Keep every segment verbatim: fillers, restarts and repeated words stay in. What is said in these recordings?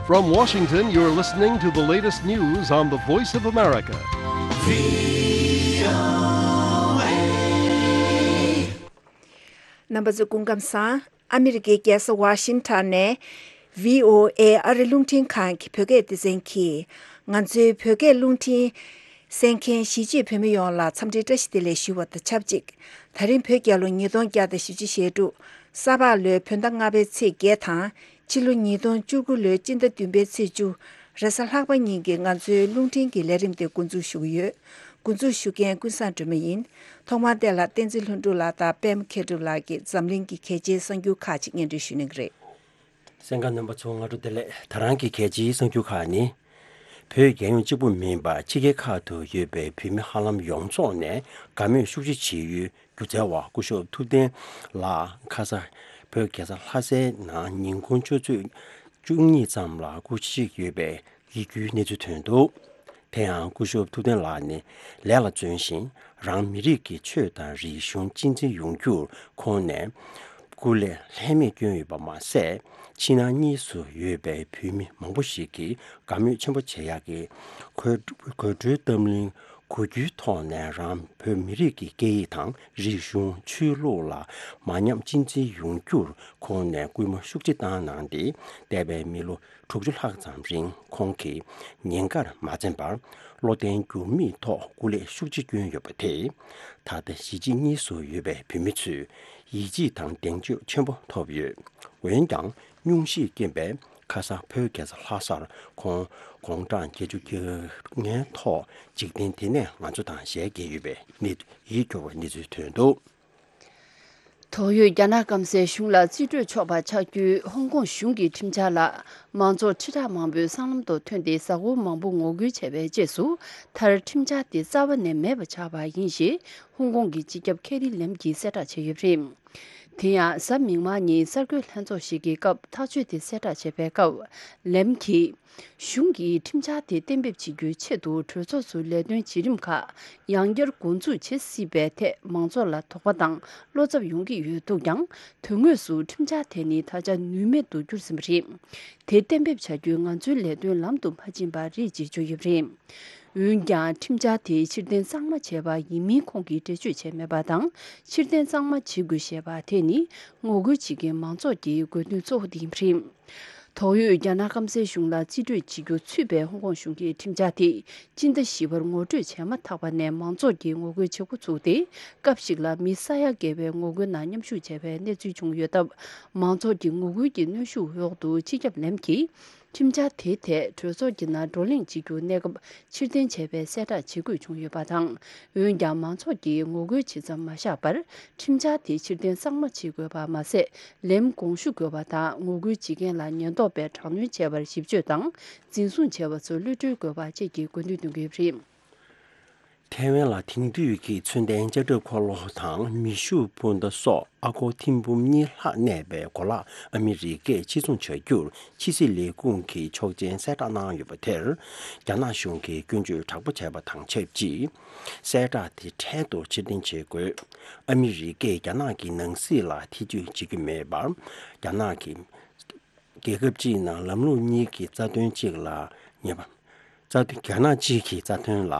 From Washington, you're listening to the latest news on the Voice of America. རྣམ་པ་ཚོ་སྐུ་ཁམས་བཟང་། ཨ་མི་རི་ཀའི་རྒྱལ་ས་ཝ་ཤིང་ཊོན་ནས་བྷི་ཨོ་ཨེ་ཨ་རི་རླུང་འཕྲིན་ཁང་གི་བོད་སྐད་སྡེ་ཚན་གྱིས་ང་ཚོའི་བོད་སྐད་རླུང་འཕྲིན་གསན་མཁན་གཞིས་བྱེས་བོད་མི་ཡོངས་ལ་འཚམས་འདྲིའི་བཀྲ་ཤིས་བདེ་ལེགས་ཞུ་བ་དང་ཆབས་ཅིག་ད་རིང་བོད་རྒྱལ་ལོ་ཉིས་སྟོང་བརྒྱ་དང་བཞི་བཅུ་ཞེ་དྲུག་ས་ཕག་ལོའི་བོད་ཟླ་ལྔ་པའི་ཚེས་བརྒྱད་དང་ཕྱི་ལོ་ཉིས་སྟོང་བཅུ་དགུ་ལོའི་སྤྱི་ཟླ་བདུན་པའི་ཚེས་བཅུ་རེས་གཟའ་ལྷག་པ་ཉིན་གྱི་ང་ཚོའི་རླུང་འཕྲིན་གྱི་ལས་རིམ་དེ་འགོ་འཛུགས་ཞུ་གི་ཡོད། འགོ་འཛུགས་ཞུ་མཁན་ཀུན་བཟང་སྒྲོལ་མ་ཡིན། ཐོག་མར་དེ་ལ་བསྟན་འཛིན་ལྷུན་གྲུབ་ལགས་དང་པད་མ་མཁས་གྲུབ་ལགས་ཀྱིས་འཛམ་གླིང་གི་གལ་ཆེའི་གསར་འགྱུར་ཁག་ཅིག་སྙན་སྒྲོན་ཞུ་གནང་གི་རེད། གསན་མཁན་རྣམ་པ་ཚོ་སྔ་དྲོ་བདེ་ལེགས། ད་རང་གི་གལ་ཆེའི་གསར་འགྱུར་ཁག་ནི། བོད་རྒྱལ་ཡོངས་གཅིག་པུ་མིན་པར་ཕྱི་རྒྱལ་ཁག་ཏུ་ཡོད་པའི་བོད་མི་ཧ་ལམ་ཡོངས་རྫོགས་ནས་དགའ་མོས་ཤུགས་ཆེ་བྱེད་ཡུལ་སྒྱུ་རྩལ་བ་སྐུ་ཞབས་ཐུབ་བསྟན་ལགས་ཁ་ས་བོད་རྒྱལ་ས་ལྷ་སའི་ནང་ཉིན་གུང་ཆུ་ཚོད་བཅུ་གཉིས་ཙམ་ལ་སྐུ་གཤེགས་ཡོད་པའི་ཡིད་སྐྱོའི་གནས་ཚུལ་ཐོན་འདུག་དེ་ཡང་སྐུ་ཞབས་ཐུབ་བསྟན་ལགས་ནི་ལས་ལ་བརྩོན་ཞིང་རང་མི་རིགས་ཀྱི་ཆོས་དང་རིག་གཞུང་གཅེས་འཛིན་ཡོང་རྒྱུར་ཁོང་ནས་སྐུ་ལས་ལྷད་མེད་བསྐྱོན་ཡོད་པ་མ་ཟད། ཕྱི་ནང་གཉིས་སུ་ཡོད་པའི་བོད་མི་མང་པོ་ཞིག་གིས་དགའ་མོས་ཆེན་པོ་བྱེད་ཡག་གི་གོས་གོས་འཁྲུའི་གཏམ་གླེང་གོ་རྒྱུའི་ཐོག་ནས་རང་བོད་མི་རིགས་ཀྱི་སྐད་ཡིག་དང་རིག་གཞུང་ཆོས་ལུགས་ལ་མ་ཉམས་གཅེས་འཛིན་ཡོང་རྒྱུར་ཁོང་ནས་སྐུལ་མ་ཤུགས་ཆེ་བཏང་གནང་སྟེ། འདས་པའི་མི་ལོ་དྲུག་ཅུ་ལྷག་ཙམ་རིང་ཁོང་གིས་ཉེན་ཁར་མ་འཛེམས་པར་བློ་བརྟན་འགྱུར་མེད་ཐོག་སྐུ་ལས་ཤུགས་ཆེ་བསྐྱོན་ཡོད་པ་དེས། ད་ལྟ་གཞིས་བྱེས་གཉིས་སུ་ཡོད་པའི་བོད་མི་ཚོས་ཡིད་ཆེས་དང་གདེང་ཚོད་ཆེན་པོ་ཐོབ་ཡོད། འོན་ཀྱང་སྙུང་གཞིའི་རྐྱེན་པས་ཁ་སང་བོད་རྒྱལ་ས་ལྷ་སར་ཁོང་དགུང་གྲངས་བརྒྱད་ཅུ་གྱ་ལྔའི་ཐོག་འཇིག་རྟེན་འདི་ནས་ང་ཚོ་དང་ཞལ་གྱེས་ཡོད་པའི་གནས་ཡིད་སྐྱོ་བའི་གནས་ཚུལ་ཐོན་འདུག་དོགས་ཡོད་རྒྱ་ནག་སྐམ་སའི་གཞུང་ལ་རྩིས་སྤྲོད་ཆོག་པ་ཆགས་རྒྱུའི་ཧོང་ཀོང་གཞུང་གི་ཁྲིམས་འཆར་ལ་མང་ཚོགས་ཁྲི་ཕྲག་མང་པོས་སྲང་ལམ་དུ་ཐོན་ཏེ་གཟའ་འཁོར་མང་པོ་ངོ་རྒོལ་བྱས་པའི་རྗེས་སུ་མཐར་ཁྲིམས་འཆར་དེ་རྩ་བ་ནས་མེད་པ་ཆགས་པ་ཡིན་ཞེས་ཧོང་ཀོང་གི་སྤྱི་ཁྱབ་ཁེ་རི་ལེམ་གྱིས་གསལ་བསྒྲགས་བྱས་ཡོད་པ་རེད། དེ་ཡང་གཟའ་མིག་དམར་ཉིན་གསར་འགོད་ལྷན་ཚོགས་ཤིག་གི་སྐབས་ཐག་གཅོད་དེ་གསལ་བསྒྲགས་བྱས་པའི་སྐབས་ལེམ་གྱིས། གཞུང་གིས་ཁྲིམས་འཆར་དེ་གཏན་འབེབས་བྱེད་རྒྱུའི་ཆེད་དུ་གྲོས་ཚོགས་སུ་ལས་དོན་བྱེད་རིམ་ཁག་ཡང་བསྐྱར་འགོ་འཛུགས་བྱེད་སྲིད་པའི་ཐད་མང་ཚོགས་ལ་དོགས་པ་དང་བློ་འཚབ་ཡོང་གི་ཡོད་འདུག་ཀྱང་། དོན་དངོས་སུ་ཁྲིམས་འཆར་དེ་ནི་ད་ཆ་ནུས་མེད་དུ་གྱུར་ཟིན་པ་རེད། དེ་གཏན་འབེབས་བྱ་རྒྱུའི་ང་ཚོའི་ལས་དོན་ལམ་དུ་མ་ཕྱིན་པ་རེད་ཅེས་བརྗོད་ཡོད་པ་རེད། འོན་ཀྱང་ཁྲིམས་འཆར་དེ་ཕྱིར་འཐེན་གཙང་མ་བྱས་པ་ཡིན་མིན་ཁོང་གིས་འགྲེལ་བརྗོད་བྱས་མེད་པ་དང་། ཕྱིར་འཐེན་གཙང་མ་བྱེད་དགོས་ཞེས་པ་དེ་ནི་ངོ་རྒོལ་བྱེད་མཁན་མང་ཚོགས་ཀྱི་དགོས་འདུན་གཙོ་བོ་དེ་ཡིན་པ་རེད། དོགས་ཡོད་རྒྱ་ནག་སྐམ་སའི་གཞུང་ལ་རྩིས་སྤྲོད་བྱེད་རྒྱུ་ཚུད་པའི་ཧོང་ཀོང་གཞུང་གི་ཁྲིམས་འཆར་དེ་སྤྱི་ཟླ་བཞི་པར་ངོ་སྤྲོད་བྱས་མ་ཐག་པ་ནས་མང་ཚོགས་ཀྱིས་ངོ་རྒོལ་བྱེད་འགོ་ཚུགས་ཏེ། སྐབས་ཤིག་ལ་མི་ས་ཡ་བརྒལ་བའི་ངོ་རྒོལ་ནང་མཉམ་ཞུགས་བྱས་པའི་གནས་ཚུལ་བྱུང་ཡོད་སྟབས། མང་ཚོགས་ཀྱི་ངོ་རྒོལ་གྱི་གནོན་ཤུགས་འོག་ཏུ་སྤྱི་ཁྱབ་ལེམ་གྱིས་ཁྲིམས་འཆར་དེའི་ཐད་གྲོས་ཚོགས་ཀྱི་ནང་བགྲོ་གླེང་བྱེད་རྒྱུ་གནས་སྐབས་ཕྱིར་འཐེན་བྱས་པའི་གསལ་བསྒྲགས་བྱེད་དགོས་བྱུང་ཡོད་པ་དང་། འོན་ཀྱང་མང་ཚོགས་ཀྱིས་ངོ་རྒོལ་བྱེད་མཚམས་མ་བཞག་པར། ཁྲིམས་འཆར་དེ་ཕྱིར་འཐེན་གཙང་མ་བྱེད་དགོས་པ་མ་ཟད། ལེམ་དགོངས་ཞུ་དགོས་པ་དང་། ངོ་རྒོལ་བྱེད་མཁན་ལ་ཉེན་རྟོག་པས་དྲག་གནོན་བྱས་པར་ཞིབ་དཔྱོད་དང་འཛིན་བཟུང་བྱས་པ་ཚོར་གློད་གྲོལ་དགོས་པ་བཅས་ཀྱི་དགོས་འདུན་འདོན་གྱི་ཡོད་པ་རེད། ཐའེ་ཝན་ལ་དེང་དུས་ཀྱི་མཚོན་ལྡན་ལྕགས་ཁྲབ་འཁོར་ལོ་དང་མེ་ཤུགས་འཕུར་མདའ་སོགས་ཨ་སྒོར་ཐེར་འབུམ་གཉིས་ལྷག་གནས་པའི་གོ་ལག་ཨ་མི་རི་ཀས་ཕྱིར་ཚོང་བྱ་རྒྱུར་ཕྱི་སྲིད་ལས་ཁུངས་ཀྱི་ཆོག་མཆན་གསལ་བསྒྲགས་གནང་ཡོད་པ་དེར། རྒྱ་ནག་གཞུང་གིས་སྐྱོན་བརྗོད་དྲག་པོ་བྱས་པ་དང་ཆབས་ཅིག་གསལ་བསྒྲགས་དེ་འཕྲལ་དུ་ཕྱིར་འཐེན་བྱེད་དགོས། ཨ་མི་རི་ཀས་རྒྱ་ནག་གི་ནང་སྲིད་ལ་ཐེ་བྱུས་བྱེད་ཀྱི་མེད་པར། རྒྱ་ནག་གི་རྒྱལ་ཁབ་གཅིག་ནང་ལམ་ལུགས་གཉིས་ཀྱི་རྩ་དོན་གཅིག་ལ་ཉེས་པ། རྩ་དོན། རྒྱ་ནག་གཅིག་གི་རྩ་དོན་ལ་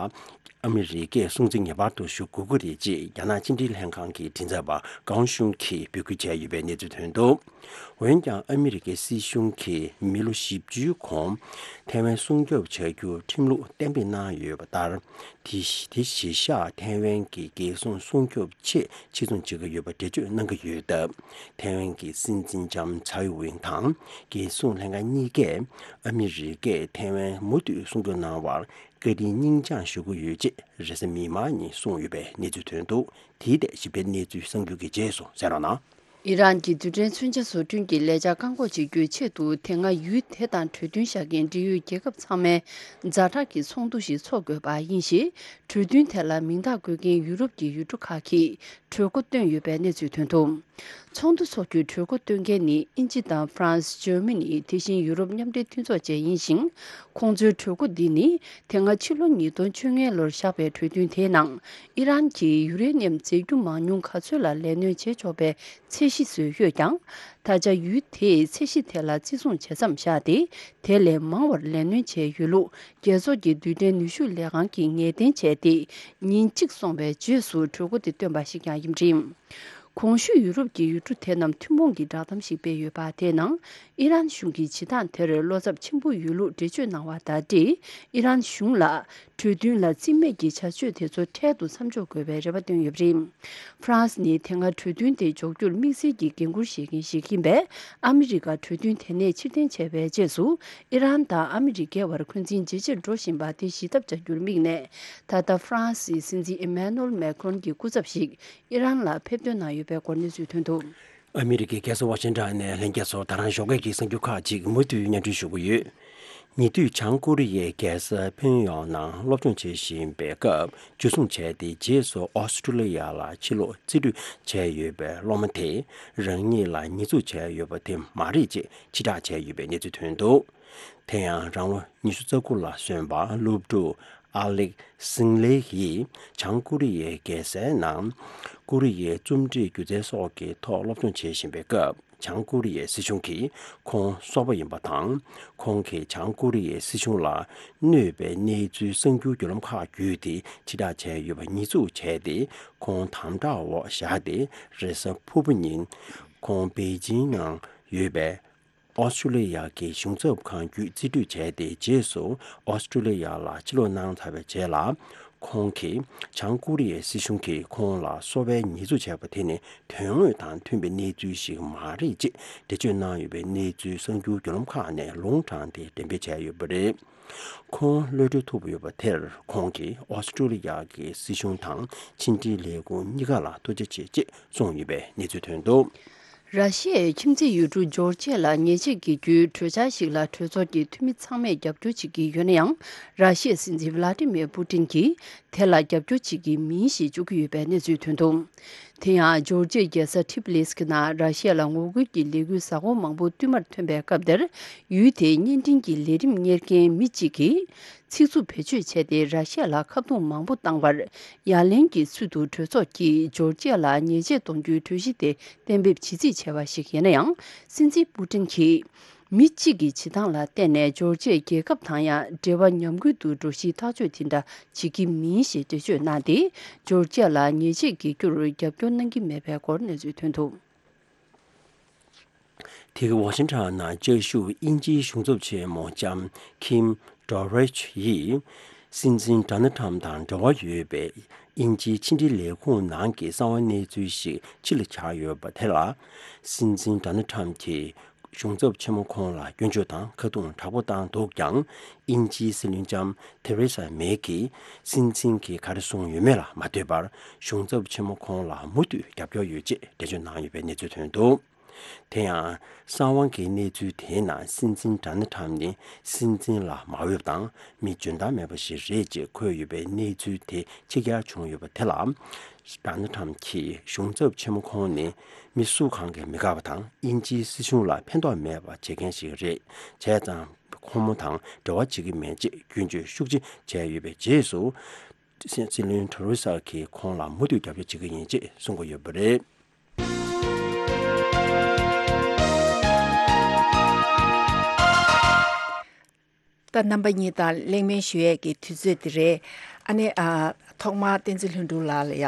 ཨ་མི་རི་ཀས་སྲུང་བརྩི་ངེས་པར་དུ་ཞུ་དགོས་ཀྱི་རེད་ཅེས་རྒྱ་ནག་ཕྱི་འབྲེལ་ལྷན་ཁང་གི་མགྲིན་ཚབ་པ་ཀའོ་ཤུང་གིས་འབོད་སྐུལ་བྱས་ཡོད་པའི་གནས་ཚུལ་ཐོན་འདུག་འོན་ཀྱང་ཨ་མི་རི་ཀའི་སྲིད་གཞུང་གིས་མི་ལོ་བཞི་བཅུའི་གོང་ཐའེ་ཝན་སྲུང་སྐྱོབ་བྱ་རྒྱུར་ཁྲིམས་ལུགས་གཏན་འབེབས་གནང་ཡོད་པ་ལྟར། དེ་གཞི་དེ་གཞི་བཞག་ཐའེ་ཝན་གྱི་རྒྱལ་སྲུང་སྲུང་སྐྱོབ་ཆེད་ཕྱིར་ཚོང་བྱེད་ཀྱི་ཡོད་པ་འགྲེལ་བརྗོད་གནང་གི་ཡོད་སྟབས། ཐའེ་ཝན་གྱི་སྲིད་འཛིན་ལྕམ་ཚའེ་ཝེན་དང་རྒྱལ་སྲུང་ལྷན་ཁང་གཉིས་ཀས་ཨ་མི་རི་ཀས་ཐའེ་ཝན་མུ་མཐུད་སྲུང་སྐྱོབ་གནང་བར་བཀའ་དྲིན་སྙིང་བཅངས་ཞུ་གི་ཡོད་ཅེས་རེས་གཟའ་མིག་དམར་ཉིན་གསུངས་ཡོད་པའི་གནས་ཚུལ་ཐོན་འདུག་དེའི་ཐད་ཞིབ་ཕྲའི་གནས་ཚུལ་གསར་འགྱུར་གྱི་རྗེས་སུ་གསན་རོགས་གནང་། ཨི་རན་གྱིས་རྡུལ་ཕྲན་མཚོན་ཆ་བཟོ་སྐྲུན་གྱི་ལས་འཆར་བཀག་འགོག་བྱེད་རྒྱུའི་ཆེད་དུ་དེ་སྔ་ཡུལ་དེ་དང་གྲོས་མཐུན་བཞག་མཁན་འབྲེལ་ཡོད་རྒྱལ་ཁབ་ཚང་མའི་ཛ་དྲག་གི་ཚོགས་འདུ་ཞིག་འཚོགས་དགོས་པ་ཡིན་ཞེས། གྲོས་མཐུན་དེ་ལ་མིང་རྟགས་འགོད་མཁན་ཡུ་རོབ་ཀྱི་ཡུལ་གྲུ་ཁག་གིས་གྲོས་འགོ་བཏོན་ཡོད་པའི་གནས་ཚུལ་ཐོན་འདུག་ཚོགས་འདུ་འཚོགས་རྒྱུའི་གྲོས་འགོ་བཏོན་མཁན་ནི་དབྱིན་ཇི་དང་ཧྥ་རན་སི། ཇར་མ་ནི། དེ་བཞིན་ཡུ་རོབ་མཉམ་འབྲེལ་མཐུན་ཚོགས་བཅས་ཡིན་ཞིང་། ཁོང་ཚོའི་གྲོས་འགོ་འདི་ནི་དེ་སྔ་ཕྱི་ལོ་ཉིས་སྟོང་བཅོ་ལྔའི་ལོར་བཞག་པའི་གྲོས་མཐུན་དེའི་ནང་ཨི་རན་གྱིས་ཡུ་རེ་ནི་ཡམ་རྫས་འགྱུར་མང་ཉུང་ག་ཚོད་ལ་ལས་སྣོན་བྱེད་ཆོག་པའི་ཚད་ གཞི་བཟོས་ཡོད་ཀྱང་། ད་ཆ་ཡུལ་དེས་ཚད་གཞི་དེ་ལ་བརྩི་སྲུང་བྱེད་མཚམས་བཞག་སྟེ། དེ་ལས་མང་བར་ལས་སྣོན་བྱས་ཡོད་ལུགས། རྒྱལ་ཚོགས་ཀྱི་རྡུལ་ཕྲན་ནུས་ཤུགས་ལས་ཁང་གིས་ངེས་གཏན་བྱས་ཏེ། ཉིན་གཅིག་སོང་བའི་རྗེས་སུ་གྲོས་འགོ་དེ་བཏོན་པ་ཞིག་ཀྱང་ཡིན་པ་རེད། གོང་ཞུས་ཡུ་རོབ་ཀྱི་ཡུལ་གྲུ་དེ་རྣམས་ཐུན་མོང་གི་བསྒྲགས་གཏམ་ཞིག་སྤེལ་ཡོད་པ། དེའི་ནང་ཨི་རན་གཞུང་གིས་བྱེད་སྟངས་དེར་བློ་འཚབ་ཆེན་པོ་ཡོད་ལུགས་འགྲེལ་བརྗོད་གནང་བ་དང་འབྲེལ། ཨི་རན་གཞུང་ལ་གྲོས་མཐུན་ལ་རྩིས་མེད་ཀྱི་བྱ་སྤྱོད་དེ་ཚོ་འཕྲལ་དུ་མཚམས་འཇོག་དགོས་པའི་རེ་བ་བཏོན་ཡོད་པ་རེད། ཧྥ་རན་སི་ནི་དེ་སྔ་གྲོས་མཐུན་དེ་འཇོག་རྒྱུར་དམིགས་བསལ་གྱི་འགན་འཁུར་བཞེས་མཁན་ཞིག་ཡིན་པས། ཨ་མི་རི་ཀ་གྲོས་མཐུན་དེ་ནས་ཕྱིར་འཐེན་བྱས་པའི་རྗེས་སུ། ཨི་རན་དང་ཨ་མི་རི་ཀའི་བར་འཁོན་འཛིན་ཇེ་ཆེར་འགྲོ་བཞིན་པ་དེ་ཞི་ཐབས་བྱ་རྒྱུར་དམིགས་ནས། ད་ལྟ་ཧྥ་རན་སིའི་སྲིད་འཛིན་ཨི་མེ་ནུ་ཨེལ་མེ་ཁོན་གྱི་སྐུ་ཚབ་ཞིག་ཨི་རན་ལ་ཕེབས་ཐོན་གནང་ཡོད་པའི་སྐོར་གནས་ཚུལ་ཐོན་འདུག། ཨ་མི་རི་ཀའི་རྒྱལ་ས་ཝ་ཤིང་ཊོན་ནས་ལྷན་རྒྱས་ཚོར་ད་རང་ཞོགས་ཀས་ཀྱི་གསར་འགྱུར་ཁག་ཅིག་མུ་མཐུད་སྙན་སྒྲོན་ཞུ་གི་ཡོད། ཉེ་དུས་བྱང་ཀོ་རི་ཡའི་རྒྱལ་ས་ཕིན་ཡོང་ནང་སློབ་སྦྱོང་བྱེད་བཞིན་པའི་སྐབས་འཇུ་བཟུང་བྱས་ཏེ། རྗེས་སུ་ཨོ་སི་ཀྲུ་ལི་ཡ་ལ་ཕྱིར་ལོག་རྩིས་སྤྲོད་བྱས་ཡོད་པའི་སློབ་མ་དེ་རང་ཉིད་ལ་ཉེས་འཛུགས་བྱས་ཡོད་པ་དེ་མ་རེད་ཅེས་ཕྱིར་བསྒྲགས་བྱས་ཡོད་པའི་གནས་ཚུལ་ཐོན་འདུག། དེ་ཡང་རང་ལོ་ཉི་ཤུ་རྩ་དགུ་ལ་སོན་པ་སློབ་ཕྲུག་ཨ་ལེག་སིང་ལེ་ཡིས་བྱང་ཀོ་རི་ཡའི་རྒྱལ་སའི་ནང་ཀོ་རི་ཡའི་རྩོམ་སྒྲིག་སྒྱུ་རྩལ་སོགས་ཀྱི་ཐོག་སློབ་སྦྱོང་བྱེད་བཞིན་པའི་སྐབས། བྱང་ཀོ་རི་ཡའི་སྲིད་གཞུང་གིས་ཁོང་སོག་པོ་ཡིན་པ་དང་། ཁོང་གིས་བྱང་ཀོ་རི་ཡའི་སྲིད་གཞུང་ལ་གནོད་པའི་གནས་ཚུལ་གསར་འགྱུར་བརྒྱུད་ལམ་ཁག་བརྒྱུད་དེ་ཕྱིར་བསྒྲགས་བྱས་ཡོད་པ་ཉེས་འཛུགས་བྱས་ཏེ། ཁོང་དམ་དྲག་འོག་བཞག་སྟེ། རེས་གཟའ་ཕུར་བུ་ཉིན་ཁོང་པེ་ཅིང་ནང་ཡོད་པའི་ཨོ་སི་ཀྲུ་ལི་ཡ་གི་གཞུང་ཚབ་ཁང་བརྒྱུད་རྩིས་སྤྲོད་བྱས་ཏེ། རྗེས་སུ་ཨོ་སི་ཀྲུ་ལི་ཡ་ལ་ཕྱིར་ལོག་གནང་ཚར་བའི་རྗེས་ལ། ཁོང་གིས་བྱང་ཀོ་རི་ཡའི་སྲིད་གཞུང་གིས་ཁོང་ལ་སོ་པའི་ཉེས་འཛུགས་བྱས་པ་དེ་ནི་དོན་དངོས་དང་མཐུན་པའི་གནས་ཚུལ་ཞིག་མ་རེད་ཅེས་འགྲེལ་བརྗོད་གནང་ཡོད་པའི་གནས་ཚུལ་གསར་འགྱུར་བརྒྱུད་ལམ་ཁག་ནས་ལུང་དྲངས་ཏེ་འགྲེམས་སྤེལ་བྱས་ཡོད་པ་རེད། ཁོང་གློད་གྲོལ་ཐུབ་ཡོད་པ་དེར་ཁོང་གིས་ཨོ་སི་ཀྲུ་ལི་ཡ་གི་སྲིད་གཞུང་དང་ཕྱི་འབྲེལ་ལས་ཁུངས་གཉིས་ཀ་ལ་ཐུགས་རྗེ་ཆེ་ཅེས་གསུངས་ཡོད་པའི་གནས་ཚུལ་ཐོན་འདུག། ར་ཤི་ཡའི་ཁྱིམ་མཚེས་ཡུལ་གྲུ་ཇོར་ཇི་ཡ་ལ་ཉེས་ཆད་འགེལ་རྒྱུའི་གྲོས་འཆར་ཞིག་ལ་གྲོས་ཚོགས་ཀྱི་འཐུས་མི་ཚང་མས་རྒྱབ་སྐྱོར་བྱེད་ཀྱི་ཡོད་ན་ཡང་། ར་ཤི་ཡའི་སྲིད་འཛིན་ཝི་ལ་ཏི་མིར་པུ་ཏིན་གྱིས་དེ་ལ་རྒྱབ་སྐྱོར་བྱེད་ཀྱི་མིན་ཞེས་བརྗོད་ཀྱི་ཡོད་པའི་གནས་ཚུལ་ཐོན་འདུག། དེ་ཡང་ཇོར་ཇི་ཡའི་རྒྱལ་ས་ཐི་ཕི་ལི་སི་ནང་ར་ཤི་ཡ་ལ་ངོ་རྒོལ་གྱི་ལས་འགུལ་གཟའ་འཁོར་མང་པོ་བསྟུད་མར་ཐོན་པའི་སྐབས་དེར། ཡུལ་དེའི་བརྙན་འཕྲིན་གྱི་ལས་རིམ་གཉེར་མཁན་མི་གཅིག་གིས། ཚིག་རྩུབ་བེད་སྤྱོད་བྱས་ཏེ་ར་ཤི་ཡ་ལ་ཁ་རྡུང་མང་པོ་བཏང་བར། ཡ་ལན་གྱི་ཚུལ་དུ་གྲོས་ཚོགས་ཀྱིས་ཇོར་ཇི་ཡ་ལ་ཉེས་ཆད་གཏོང་རྒྱུའི་གྲོས་གཞི་དེ་གཏན་འབེབས་བྱེད་རྩིས་བྱས་པ་ཞིག་ཡིན་ན་ཡང་། སྲིད་འཛིན་པུ་ཏིན་གྱིས། མི་གཅིག་གི་བྱེད་སྟངས་ལ་བརྟེན་ནས་ཇོར་ཇི་ཡའི་རྒྱལ་ཁབ་དང་ཡང་འབྲེལ་བ་ཉམས་རྒུད་དུ་འགྲོ་གཞིའི་ཐག་གཅོད་དེ་འདྲ་བྱེད་ཀྱི་མིན་ཞེས་འགྲེལ་བརྗོད་གནང་སྟེ། ཇོར་ཇི་ཡ་ལ་ཉེས་ཆད་འགེལ་རྒྱུར་རྒྱབ་སྐྱོར་གནང་གི་མེད་པའི་སྐོར་གནས་ཚུལ་ཐོན་འདུག། དེ་ག་ཝ་ཤིང་ཊོན་ནང་བཅའ་བཞུགས་དབྱིན་ཇིའི་གཞུང་ཚབ་ཆེན་མོ་ལྕམ་ཁིམ་ཌོ་རེཆ་ཡིས། སྲིད་འཛིན་ཌོ་ནལ་ཊམ་དང་འབྲེལ་བ་ཡོད་པའི་དབྱིན་ཇིའི་ཕྱི་འབྲེལ་ལས་ཁུངས་ནང་གི་གསང་བ་གནས་ཚུལ་ཞིག་ཕྱི་ལ་གྱར་ཡོད་པ་དེ་ལ། སྲིད་འཛིན་ཌོ་ནལ་ཊམ་གྱིས་གཞུང་ཚབ་ཆེན་མོ་ཁོང་ལ་སྐྱོན་བརྗོད་དང་ཁ་རྡུང་དྲག་པོ་བཏང་འདུག་ཀྱང་། དབྱིན་ཇིའི་སྲིད་བློན་ལྕམ་ཐེ་རེ་ས་མེ་གིས། སྲིད་འཛིན་གྱིས་ག་རེ་གསུངས་ཡོད་མེད་ལ་མ་ལྟོས་པར། གཞུང་ཚབ་ཆེན་མོ་ཁོང་ལ་མུ་མཐུད་རྒྱབ་སྐྱོར་ཡོད་ཅེས་འགྲེལ་བརྗོད་གནང་ཡོད་པའི་གནས་ཚུལ་ཐོན་འདུག། དེ་ཡང་། གསང་བ་གི་གནས་ཚུལ་དེའི་ནང་སྲིད་འཛིན་ཌོ་ནལ་ཊམ་ནི་སྲིད་འཛིན་ལ་མ་འོས་པ་དང་། མི་འཇོན་ཐང་མེད་པ་ཞིག་རེད་ཅེས་འཁོད་ཡོད་པའི་གནས་ཚུལ་དེ་ཕྱི་གྱར་བྱུང་ཡོད་པ་དེ་ལ། ཌོ་ནལ་ཊམ་གྱིས་གཞུང་ཚབ་ཆེན་མོ་ཁོང་ནི་མི་སུ་གང་གིས་མི་དགའ་བ་དང་། དབྱིན་ཇིའི་སྲིད་གཞུང་ལ་ཕན་ཐོགས་མེད་པ་བྱེད་མཁན་ཞིག་རེད། བྱས་ཙང་། ཁོང་མོ་དང་འབྲེལ་བ་བྱེད་ཀྱི་མེད་ཅེས་སྐྱོན་བརྗོད་ཤུགས་ཆེ་བྱས་ཡོད་པའི་རྗེས་སུ། སྲིད་བློན་ཐེ་རེ་ས་གིས་ཁོང་ལ་མུ་མཐུད་རྒྱབ་སྐྱོར་བྱེད་ཀྱི་ཡིན་ཅེས་གསུང་གི་ཡོད་པ་རེད། ད་རྣམ་པ་གཉིས་དང་གླེང་མོལ་ཞུ་ཡས་ཀྱི་དུས་ཚོད་འདི་རེད། ཨ་ནི་ཨ། ཐོག་མར་བསྟན་འཛིན་ལྷུན་གྲུབ་ལགས་ལ་ཡ་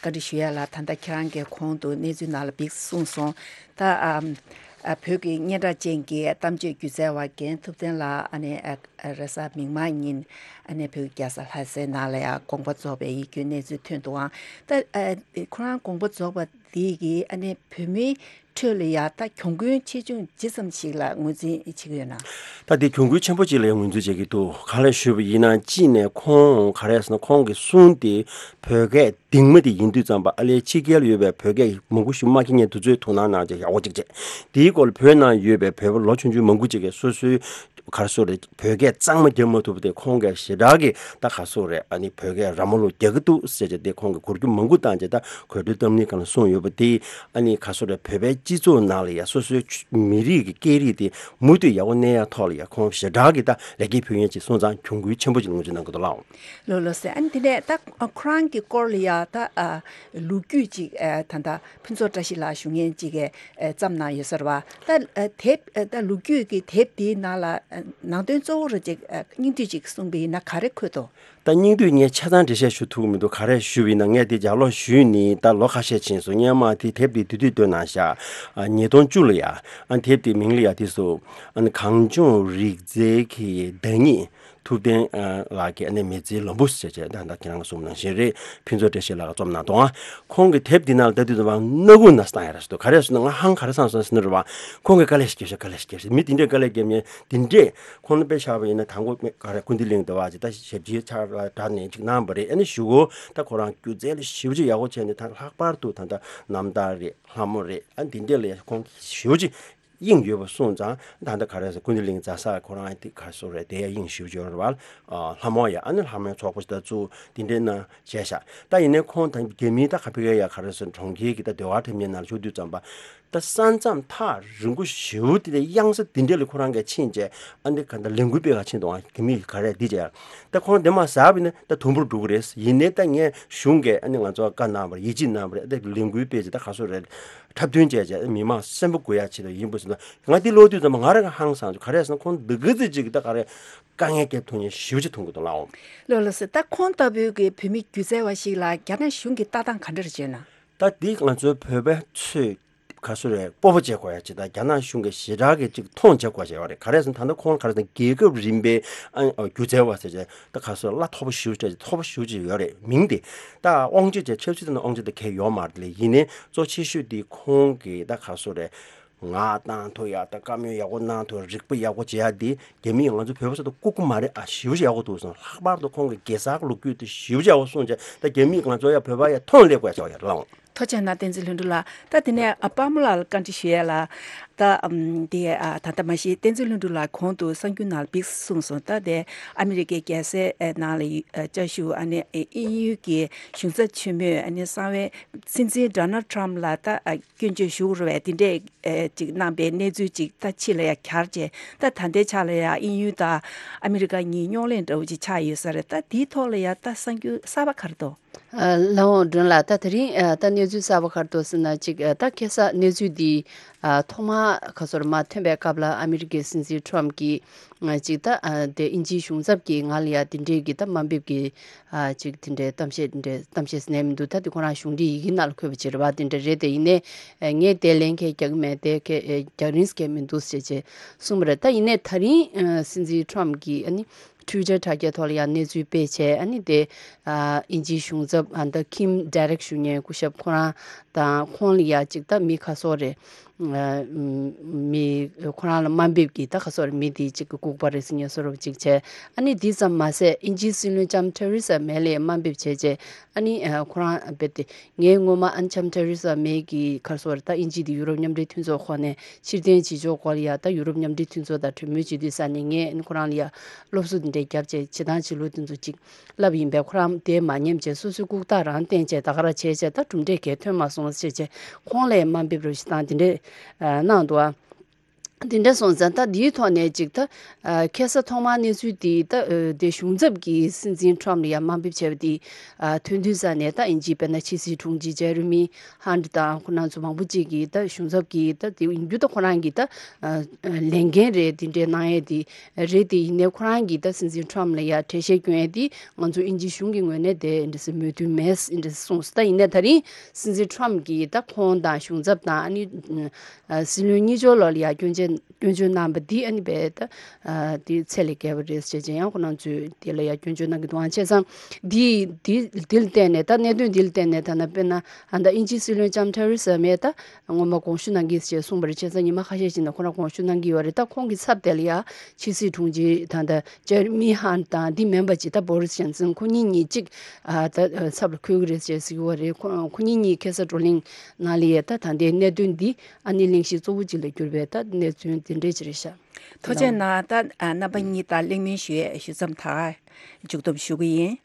བཀའ་འདྲི་ཞུ་ཡས་ལ། ད་ལྟ་ཁྱེད་རང་གིས་གོང་དུ་གནས་ཚུལ་ནང་ལ་བིག་གསུངས་སོང་། ད་ཨ། ཨ། བོད་ཀྱི་སྙན་གྲགས་ཅན་གྱི་གཏམ་བརྗོད་སྒྱུ་རྩལ་བ་རྒན་ཐུབ་བསྟན་ལགས། ཨ་ནི་ཨ། རེས་གཟའ་མིག་དམར་ཉིན་ཨ་ནི་བོད་ཀྱི་རྒྱལ་ས་ལྷ་སའི་ནང་ལ་ཡ་དགོངས་པ་རྫོགས་པའི་ཡིད་སྐྱོའི་གནས་ཚུལ་ཐོན་འདུག་ཨང་། ད་ཨ། ཁོ་རང་དགོངས་པ་རྫོགས་པ་འདི་གིས་ཨ་ནི་བོད་མིའི་ཁྲོད་ལ་ཡ་ད་གྱོང་གུན་ཆེ་ཆུང་ཇི་ཙམ་ཞིག་ལ་ངོས་འཛིན་བྱེད་ཀྱི་ཡོད་ན། ད་དེ་གྱོང་གུན་ཆེན་པོ་ཅིག་ལ་ངོས་འཛིན་བྱེད་ཀྱི་འདུག། ག་ལ་ཞུས་པ་ཡིན་ན། གཅིག་ནས་ཁོང་ག་རེ་ཟེར་ན། ཁོང་གི་གསུང་དེ་བོད་སྐད་གདིང་མ་དེ་ཡིན་དུས་ཙམ་པ། ཨ་ལས་ཕྱི་རྒྱལ་ཡོད་པའི་བོད་སྐད་མང་པོ་ཞིག་མ་མཁྱེན་མཁན་དེ་ཚོའི་དོ་སྣང་གནང་བྱས་ཡག་པོ་ཅིག་བྱས། དེའི་སྐོར་ལ་བོད་ནང་ཡོད་པའི་བོད་པ་ལོ་ཆུང་ཆུང་མང་པོ་ཅིག་གིས་སོ་སོའི་ག་རེ་ཟེར་རེད། བོད་སྐད་གཙང་མ་རྒྱབ་མ་ཐུབ་པ་དེ་ཁོང་གིས་ཞེ་དྲག་གི་ད་ག་རེ་ཟེར་རེད། ཨ་ནི་བོད་སྐད་ར་མ་ལུག་རྒྱག་གི་འདུག་ཟེར་བྱས་དེ་ཁོང་གིས་གོ་རྒྱུ་མང་པོ་བཏང་བྱས། ད་གོ་སྒྲིག་གཏམ་གླེང་སྒང་ལ་གསུངས་ཡོད། པ་དེ་ཨ་ནི་ག་སོ་རེད། བོད་པའི་སྤྱི་ཚོགས་ནང་ལ་ཡ་སོ་སོའི་མི་རིགས་ཀྱི་སྐད་རིགས་དེ་མུ་མཐུད་ཡག་པོ་གནས་ཡག་ཐོག་ལ་ཡ་ཁོང་ཞེ་དྲག་གི་ད་ལེགས་སྐྱེས་ཕུལ་མཁན་ཅིག་སོང་ཙང་གྱོང་གུན་ཆེན་པོ་ཅིག་ལ་ངོས་འཛིན་གནང་གི་འདུག་ལགས། ལགས་ལགས་སེ། ཨ་ནི་དེ་ནས་ད་ཁོ་རང་གི་སྐོར་ལ་ཡ་ད་ལོ་རྒྱུས་ཅིག་ད་ད་ཕུན་ཚོགས་བཀྲ་ཤིས་ལགས་ཞུ་མཁན་ཅིག་གིས་བརྩམས་གནང་ཡོད་ས་རེད་བ། ད་དེབ་ད་ལོ་རྒྱུས་ཀྱི་དེབ་དེའི་ནང་ལ་ནང་དོན་གཙོ་བོ་རུ་ཅིག་སྙིང་བསྡུས་ཅིག་གསུངས་པ་ཡིན་ན་ག་རེ་འཁོད་འདུག་ད་སྙིང་བསྡུས་ངས་ཆ་ཚང་འགྲེལ་བཤད་ཞུ་ཐུབ་ཀྱི་མི་འདུག་ག་རེ་ཞུས་པ་ཡིན་ན་ངས་དེ་ལྗགས་ཀློག་ཞུས་ནས་ད་ལོ་ཁ་ཤས་ཕྱིན་སོང་། སྔོན་མ་དེ་དེབ་དེ་དུས་དུས་བཏོན་གནང་ཤག་ཉིས་སྟོང་བཅུ་ལ་ཡ། ཨ་དེབ་དེ་མིང་ལ་ཡ་དེ་སུ་ཨ་ནི་གངས་ལྗོངས་རིག་རྩལ་གྱི་བདག་ཉིད་ཐུབ་བསྟན་ལགས་ཀྱི་ཨ་ནི་མི་ཚེའི་ལམ་བུ་ཟེར་བྱས་ད་ད་ཁྱེད་རང་གིས་གསུངས་པ་ནང་བཞིན་རེད། ཕུན་ཚོགས་བཀྲ་ཤིས་ལགས་ཀྱིས་རྩོམ་གནང་འདུག་ཨ་ཁོང་གི་དེབ་དེ་ནང་ལ་ད་དུས་ཙམ་པ་སྣ་ཁུག་ནས་བཏང་ཡ་ར་ཞིག་འདུག་ག་རེ་ཟེར་ན་ང་ཧང་ག་རེ་སང་སང་ཟེར་ན་རེད་བ། ཁོང་གིས་དཀའ་ལས་ཤིག་བརྒྱབ་ཤག་དཀའ་ལས་ཤིག་བརྒྱབ་ཤག་མི་དེ་འདྲས་དཀའ་ལས་བརྒྱབ་མཁན་དེ་འདྲས། ཁོང་ལ་དཔེ་བཞག་པ་ཡིན་ན་དང་པོ་ག་རེ་ཀུན་བདེ་གླིང་དུ་བ་ཅིག་ད་ཞབས་ཕྱི་ཆགས་ལ་དྲག་ནས་ཅིག་གནང་བ་རེད། ཨ་ནི་གཞུག་གུ་ད་ཁོ་རང་སྒྱུ་རྩལ་ལ་ཞེ་པོ་ཅིག་ཡག་པོ་བྱས་ནས་ད་ལྷག་པར་དུ་ད་ལྟ་རྣམ་ཐར་རེད། ལྷ་མོ་རེད། ཨ་འདི་འདྲས་ལ་ཁོང་ཞེ་པོ་ཅིག་དབྱིངས་ཡོད་པ་སོང་ཙང་ད་ལྟ་ག་རེ་ཟེར་ཀུན་བདེ་གླིང་རྫ་ས་ཁོ་རང་དེ་ག་སོ་རེད། དེ་ཡ་དབྱིངས་ཞེ་པོ་ཅིག་ཡོད་རེད་བ། ལྷ་མོ་ཡ་ཨ་ནི་ལྷ་མོའི་ཚོགས་པ་ཞིག་ད་བཙུགས་དེ་འདྲས་ན་བྱས་ཤག་ད་ཡིན་ནའི་ཁོང་ད་རྒྱ་མིའི་ད་ག་ཕི་ག་ཡ་ག་རེ་ཟེར་གྲོང་ཁྱེར་གྱི་ད་ཟློས་གར་འཁྲབ་མཁན་ནང་ལ་ཞུགས་དུས་ཙམ་པ། ད་ས་མཚམས་ཐག་རིང་པོ་ཞེ་པོ་དེ་ལ་གཡང་ས་དེ་འདྲ་ལ་ཁོ་རང་གིས་ཕྱིན་བྱས་ཨ་འདི་ག་འདྲ་ལས་འགུལ་སྤེལ་ག་ཕྱིན་འདུག་ཨ་གི་མི་ག་རེ་འདི་བྱས་ད་ཁོ་རང་འདི་མ་ཟ་བ་ཡིན་ན་ད་དུམ་བུར་འགྲོ་གི་རེད། ཡིན་ནའི་ད་ངས་གཞུང་གིས་ཨ་ནི་ང་ཚོ་བཀའ་གནང་བ་རེད། ཡིད་ཆེས་གནང་བ་རེད། ཨ་ད་ལས་འགུལ་སྤེལ་བྱས་ད་ག་སོ་རེད། འཁྲབ་སྟོན་བྱས་བྱས་མི་མང་གསོན་པོ་དགོས་ཡ་ཆེད་དུ་ཡིན་པ་ཟེར་ན་ང་འདི་ཀློག་དུས་ཙམ་པ་ང་རང་གི་ཧང་སངས་སོང་། ག་རེ་ཟེར་ན་ཁོང་འདི་ག་ཚོད་ཅིག་ད་ག་རེ་དཀའ་ངལ་རྒྱབ་ཐུབ་མཁན་ཞེ་པོ་ཅིག་མཐོང་གི་འདུག་ལགས། ལགས་ལགས་སེ། ད་ཁོང་ལྟ་བུའི་གི་བོད་མི་སྒྱུ་རྩལ་བ་ཞིག་ལ་རྒྱ་ནག་གཞུང་གི་ལྟ་སྟངས་ག་འདྲ་རེད་བྱས་ན། ད་འདི་ང་ཚོའི་བོད་པའི་ཚོས་ག་སོ་རེད་སྤོབས་པ་བྱེད་དགོས་ཡ་ཅིག་དང་རྒྱ་ནག་གཞུང་གིས་ཞེ་དྲག་གི་ཅིག་མཐོང་བྱེད་དགོས་བྱས་པ་རེད། ག་རེ་ཟེར་ན་ད་ལྟ་ཁོང་ག་རེ་ཟེར་ན་རྒྱལ་ཁབ་རིམ་པའི་ཨ་སྒྱུ་རྩལ་བ་ཟེར་བྱས་ད་ག་སོ་གླ་མཐོ་པོ་ཞེ་པོ་ཅིག་མཐོ་པོ་ཞེ་པོ་ཅིག་ཡོད་རེད། མིང་དེ་ད་དབང་ཆ་བྱས་ཆབ་སྲིད་དང་དབང་ཆ་དེ་གས་ཡོད་མ་རེད། ལས་ཡིན་ནའི་གཙོ་ཆེ་ཤོས་དེ་ཁོང་གི་ད་ག་སོ་རེད། ངག་བཏང་ཐུབ་ཡག་དང་བཀའ་མོལ་ཡག་པོ་གནང་ཐུབ་རིག་པ་ཡག་པོ་བྱེད་ཡག་འདི་རྒྱ་མིས་ང་ཚོ་བོད་པ་ཚོ་དང་ལྐུགས་ཀྱི་མ་རེད། ཨ་ཞེ་པོ་ཅིག་ཡག་པོ་འདུག་སོང་། ལྷག་པར་དུ་ཁོང་གི་གེ་སར་གྱི་ལོ་རྒྱུས་དེ་ཞེ་པོ་ཅིག་ཡག་པོ་གསུངས་བྱས་ད་རྒྱ་མིས་ང་ཚོ་ཡ་བོད་པ་ཡ་མཐོང་སླེབས་དགོས་ཡག་ཅིག་ཡོད་རེད་ལགས། ཐུགས་རྗེ་གནང་བསྟན་འཛིན་ལྷུན་གྲུབ་ལགས། ད་དེ་ནས་ཨ་པདྨ་ལགས་ལ་བཀའ་འདྲི་ཞུ་ཡ་ལ་ད་ཨམ་དེ་ཨ་ད་ལྟ་མ་གཞི་བསྟན་འཛིན་ལྷུན་གྲུབ་ལགས་གོང་དུ་གསར་འགྱུར་ནང་ལ་ཕེབས་གསུངས་སོང་། ད་དེ་ཨ་མི་རི་ཀའི་རྒྱལ་སའི་ཨ་ནང་ལ་ཨ་བཅའ་བཞུགས་ཨ་ནི་ཨ་དབྱིན་ཡུལ་གྱི་གཞུང་ཚབ་ཆེན་མོས་ཨ་ནི་གསང་བའི་སྲིད་འཛིན་ཌོ་ནལ་ཌི་ཊརམ་ཕི་ལ་ད་ཨ་སྐྱོན་བརྗོད་ཞུ་དགོས་རེད་པས། དེ་འདྲས་ཨེ་ཅིག་གནང་པའི་གནས་ཚུལ་ཅིག་ད་ཕྱི་ལ་ཡ་གྱར་བྱས་ད་ད་ལྟའི་ཆ་ལ་ཡ་དབྱིན་ཡུལ་དང་ཨ་མི་རི་ཀ་གཉིས་རྙོག་གླེང་འདྲ་བོ་ཅིག་ཆགས་ཡོད་ས་རེད། ད་དེའི་ཐོག་ལ་ཡ་ད་གསར་འགྱུར་གསར་པ་ག་རེ་འདུག་ཨ་ལགས་འོང་སྒྲོན་ལགས། ད་དེ་རིང་ཨ་ད་གནས་ཚུལ་གསར་པ་ག་རེ་འདུག་ཟེར་ན་ཅིག་ཨ་ད་ཁ་སང་གནས་ཚུལ་འདི་ཨ་ཐོག་མར་ག་སོ་རེད་མར་ཐོན་པའི་སྐབས་ལ་ཨ་མི་རི་ཀའི་སྲིད་འཛིན་ཊརམ་ཕི་གིས་ཨ་ཅིག་ད་ཨ་དེ་དབྱིན་ཇིའི་གཞུང་ཚབ་ཀྱི་ངག་ལ་ཡ་དེ་འདྲས་ཀྱི་ད་དམའ་འབེབས་ཀྱི་ཨ་ཅིག་དེ་འདྲའི་གཏམ་བཤད་དེ་འདྲའི་གཏམ་བཤད་ཟེར་ནས་མི་འདུག་ད་དེ་ཁོ་རང་གཞུང་འབྲེལ་ཡི་གེ་ནང་ལ་འཁོད་པ་ཅིག་རེད་པ། དེ་འདྲ་རེད་དེ། ཡིན་ནའི་ཨ་ངས་དེ་ལན་གང་ཡང་རྒྱག་གི་མེད། དེ་ག་ཨ་རྒྱག་རིན་གང་ཡང་མི་འདུག་ཟེར་བྱས་གསུངས་པ་རེད། ད་ཡིན་ནའི་ད་རིང་ཨ་སྲིད་འཛིན་ཊརམ་ཕི་གིས་ཨ་ནི་ཊུའི་ཊར་དྲ་རྒྱའི་ཐོག་ལ་ཡང་གནས་ཚུལ་སྤེལ་བྱས་ཨ་ནི་དེ་ཨ་དབྱིན་ཇིའི་གཞུང་ཚབ་ཨ་ད་ཁིམ་ཌེ་རེག་ཞུ་མཁན་སྐུ་ཞབས་ཁོ་རང་དང་ཁོང་ལ་ཡ་ཅིག་ད་མི་ཁ་སོ་རེད། ཨ་མི་ཁོ་རང་ལ་དམའ་འབེབས་ཀྱི་ད་ཁ་སོ་རེད། མི་དེ་ཅིག་གི་ལྐུགས་པ་རེད་ཟེར་མཁན་བཟོ་འདྲ་ཅིག་བྱས། ཨ་ནི་དེ་ཙམ་མ་ཟད་དབྱིན་ཇིའི་སྲིད་བློན་ལྕམ་ཐེ་རེ་ས་མེ་ལ་ཡ་དམའ་འབེབས་བྱས་བྱས་ཨ་ནི་ཨ་ཁོ་རང་རྦད་དེ་ངས་སྔོན་མ་ཨ་ནི་ལྕམ་ཐེ་རེ་ས་མེ་གི་ཁ་སོ་རེད། ད་དབྱིན་ཇི་དེ་ཡུ་རོབ་མཉམ་འབྲེལ་མཐུན་ཚོགས་ཁོངས་ནས་ཕྱིར་འཐེན་བྱེད་ཕྱོགས་སྐོར་ལ་ཡ་ད་ཡུ་རོབ་མཉམ་འབྲེལ་མཐུན་ཚོགས་དང་གྲོས་མོལ་བྱེད་དུས་ས་ནས་ངས་ཨ་ནི་ཁོ་རང་ལ་ཡ་སློབ་གསོ་དེ་འདྲ་བརྒྱབ་བྱས་བྱེད་སྟངས་བྱེད་ལུགས་དེ་ཚོ་ཅིག་བསླབས་ཡིན་པས། ཁོ་རང་དེ་མ་ཉན་བྱས་སོ་སོའི་ལྐུགས་རྟགས་རང་བསྟན་བྱས་ད་ག་རང་བྱས་བྱས་ད་གྲུབ་འབྲས་གང་ཡང་ཐོན་མ་སོང་ཟེར་བྱས་ཁོང་ལ་ཡ་དམའ་འབེབས་རོགས་ཞེ་དྲག་དེ་འདྲས་ཨ་གནང་འདུག་ཨ། དེ་འདྲ་སོང་ཙང་ད་འདིའི་ཐོག་ནས་ཅིག་ད་ཨ་ཁ་སང་ཐོག་མར་གནས་ཚུལ་འདི་ད་ཨ་དེ་གཞུང་ཚབ་ཀྱིས་སྲིད་འཛིན་ཊརམ་ཕི་ལ་ཡ་དམའ་འབེབས་བྱས་པ་འདི་ཨ་ཐོན་དུས་ཙ་ནས་ད་དབྱིན་ཇིའི་དཔེར་ན་ཕྱི་སྲིད་དྲུང་ཆེ་ཇེ་རི་མི་ཧན་ཊི་དང་ཁོ་རང་ཚོ་མང་པོ་ཅིག་གིས་ད་གཞུང་ཚབ་ཀྱིས་ད་དེ་ཡིན་རྒྱུ་ད་ཁོ་རང་གིས་ད་ཨ་ཨ་ལས་འགན་རེད། དེ་འདྲའི་གནང་ཡས་དེ་རེད། དེ་ཡིན་ནའི་ཁོ་རང་གིས་ད་སྲིད་འཛིན་ཊརམ་ཕི་ལ་ཡ་གྲལ་བཤེར་སྐྱོན་ཡས་དེ་ང་ཚོ་དབྱིན་ཇི་གཞུང་གི་ངོས་ནས་དེ་འདྲ་སེ་མོས་མཐུན་མེད་འདྲ་སེ་གསུངས་སོང་། ད་ཡིན་ནའི་ད་རིང་སྲིད་འཛིན་ཊརམ་ཕི་གིས་ད་ཁོང་དང་གཞུང་ཚབ་དང་ཨ་ནི་ཨ་སྲིད་བློན་གཉིས་ཆར་ལོགས་ལ་ཡ་སྐྱོན་བརྗོད་སྐྱོན་བརྗོད་གནང་བ་འདི་ཨ་ནི་རྦད་དེ་ཨ་དེ་ཚད་ལས་བརྒལ་བ་རེད་ཟེར་བྱས་ཡང་ཁོ་རང་ཚོས་དེ་ལ་ཡ་སྐྱོན་བརྗོད་གནང་གི་འདུག་ཨང་། བྱས་ཙང་འདི་འདི་འདི་ལ་བརྟེན་ནས་ད་གནད་དོན་འདི་ལ་བརྟེན་ནས་ད་ན་དཔེར་ན་ཨ་ད་དབྱིན་ཇིའི་སྲིད་བློན་ལྕམ་ཐེ་རེ་ས་མེ་ད་སྔོན་མ་དགོངས་ཞུ་གནང་གི་ཟེར་གསུངས་པ་རེད། བྱས་ཙང་ཉི་མ་ཁ་ཤས་ཤིག་ནང་ཁོ་རང་དགོངས་ཞུ་གནང་གི་ཡོད་རེད། ད་ཁོང་གི་ཚབ་དེ་ལ་ཡ་ཕྱི་སྲིད་དྲུང་ཆེ་ད་ད་ཇེ་རི་མི་ཧན་ཊི་དང་འདི་མིན་པ་ཅིག་ད་བོ་རི་སི་ཇོན་སན་ཁོ་གཉིས་གཉིས་གཅིག་ཨ་ད་ཚབ་ལ་འཁོད་གི་རེད་ཅེས་ཟེར་གི་ཡོད་རེད། ཁོ་ཁོ་གཉིས་གཉིས་ཁ་སང་བགྲོ་གླེང་ནང་ལ་ཡ་ད་ད་ལྟའི་གནད་དོན་འདི་ཨ་ནི་གླེང་གཞི་གཙོ་བོ་གཅིག་ལ་གྱུར་པའི་ད་གནས་ཚུལ་དེ་འདྲས་ཅིག་རེད་ཤག་ཐུགས་རྗེ་གནང་། ད་ཨ་རྣམ་པ་གཉིས་དང་གླེང་མོལ་ཞུ་ཡས་ཞུ་མཚམས་ད་མཇུག་བསྡོམས་ཞུ་གི་ཡིན།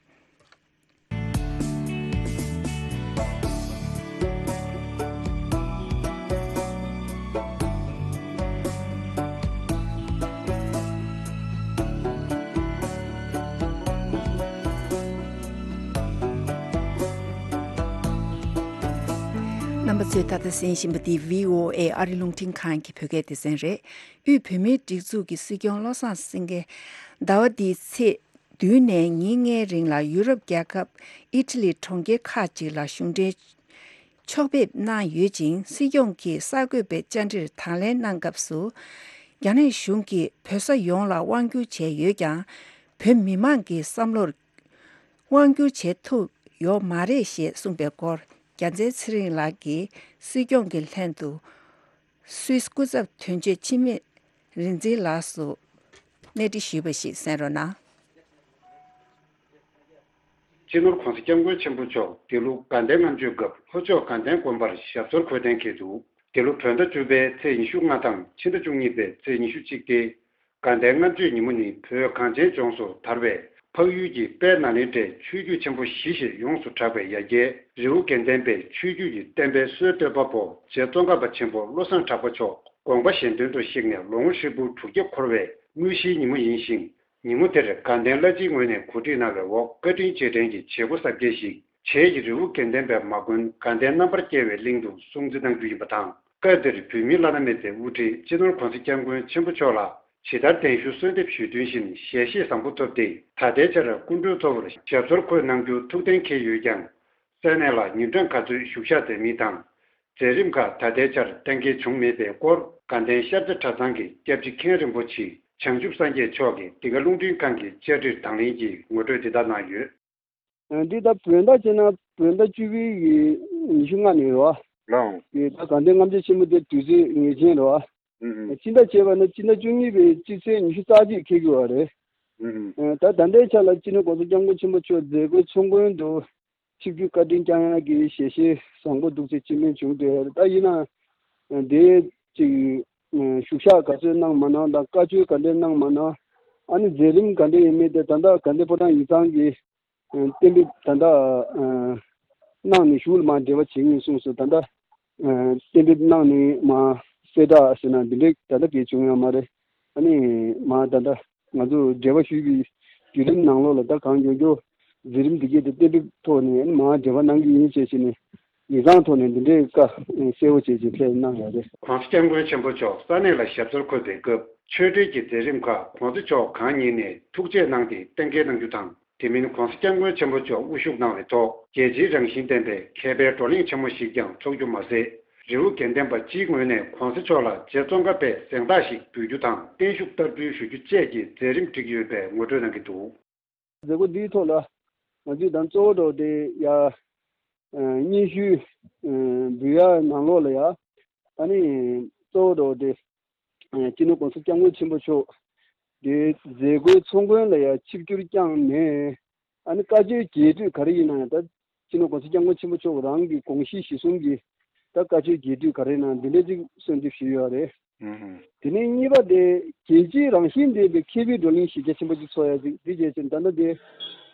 པ་ཚོས་ད་ལྟ་གསན་བཞིན་པ་འདི་བྷི་ཨོ་ཨེ་ཨ་རི་རླུང་འཕྲིན་ཁང་གི་བོད་སྐད་སྡེ་ཚན་རེད། དབུས་བོད་མིའི་སྒྲིག་འཛུགས་ཀྱི་སྲིད་སྐྱོང་བློ་བཟང་སེང་གེ་ཟླ་བ་འདིའི་ཚེས་བདུན་ནས་ཉིན་ལྔའི་རིང་ལ་ཡུ་རོབ་རྒྱལ་ཁབ་ཨི་ཊ་ལི་གྲོང་ཁྱེར་ཁག་ཅིག་ལ་གཞུང་འབྲེལ་ཕྱོགས་ཕེབས་གནང་ཡོད་ཅིང་། སྲིད་སྐྱོང་གིས་གསར་འགོད་པའི་བཅར་འདྲིར་དང་ལེན་གནང་སྐབས་སུ། རྒྱ་ནག་གཞུང་གིས་བོད་ས་ཡོངས་ལ་དབང་བསྒྱུར་བྱས་ཡོད་ཀྱང་། བོད་མི་མང་གི་བསམ་བློར་དབང་བསྒྱུར་བྱེད་ཐུབ་ཡོད་མ་རེད་ཞེས་གསུངས་པའི་སྐོར། རྒྱལ་མཚན་ཚེ་རིང་ལགས་ཀྱིས་སྲིད་སྐྱོང་གི་ལྷན་དུ་སུད་སི་སྐུ་ཚབ་དོན་གཅོད་འཆི་མེད་རིག་འཛིན་ལགས་སུ་གནས་འདྲི་ཞུས་པ་ཞིག་གསན་རོགས་གནང་། སྤྱི་ནོར་༸གོང་ས་༸སྐྱབས་མགོན་ཆེན་པོ་མཆོག་འདི་ལོ་དགའ་ལྡན་ལྔ་མཆོད་སྐབས་ལྷོ་ཕྱོགས་དགའ་ལྡན་དགོན་པར་ཞབས་སོར་འཁོད་གཏན་འཁེལ་འདུག་འདི་ལོ་བོད་ཟླ་བཅུ་པའི་ཚེས་ཉི་ཤུ་ལྔ་དང་ཕྱི་ཟླ་བཅུ་གཉིས་པའི་ཚེས་ཉི་ཤུ་གཅིག་སྟེ། དགའ་ལྡན་ལྔ་མཆོད་ཉིན་མོ་ནི་བོད་གངས་ཅན་ལྗོངས་སུ་དར་བའི་འཕགས་ཡུལ་གྱི་དཔལ་ནཱ་ལེནྡྲའི་ཆོས་བརྒྱུད་ཆེན་པོ་བཞི་ཞེས་ཡོངས་སུ་གྲགས་པའི་ཡ་གྱལ་རི་བོ་དགེ་ལྡན་པའི་ཆོས་བརྒྱུད་ཀྱི་བསྟན་པའི་སྲོལ་གཏོད་པ་པོ་རྗེ་ཙོང་ཁ་པ་ཆེན་པོ་བློ་བཟང་གྲགས་པ་མཆོག་དགོངས་པ་གཞན་དོན་དུ་གཤེགས་ནས་ལོ་ངོ་ཧྲིལ་པོ་དྲུག་བརྒྱ་འཁོར་བའི་དངོས་གཞིའི་ཉིན་མོ་ཡིན་ཞིང་། ཉིན་མོ་དེར་དགའ་ལྡན་བླ་སྤྱིའི་ངོས་ནས་གོ་སྒྲིག་གནང་བའི་འོག་བཀའ་དྲིན་རྗེས་དྲན་གྱི་བྱེད་སྒོ་གསར་བསྐྱེད་ཞིག་བྱེས་ཀྱི་རི་བོ་དགེ་ལྡན་པའི་མ་དགོན་དགའ་ལྡན་རྣམ་པར་རྒྱལ་བའི་གླིང་དུ་སྲུང་བརྩི་གནང་རྒྱུ་ཡིན་པ་དང་། སྐབས་དེར་བོད་མིའི་བླ་ན་མེད་པའི་དབུ་ཁྲིད་སྤྱི་ནོར་༸གོང་ས་༸སྐྱབས་མགོན་ཆེན་པོ་མཆོག་ལ་ཇི་ལྟར་གདན་ཞུ་གསོལ་འདེབས་ཞུས་དོན་བཞིན་ཞལ་བཞེས་བཟང་པོ་ཐོབ་སྟེ། ད་ལྟའི་ཆར་སྐུ་མགྲོན་ཚོར་ཞབས་སོར་འཁོད་གནང་རྒྱུ་ཐུགས་གཏན་འཁེལ་ཡོད་ཀྱང་། ས་གནས་ལ་ཉིན་གྲངས་ག་ཚོད་བཞུགས་ཤག་མཛད་མིན་དང་། མཛད་རིམ་ཁག་ད་ལྟའི་ཆར་གཏན་འཁེལ་བྱུང་མེད་པའི་སྐོར། དགའ་ལྡན་ཤར་རྩེ་གྲྭ་ཚང་གི་སྐྱབས་རྗེ་མཁན་རིན་པོ་ཆེ་བྱང་ཆུབ་སངས་རྒྱས་མཆོག་གིས་འདི་ག་རླུང་འཕྲིན་ཁང་གི་བཅར་འདྲིར་དང་ལེན་གྱིས་ངོ་སྤྲོད་འདི་ལྟར་གནང་ཡོད། འདི་ད་བོད་ཟླ་བྱས་ན་བོད་ཟླ་བཅུ་པའི་ཉི་ཤུ་ལྔ་ནས་རེད་བ། ལའང་། ད་དགའ་ལྡན་ལྔ་མཆོད་ཆེན་མོ་དེ་དུས་ཚོད་ངེས་ཅན་རེད་བ། ཨུ་ཨུ། སྤྱི་ཟླ་བྱས་པ་ན་སྤྱི་ཟླ་བཅུ་གཉིས་པའི་སྤྱི་ཚེས་ཉི་ཤུ་རྩ་གཅིག་འཁེལ་གྱི་ཡོད་རེད། ཨུ་ཨུ། ད་ད་ལྟའི་ཆ་ལ་སྤྱི་ནོར་༸གོང་ས་༸སྐྱབས་མགོན་ཆེན་པོ་མཆོག་མཛད་སྒོའི་ཚོགས་མགོན་དུ་ཆིབས་བསྒྱུར་བཀའ་དྲིན་བསྐྱངས་ཡག་གི་ཞལ་བཞེས་བཟང་པོ་འདུག་ཚེ་སྤྱི་སྨན་བྱུང་འདུག་ད་ཡིན་ན་དེ་ཅིག་བཞུགས་ཤག་ག་ཚོད་གནང་མ་གནང་དང་བཀའ་ཆོས་ག་འདྲས་གནང་མ་གནང་། ཨ་ནི་མཛད་རིམ་ག་འདྲས་ཡིན་མིན་དེ་ད་ལྟ་དགའ་ལྡན་ཕོ་བྲང་ཡིག་ཚང་གིས་གཏན་འབེབས་ད་ལྟ་གནང་ནས་གཞུག་ལ་མར་འབྲེལ་བ་བྱེད་ངེས་གསུངས་སོང་། ད་ལྟ་གཏན་འབེབས་གནང་ནས་མར་གསལ་བསྒྲགས་ཟེར་ན་འདི་འདྲས་ད་ལྟ་གས་བྱུང་ཡོད་མ་རེད། ཨ་ནི་མར་ད་ལྟ་ང་ཚོ་འབྲེལ་བ་ཞུས་པའི་བརྒྱུད་རིམ་ནང་ལོགས་ལ་ད་གང་མགྱོགས་མགྱོགས་མཛད་རིམ་འདི་གས་དེ་གཏན་འབེབས་ཐོག་ནས་ཨ་ནི་མར་འབྲེལ་བ་གནང་གི་ཡིན་ཞེས་བྱས་ནས་ཡིག་ཚང་ཐོག་ནས་འདི་འདྲའི་བཀའ་གསལ་བོ་བྱས་ཀྱི་ཕེབས་གནང་ཡོད་རེད། ༸གོང་ས་༸སྐྱབས་མགོན་ཆེན་པོ་མཆོག་ས་གནས་ལ་ཞབས་སོར་འཁོད་པའི་སྐབས་ཆོས་འབྲེལ་གྱི་མཛད་རིམ་ཁག་༸གོང་ས་མཆོག་གང་ཉིད་ནས་ཐུགས་རྗེ་གནང་སྟེ་གཏན་འཁེལ་གནང་རྒྱུ་དང་། དེ་མིན་༸གོང་ས་༸སྐྱབས་མགོན་ཆེན་པོ་མཆོག་དབུ་བཞུགས་གནང་བའི་ཐོག་རྒྱལ་སྤྱིའི་རང་བཞིན་ལྡན་པའི་མཁས་པའི་བགྲོ་གླེང་ཆེན་མོ་ཞིག་ཀྱང་འཚོགས་རྒྱུ་མ་ཟད། རི་བོ་དགེ་ལྡན་པ་སྤྱིའི་ངོས་ནས་༸གོང་ས་མཆོག་ལ་རྗེ་ཙོང་ཁ་པའི་གཟེངས་རྟགས་ཤིག་འབུལ་རྒྱུ་དང་བརྟན་བཞུགས་བསྟར་འབུལ་ཞུ་རྒྱུ་བཅས་ཀྱི་མཛད་རིམ་བསྒྲིགས་ཡོད་པའི་ངོ་སྤྲོད་གནང་གི་འདུག། མཛད་སྒོ་འདིའི་ཐོག་ལ་ང་ཚོས་ད་གཙོ་བོ་འདྲ་བོ་དེ་ཡ་སྙན་ཞུ་འབུལ་ཡ་ནང་ལོགས་ལ་ཡ་ཨ་ནི་གཙོ་བོ་འདྲ་བོ་དེ་སྤྱི་ནོར་༸གོང་ས་༸སྐྱབས་མགོན་ཆེན་པོ་མཆོག་དེ་མཛད་སྒོའི་ཚོགས་མགོན་ལ་ཡ་ཆིབས་བསྒྱུར་བསྐྱངས་ནས། ཨ་ནི་བཀའ་ཆོས་རྒྱས་སྤྲོས་ག་རེ་ཡིན་ན་ཡང་ད་སྤྱི་ནོར་༸གོང་ས་༸སྐྱབས་མགོན་ཆེན་པོ་མཆོག་རང་གི་དགོངས་གཞི་གཞི་བཟུང་གིས་ད་བཀའ་ཆོས་རྒྱས་སྤྲོས་ག་རེ་ཡིན་ན་འདི་འདྲ་ཅིག་གསོལ་འདེབས་ཞུས་ཡོད་རེད། ཨུ་ཧུ། དེ་ནས་གཉིས་པ་དེ་རྒྱལ་སྤྱིའི་རང་བཞིན་ལྡན་པའི་མཁས་པའི་བགྲོ་གླེང་གཞི་རྒྱ་ཆེན་པོ་ཅིག་ཚོགས་ཡ་ཅིག་འདི་བྱས་ཙང་ད་ལྟ་དེ་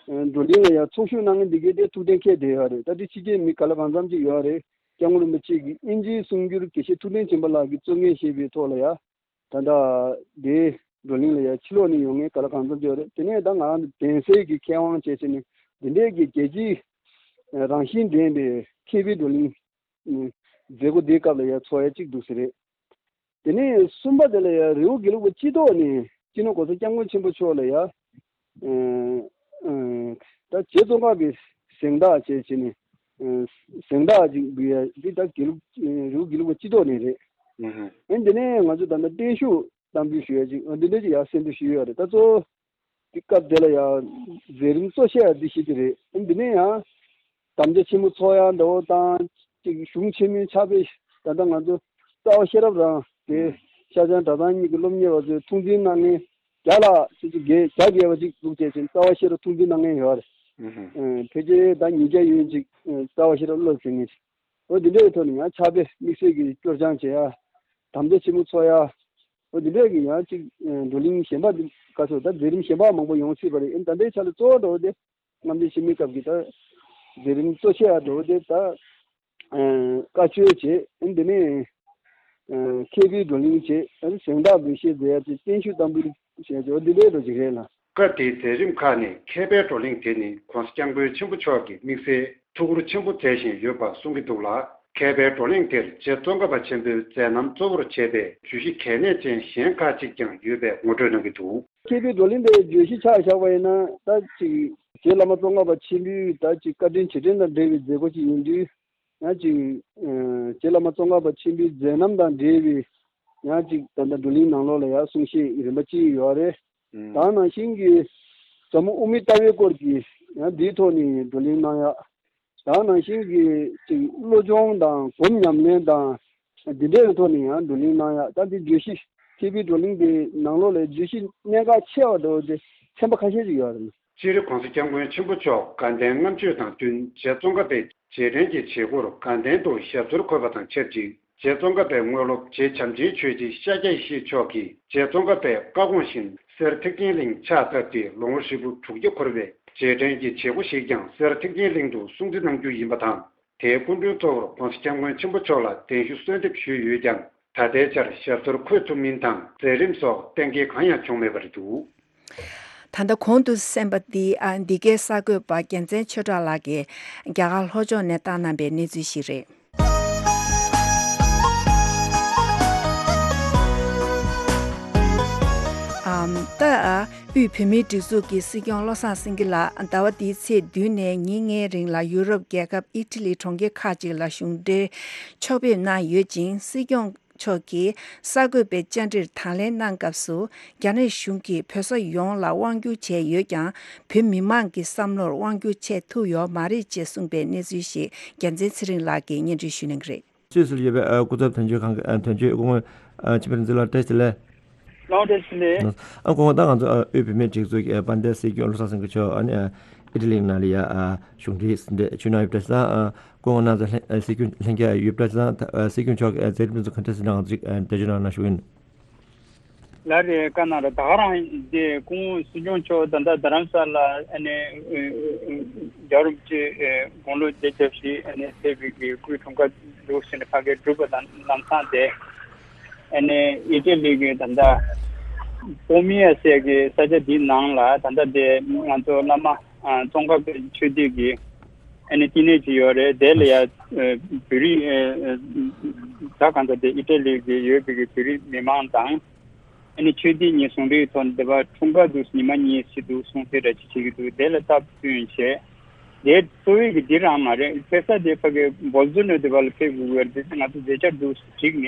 བགྲོ་གླེང་ལ་ཡང་ཚོགས་ཞུགས་གནང་མཁན་འདི་གས་དེ་ཐུགས་གཏན་འཁེལ་བསྡད་ཡོད་རེད། ད་དེ་ཕྱི་རྒྱལ་མི་ག་ལ་གང་འཚམ་ཅིག་ཡོད་རེད། སྐྱབས་མགོན་རིན་པོ་ཆེ་གིས་དབྱིན་ཇིའི་གསུང་སྒྱུར་དགེ་བཤེས་ཐུབ་བསྟན་སྦྱིན་པ་ལགས་ཀྱིས་གཙོ་འགན་བཞེས་པའི་ཐོག་ལ་ཡ། ད་ལྟ་དེ་བགྲོ་གླེང་ལ་ཡ་ཕྱི་ལོགས་ནས་ཡོང་མཁན་ག་ལ་གང་འཚམ་ཅིག་ཡོད་རེད། དེ་ནས་ད་ང་རང་གདན་སའི་གི་མཁས་དབང་བྱས་ཟིན་ནས་འདི་འདྲའི་གི་རྒྱལ་སྤྱིའི་རང་བཞིན་ལྡན་པའི་མཁས་པའི་བགྲོ་གླེང་མཛད་སྒོ་འདིའི་སྐབས་ལ་ཡ་ཚོགས་ཡ་གཅིག་འདུག་ཟེར་རེད། དེ་ནས་གསུམ་པ་དེ་ལ་ཡ་རི་བོ་དགེ་ལུགས་པ་སྤྱི་ཐོག་ནས་སྤྱི་ནོར་༸གོང་ས་༸སྐྱབས་མགོན་ཆེན་པོ་མཆོག་ལ་ཡ་ད་རྗེ་ཙོང་ཁ་པའི་གཟེངས་རྟགས་བྱས་བྱས་ནས་གཟེངས་རྟགས་ཅིག་འབུལ་ཡ་འདི་ད་དགེ་ལུགས་རི་བོ་དགེ་ལུགས་པ་སྤྱི་ཐོག་ནས་རེད། ཨ་ནི་དེ་ནས་ང་ཚོ་ད་ལྟ་བརྟན་བཞུགས་གཏམ་རྒྱུད་ཞུ་ཡ་ཅིག་འདི་འདྲ་ཅིག་ཡ་གསན་དུ་ཞུས་ཡོད་རེད། ད་གཙོ་བོ་དེ་སྐབས་དེ་ལ་ཡ་མཛད་རིམ་གཙོ་ཆེ་བ་འདི་བཞི་དེ་རེད། ཨ་ནི་འདི་ནས་ཡང་དམ་བཅའ་ཆེན་མོ་ཚོགས་ཡ་འདྲ་བོ་དང་ཅིག་གཞུང་ཆེན་མོའི་ཕྱག་དཔེ་ད་ལྟ་ང་ཚོ་རྩ་བ་ཤེས་རབ་རང་དེ་ཤར་བྱང་གྲྭ་ཚང་གཉིས་ཀྱི་སློབ་གཉེར་བ་ཚོས་ཐུགས་འཛིན་གནང་མཁན་བརྒྱ་ལ་ཅིག་ཅིག་བརྒྱད་བརྒྱ་བརྒལ་བ་ཅིག་འདུག་བྱས་ཙང་རྩ་བ་ཤེས་རབ་ཐུགས་འཛིན་གནང་མཁན་ཡོད་རེད། ཕལ་ཆེར་ད་ཉིས་བརྒྱ་ཡན་ཅིག་རྩ་བ་ཤེས་རབ་སློབ་ཟིན་མཁན་ཅིག་འོ་འདི་འདྲའི་ཐོག་ནས་ཡང་ཕྱག་དཔེ་དམིགས་བསལ་གྱི་སྐྱོར་སྦྱང་བྱེད་ཡ། དམ་བཅའ་ཆེན་མོ་ཚོགས་ཡ། འོ་འདི་འདྲའི་གི་ཡང་ཅིག་བགྲོ་གླེང་གཞན་པ་འདི་ག་ཚོད་ད་མཛད་རིམ་གཞན་པ་མང་པོ་ཡོང་སྲིད་པ་རེད། ཨེ་ད་ལྟའི་ཆ་ལ་གཙོ་བོ་འདྲ་བོ་དེ་རྔམ་བརྗིད་ཆེན་མོའི་སྐབས་ཀྱི་ད་མཛད་རིམ་གཙོ་ཆེ་བ་འདྲ་བོ་དེ་ད་བཀའ་ཆོས་བྱེད། ཨེ་འདི་ནས་མཁས་པའི་བགྲོ་གླེང་བྱེད། ཨེ་གཟེངས་རྟགས་འབུལ་བཞེས་མཛད་ཡ་དེ་བརྟན་བཞུགས་གཏམ་འབུལ་བྱས་ཏེ་འོ་འདི་འདྲའི་འགྲོ་ཅིག་རེད་ལ། སྐབས་དེའི་མཛད་རིམ་ཁག་ནས་མཁས་པའི་བགྲོ་གླེང་དེ་ནི་༸གོང་ས་༸སྐྱབས་མགོན་ཆེན་པོ་མཆོག་གི་དམིགས་བསལ་ཐུགས་ཁུར་ཆེན་པོ་མཛད་བཞིན་ཡོད་པ་གསུང་གི་འདུག་ལ། མཁས་པའི་བགྲོ་གླེང་དེར་རྗེ་ཙོང་ཁ་པ་ཆེན་པོའི་མཛད་རྣམ་གཙོ་བོར་བྱས་པའི་བརྗོད་གཞི་གལ་གནད་ཅན་གཞན་ཁག་ཅིག་ཀྱང་ཡོད་པའི་ངོ་སྤྲོད་གནང་གི་འདུག། མཁས་པའི་བགྲོ་གླེང་དེའི་བརྗོད་གཞི་ཆ་བཞག་པ་ཡིན་ན། ད་ཅིག་རྗེ་བླ་མ་ཙོང་ཁ་པ་ཆེན་པོའི་ད་ཅིག་བཀའ་དྲིན་རྗེས་དྲན་དང་འབྲེལ་བའི་མཛད་སྒོ་ཅིག་ཡིན་དུས། ཡང་ཅིག་ཨ་རྗེ་བླ་མ་ཙོང་ཁ་པ་ཆེན་པོའི་མཛད་རྣམ་དང་འབྲེལ་བའི་ཡང་ཅིག་ད་ལྟ་བགྲོ་གླེང་ནང་ལོགས་ལ་ཡང་གསུང་བཤད་རིམ་པ་གཅིག་ཡོད་རེད། ད་ནང་བཞིན་གྱི་ཟབ་མོ་དབུ་མའི་ལྟ་བའི་སྐོར་གྱི་ཡང་འདིའི་ཐོག་ནས་བགྲོ་གླེང་གནང་ཡག། ད་ནང་བཞིན་གྱི་ཅིག་བློ་སྦྱོང་དང་སྒོམ་ཉམས་ལེན་དང་འདི་འདྲའི་ཐོག་ནས་ཡང་བགྲོ་གླེང་གནང་ཡག། ད་འདི་བརྗོད་གཞི་མཁས་པའི་བགྲོ་གླེང་འདི་ནང་ལོགས་ལ་བརྗོད་གཞི་གནད་འགག་ཆེ་བ་འདྲ་བོ་དེ་ཚན་པ་ཁ་ཤས་ཅིག་ཡོད་རེད། སྤྱིར་༸གོང་ས་༸སྐྱབས་མགོན་ཆེན་པོ་མཆོག་དགའ་ལྡན་ལྔ་མཆོད་དང་བསྟུན་རྗེ་ཙོང་ཁ་པའི་རྗེས་དྲན་གྱི་བྱེད་སྒོར་དགའ་ལྡན་དུ་ཞབས་སོར་འཁོད་པ་དང་ཆབས་ཅིག། རྗེ་ཙོང་ཁ་པའི་དངོས་སློབ་རྗེ་བྱམས་ཆེན་ཆོས་རྗེ་ཤཱཀྱ་ཡེ་ཤེས་མཆོག་གིས་རྗེ་ཙོང་ཁ་པའི་བཀའ་དགོངས་བཞིན་གསེར་ཐེག་ཆེན་གླིང་ཕྱག་བཏབ་སྟེ་ལོ་ངོ་ཧྲིལ་པོ་དྲུག་བརྒྱ་འཁོར་བའི་རྗེས་དྲན་གྱི་བྱེད་སྒོ་ཞིག་ཀྱང་གསེར་ཐེག་ཆེན་གླིང་དུ་སྲུང་བརྩི་གནང་རྒྱུ་ཡིན་པ་དང་། དེའི་སྐུ་མགྲོན་གཙོ་བོར་༸གོང་ས་༸སྐྱབས་མགོན་ཆེན་པོ་མཆོག་ལ་གདན་ཞུ་གསོལ་འདེབས་ཞུས་ཡོད་ཀྱང་། ད་ལྟའི་ཆར་ཞབས་སོར་འཁོད་ཐུབ་མིན་དང་མཛད་རིམ་སོགས་གཏན་འཁེལ་གང་ཡང་བྱུང་མེད་པ་རེད་འདུག། ད་ལྟ་གོང་དུ་གསན་པ་འདི་ཨ་འདི་གའི་གསར་འགོད་པ་རྒྱལ་མཚན་ཆོས་གྲགས་ལགས་ཀྱིས་རྒྱ་གར་ལྷོ་ཕྱོགས་ནས་བཏང་གནང་པའི་གནས་ཚུལ་ཞིག་རེད། ཨམ། ད་ཨ་དབུས་བོད་མིའི་སྒྲིག་འཛུགས་ཀྱི་སྲིད་སྐྱོང་བློ་བཟང་སེང་གེ་ལགས་ཟླ་བ་འདིའི་ཚེས་བདུན་ནས་ཉིན་ལྔའི་རིང་ལ་ཡུ་རོབ་རྒྱལ་ཁབ་ཨི་ཊ་ལི་གྲོང་ཁྱེར་ཁག་ཅིག་ལ་གཞུང་འབྲེལ་ཕྱོགས་ཕེབས་གནང་ཡོད་ཅིང་། སྲིད་སྐྱོང་མཆོག་གིས་གསར་འགོད་པའི་བཅར་འདྲིར་དང་ལེན་གནང་སྐབས་སུ། རྒྱ་ནག་གཞུང་གིས་བོད་ས་ཡོངས་ལ་དབང་བསྒྱུར་བྱས་ཡོད་ཀྱང་། བོད་མི་མང་གི་བསམ་བློར་དབང་བསྒྱུར་བྱས་ཐུབ་ཡོད་མ་རེད་ཅེས་གསུངས་པའི་གནས་ཚུལ་ཞིག་རྒྱལ་མཚན་ཚེ་རིང་ལགས་ཀྱིས་སྙན་སྒྲོན་ཞུ་གནང་གི་རེད། སུད་སིར་ཡོད་པའི་ཨ་སྐུ་ཚབ་དོན་གཅོད་ཁང་གི་ཨ་དོན་གཅོད་སྐུ་ངོ་ཨ་འཆི་མེད་རིག་འཛིན་ལགས་བཀྲ་ཤིས་བདེ་ལེགས། ལགས་བཀྲ་ཤིས་བདེ་ལེགས། ཨ་སྐུ་ངོ། ད་ང་ཚོ་ཨ་དབུས་བོད་མིའི་སྒྲིག་འཛུགས་ཀྱི་ཨ་དཔལ་ལྡན་སྲིད་སྐྱོང་བློ་བཟང་སེང་གེ་མཆོག་ཨ་ནི་ཨ་ཨི་ཊ་ལི་ནང་ལ་ཡ་ཨ་གཞུང་འབྲེལ་ཟིན་བྲིས་ཞུས་གནང་ཡོད་པ་རེད་ཟེར། ཨ་སྐུ་ངོ་རྣམ་ཚོ་ལྷན་ཨ་སྲིད་སྐྱོང་ལྷན་རྒྱས་ཡོད་པ་རེད་ཟེར། ཨ་སྲིད་སྐྱོང་མཆོག་གི་ཨ་མཛད་རིམ་དེ་ཚོ་ག་འདྲ་ཟིན་གནང་ཅིག་ཨ་འགྲེལ་བརྗོད་གནང་ན་ཞུ་གི་ཡིན། ལགས་རེད། བཀའ་གནང་རོགས། ད་ག་རང་དེ་སྐུ་ངོ་སྲིད་སྐྱོང་མཆོག་ད་ལྟ་རྡ་རམ་ས་ལ་ཨ་ནི་རྒྱལ་བ་རིན་པོ་ཆེ་དགུང་ལོ་བརྒྱད་ཅུ་ཞིག་ཨ་ནི་ཕེབས་པའི་གི་སྐུའི་འཁྲུངས་སྐར་འདུག་ཟེར་ནས་ཕ་གིར་བསྒྲུབས་པ་དང་ལམ་སང་དེ་ཨ་ནི་ཨི་ཊ་ལི་གི་ད་ལྟ་པོ་མི་ཡ་ཟེར་གི་ས་ཆ་འདིའི་ནང་ལ་ད་ལྟ་དེ་ང་ཚོ་བླ་མ་ཙོང་ཁ་པའི་ཆོས་སྡེ་གི་ཨ་ནི་བསྟི་གནས་ཅིག་ཡོད་རེད། དེ་ལ་ཡ་བོད་རིགས་ད་གང་ལྟར་དེ་ཨི་ཊ་ལི་གི་ཡོད་པའི་གི་བོད་རིགས་མི་མང་དང་། ཨ་ནི་ཆོས་སྡེ་གཉིས་ཟུང་འབྲེལ་ཐོག་ནས་འདི་པར་འཁྲུངས་སྐར་དུ་ཉི་མ་གཉིས་ཤིག་འདུག་གསུང་དེ་འདྲ་ཅིག་བྱེད་ཀྱི་འདུག། དེ་ལ་སྟབས་བསྟུན་བྱས། དེ་གཙོ་བོའི་གི་འདི་རང་མ་རེད། ཕེབས་ས་དེ་ཕ་གི་བོལ་ཛོ་ནོ་དེ་པར་ལ་ཕེབས་དགོས་ཀྱི་རེད། དེ་ང་ཚོ་མཛད་འཆར་འདུག་བསྒྲིགས་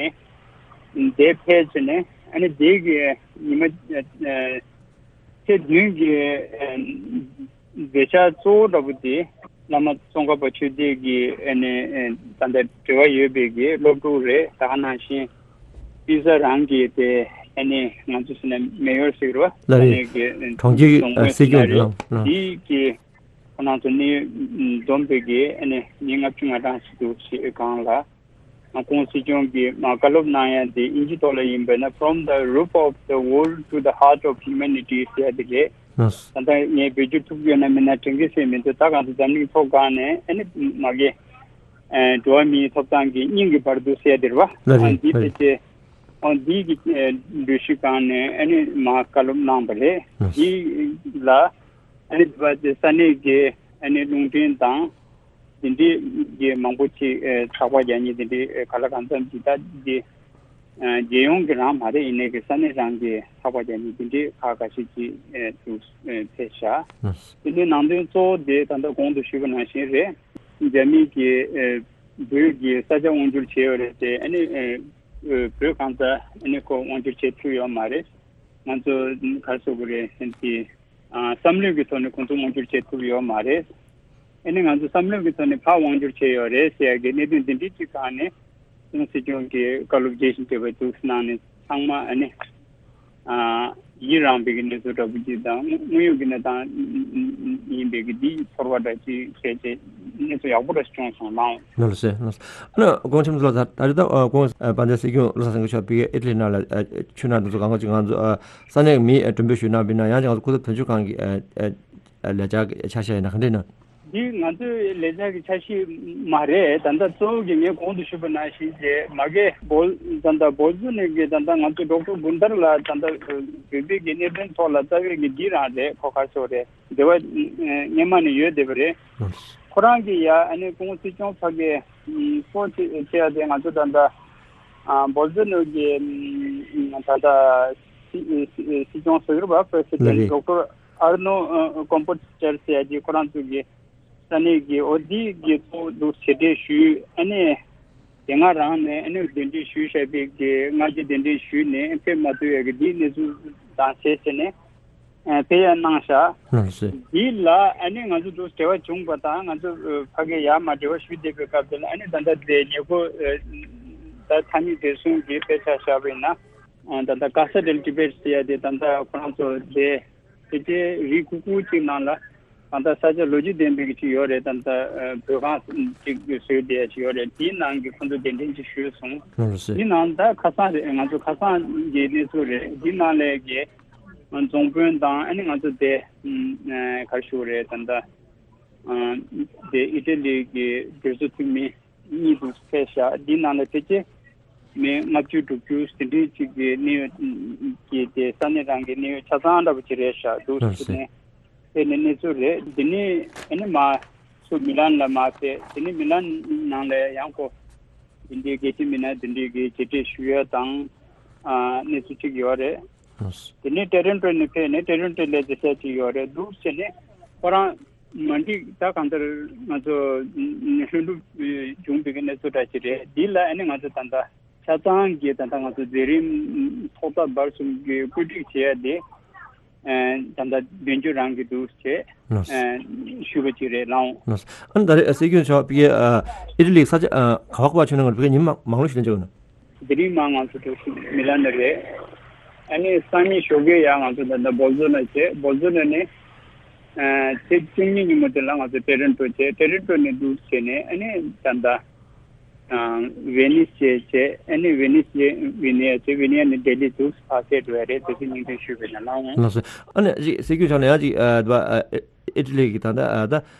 ནས་དེ་ཕེབས་བྱས་ནས་ཨ་ནི་དེ་གི་ཉི་མ་ཚེས་བདུན་གི་མཛད་འཆར་གཙོ་བོ་འདྲ་པོ་དེ་བླ་མ་ཙོང་ཁ་པ་ཆོས་སྡེ་གི་ཨ་ནི་ད་ལྟ་འབྲེལ་བ་ཡོད་པའི་གི་སློབ་ཕྲུག་རེད། ད་ག་ནང་བཞིན། པི་ས་རང་གི་དེ་ཨ་ནི་ང་ཚོ་ཟེར་ན་མེ་ཡོར་ཟེར་བ་ལ་ཨ་རེད། ནི་གི་གྲོང་ཁྱེར་གྱི་སྲིད་སྐྱོང་རེད། ལ་དེའི་གི་ཁོ་རང་ཚོ་ནི་འཛོམས་པའི་གི་ཨ་ནི་མི་ལྔ་བཅུ་ང་གྲངས་ཤིག་འདུག་ཞེས་སྒང་ལ་ང་ཁོང་སྲིད་སྐྱོང་གི་མ་བཀའ་སློབ་གནང་ཡ་དེ་ཨིན་ཇི་ཐོག་ལ་ཡིན་པ་ན། From the roof of the world to the heart of humanity ཟེར་ཡ་དེ་རེད། ལགས། ད་ལྟ་ངས་བེད་སྤྱོད་ཐུབ་ཡོད་ན་མིན་ན་དྲན་གི་སེ་མི་འདུག། ད་གང་ཚོ་འཛམ་གླིང་ཐོག་སྒང་ནས་ཨ་ནི་མ་གི་འགྲོ་བ་མིའི་ཐོབ་ཐང་གི་སྙིང་གི་བར་དུ་ཟེར་དེ་རེད་བ། ལགས་རེད། ཨ་འདི་ལགས་རེད། ཕལ་ཆེར་ཨ་འདི་གི་འགྲུལ་བཞུད་སྒང་ནས་ཨ་ནི་མ་བཀའ་སློབ་གནང་པ་རེད། ལགས། འདི་ལ་ཨ་ནི་འདི་བ་དེ་ས་གནས་ཀྱི་ཨ་ནི་རླུང་འཕྲིན་དང་འདི་འདྲའི་གི་མང་པོ་ཅིག་ཚགས་པར་རྒྱག་མཁན་འདི་འདྲའི་ག་ལ་གང་འཚམ་ཅིག་ད་འདི་རྒྱལ་ཡོངས་ཀྱི་རང་མ་རེད། ཡིན་ནའི་གི་ས་གནས་རང་གི་ཚགས་པར་རྒྱག་མཁན་འདི་འདྲའི་ཁག་ཁ་ཤས་ཅིག་འདུག་ཕེབས་ཤག། ལགས། འདི་འདྲའི་ནང་དོན་གཙོ་བོ་དེ་ད་ལྟ་གོང་དུ་ཞུས་པ་ནང་བཞིན་རེད། རྒྱ་མི་གིས་ཨེ་བོད་ཀྱི་ས་ཆ་དབང་བསྒྱུར་བྱས་ཡོད་རེད་དེ། ཨ་ནི་ཨེ་བོད་གང་ས་ཨ་ནི་ཁོ་དབང་བསྒྱུར་བྱེད་ཐུབ་ཡོད་མ་རེད། ང་ཚོ་ག་རེ་ཟེར་དགོས་རེད། ཨ་ནི་དེ་ཨ་བསམ་བློའི་གི་ཐོག་ནས་ཁོང་ཚོ་དབང་བསྒྱུར་བྱེད་ཐུབ་ཡོད་མ་རེད། ཨ་ནི་ང་ཚོ་བསམ་བློའི་གི་ཐོག་ནས་ཕར་དབང་བསྒྱུར་བྱས་ཡོད་རེད་ཟེར་ཡ་གི་གནད་དོན་འདི་འདྲའི་གཅིག་སྒང་ནས་ཁོང་སྲིད་སྐྱོང་གི་བཀའ་སློབ་རྒྱས་ཤིང་རྒྱས་པ་འདུག་གནང་ནས་ཚང་མ་ཨ་ནི། ཨ་ཡི་རངས་པའི་གི་གནས་ཚུལ་འདྲ་པོ་ཅིག་དང་དངོས་ཡོད་ཀྱི་གནས་སྟངས་ཡིན་པའི་གི་འདི་ཚོར་བ་འདྲ་ཅིག་བྱས་རྗེས་གནས་ཚུལ་ཡག་པོ་འདྲ་ཞིག་བྱུང་སོང་ལགས། ལགས་སོ། ལགས་སོ། ཨ་ནི་དགོངས་ཆེན་ཚོ་ལ་ད་རེས་ད་དགོངས་དཔལ་ལྡན་སྲིད་སྐྱོང་བློ་བཟང་སེང་གེ་མཆོག་ཕ་གིའི་ཨི་ཊ་ལི་ནང་ལ་ཆོས་གནང་དུས་ཚོད་གང་ག་ཅིག་ང་ཚོ་ས་གནས་མི་མགྲོན་འབོད་ཞུས་གནང་བ་ཡིན་ན། ཡང་ཅིག་ང་ཚོ་སྐུ་ཚབ་དོན་གཅོད་ཁང་གི་ལས་འཆར་གྱི་ཆ་ཤས་ཡིན་ན་ག་འདྲ་ཡིན་ན། འདི་ང་ཚོའི་ལས་འཆར་གྱི་ཆ་ཤས་མ་རེད། ད་ལྟ་གཙོ་བོ་གི་ངས་གོང་དུ་ཞུས་པ་ནང་བཞིན་བྱས་མ་གི་བོལ་ད་ལྟ་བོལ་ཙོ་ནི་གི་ད་ལྟ་ང་ཚོ་ཌོག་ཊར་དགུན་ཐར་ལགས་ད་ལྟ་བོད་པའི་གི་གནད་དོན་ཐོག་ལ་རྩ་བའི་གི་འདི་རང་རེད། ཁོ་ག་ཚོད་རེད། འབྲེལ་བ་སྔོན་མ་ནས་ཡོད་བསྡད་པ་རེད། ཁོ་རང་གི་ཡ་ཨ་ནི་སྐུ་ངོ་སྲིད་སྐྱོང་ཕ་གི་སྐོར་ཅིག་བྱས་ཏེ་ང་ཚོ་ད་ལྟ་བོལ་ཛོ་ནོ་གི་ད་ལྟ་སྲིད་སྐྱོང་ཟུར་པ་པྲེ་སི་ཌེན་ཊི་ཌོག་ཊར་ཨར་ནོ་ཀོམ་པོ་ཅར་ཟེར་ཡ་གི་ཁོ་རང་ཚོ་གི་ས་གནས་ཀྱི་འོ་དེ་གི་ཐོག་ཏུ་ཞལ་འདེབས་ཞུས། ཨ་ནི་དེ་སྔ་རང་ནས་ཨ་ནི་གདན་འདྲེན་ཞུས་བཞག་པའི་གི་སྔ་རྗེས་གདན་འདྲེན་ཞུས་ནས་ཕེབས་མ་ཐུབ་ཡ་གི་དེའི་གནས་ཚུལ་དང་བྱས་བྱས་ནས་ཕེབས་ཡ་གནང་བཞག་ལགས་སོ། འདི་ལ་ཨ་ནི་ང་ཚོ་དུ་འབྲེལ་བ་བྱུང་བ་དང་ང་ཚོ་ཕ་གི་ཡར་མར་འབྲེལ་བ་ཞུས་བསྡད་པའི་སྐབས་དེ་ལ་ཨ་ནི་ད་ལྟ་དེ་ཉེ་འཁོར་ད་ཐ་སྙད་བདེ་སྲུང་གི་དཔེ་ཆ་བཞག་པ་ཡིན་ན་ད་ལྟ་ག་ས་རེལ་ཊི་བེཊ་ཟེར་ཡ་དེ་ད་ལྟ་ཁོ་རང་ཚོ་དེ་དེ་ཚེ་རི་ཁུག་ཁུག་ཅིག་ནང་ལ་ད་ལྟ་ས་ཆ་ལོ་རྒྱུས་ལྡན་པའི་ཅིག་ཡོད་རེད། ད་ལྟ་བོད་ཁང་ཅིག་བཟོས་བསྡད་ཡ་ཅིག་ཡོད་རེད། དེའི་ནང་གི་ཁོ་ཚོ་གདན་འདྲེན་ཅིག་ཞུས་སོང་། ལགས་སོ། དེའི་ནང་ད་ཁ་སང་རེད། ང་ཚོ་ཁ་སང་གི་གནས་ཚུལ་རེད། དེའི་ནང་ལས་ཀྱི་རྫོང་དཔོན་དང་ཨ་ནི་ང་ཚོ་དེ་ག་རེ་ཞུ་དགོས་རེད། ད་ལྟ་དེ་ཨི་ཊ་ལི་གི་གྲོས་ཚོགས་འཐུས་མི་གཉིས་དུ་ཕེབས་བཞག་འདི་ནང་ལ་ཕལ་ཆེར་མི་ལྔ་བཅུ་དྲུག་ཅུ་ཟིན་བྲིས་གཅིག་གི་གནས་ཡོད་ཀྱི་དེ་ས་གནས་རང་གི་གནས་ཡོད་ཆ་ཚང་འདྲ་པོ་ཅིག་རེད་བཞག་འདུག་ལགས་སོ། ཟེར་ནས་དེ་ནས་གནས་ཚུལ་རེད། འདི་ནས་ཨ་ནི་མ་སུ་མི་ལན་ལ་མ་ཕེབས། དེ་ནས་མི་ལན་ནང་ལ་ཡང་ཁོ་འདི་འདྲའི་གལ་ཆེ་མི་སྣ་འདི་འདྲའི་གི་མཇལ་འཕྲད་ཞུ་ཡ་དང་གནས་ཚུལ་གཅིག་ཡོད་རེད། དེ་ནས་ཊོ་རོན་ཊོ་ནས་ཕེབས་ནས་ཊོ་རོན་ཊོ་ལ་མཇལ་ས་ཅིག་ཡོད་རེད། འདུག་ཟེར་ནས་ཁོ་རང་མ་འགྲིག་ད་གང་ལྟར་ང་ཚོ་ལྷུན་གྲུབ་བྱུང་བའི་གནས་ཚུལ་འདྲ་ཅིག་རེད། འདི་ལ་ཨ་ནི་ང་ཚོ་ད་ལྟ་ཆ་ཚང་གི་ད་ལྟ་ང་ཚོ་མཛད་རིམ་ཐོག་མཐའ་བར་གསུམ་གྱི་བཀོད་སྒྲིག་བྱས་ཏེ་ད་ལྟ་མདུན་སྐྱོད་རང་གི་འདུག་ཅེས་ཞུས་པ་ཅིག་རེད་ལགས། ཨ་ནི་ད་རེས་སྲིད་སྐྱོང་མཆོག་ཕ་གིའི་ཨི་ཊ་ལི་ས་ཆ་ག་བ་ག་བ་ཕྱིན་ན་ང་ཚོ་ཕ་གིའི་ཉིན་མ་མང་ལོ་ཞིག་ལ་འཇོག་ན། དེ་རིང་མ་ང་ཚོ་གྲོས་ཚོགས་མི་ལ་ནི་རེད། ཨ་ནི་སང་ཉིན་ཞོགས་ཀས་ཡང་ང་ཚོ་ད་ལྟ་བོལ་ཛོ་ནོ་བྱས། བོལ་ཛོ་ནོ་ནས་ཚེས་བཅུ་གཉིས་ཉིན་མོ་དེ་ལ་ང་ཚོ་ཊོ་རོན་ཊོ་བྱས། ཊོ་རོན་ཊོ་ནས་འདུག་བྱས་ནས་ཨ་ནི་ད་ལྟ་ཝེ་ནིས་བྱས། བྱས་ཨ་ནི་ཝེ་ནིས་བྱས་ཝི་ནི་ཡ་བྱས། ཝི་ནི་ཡ་ནས་ལྡི་ལི་འདུག་ཕར་ཕེབས་འགྲོ་ཡ་རེད། དེ་ཚོ་སྙིང་དོན་ཞུས་པ་ཡིན་ན་ལགས། ལགས་སོ། ཨ་ནི་ཅིག་སྲིད་སྐྱོང་མཆོག་ནས་ཡང་ཅིག་ཨི་ཊ་ལི་གི་ད་ལྟ་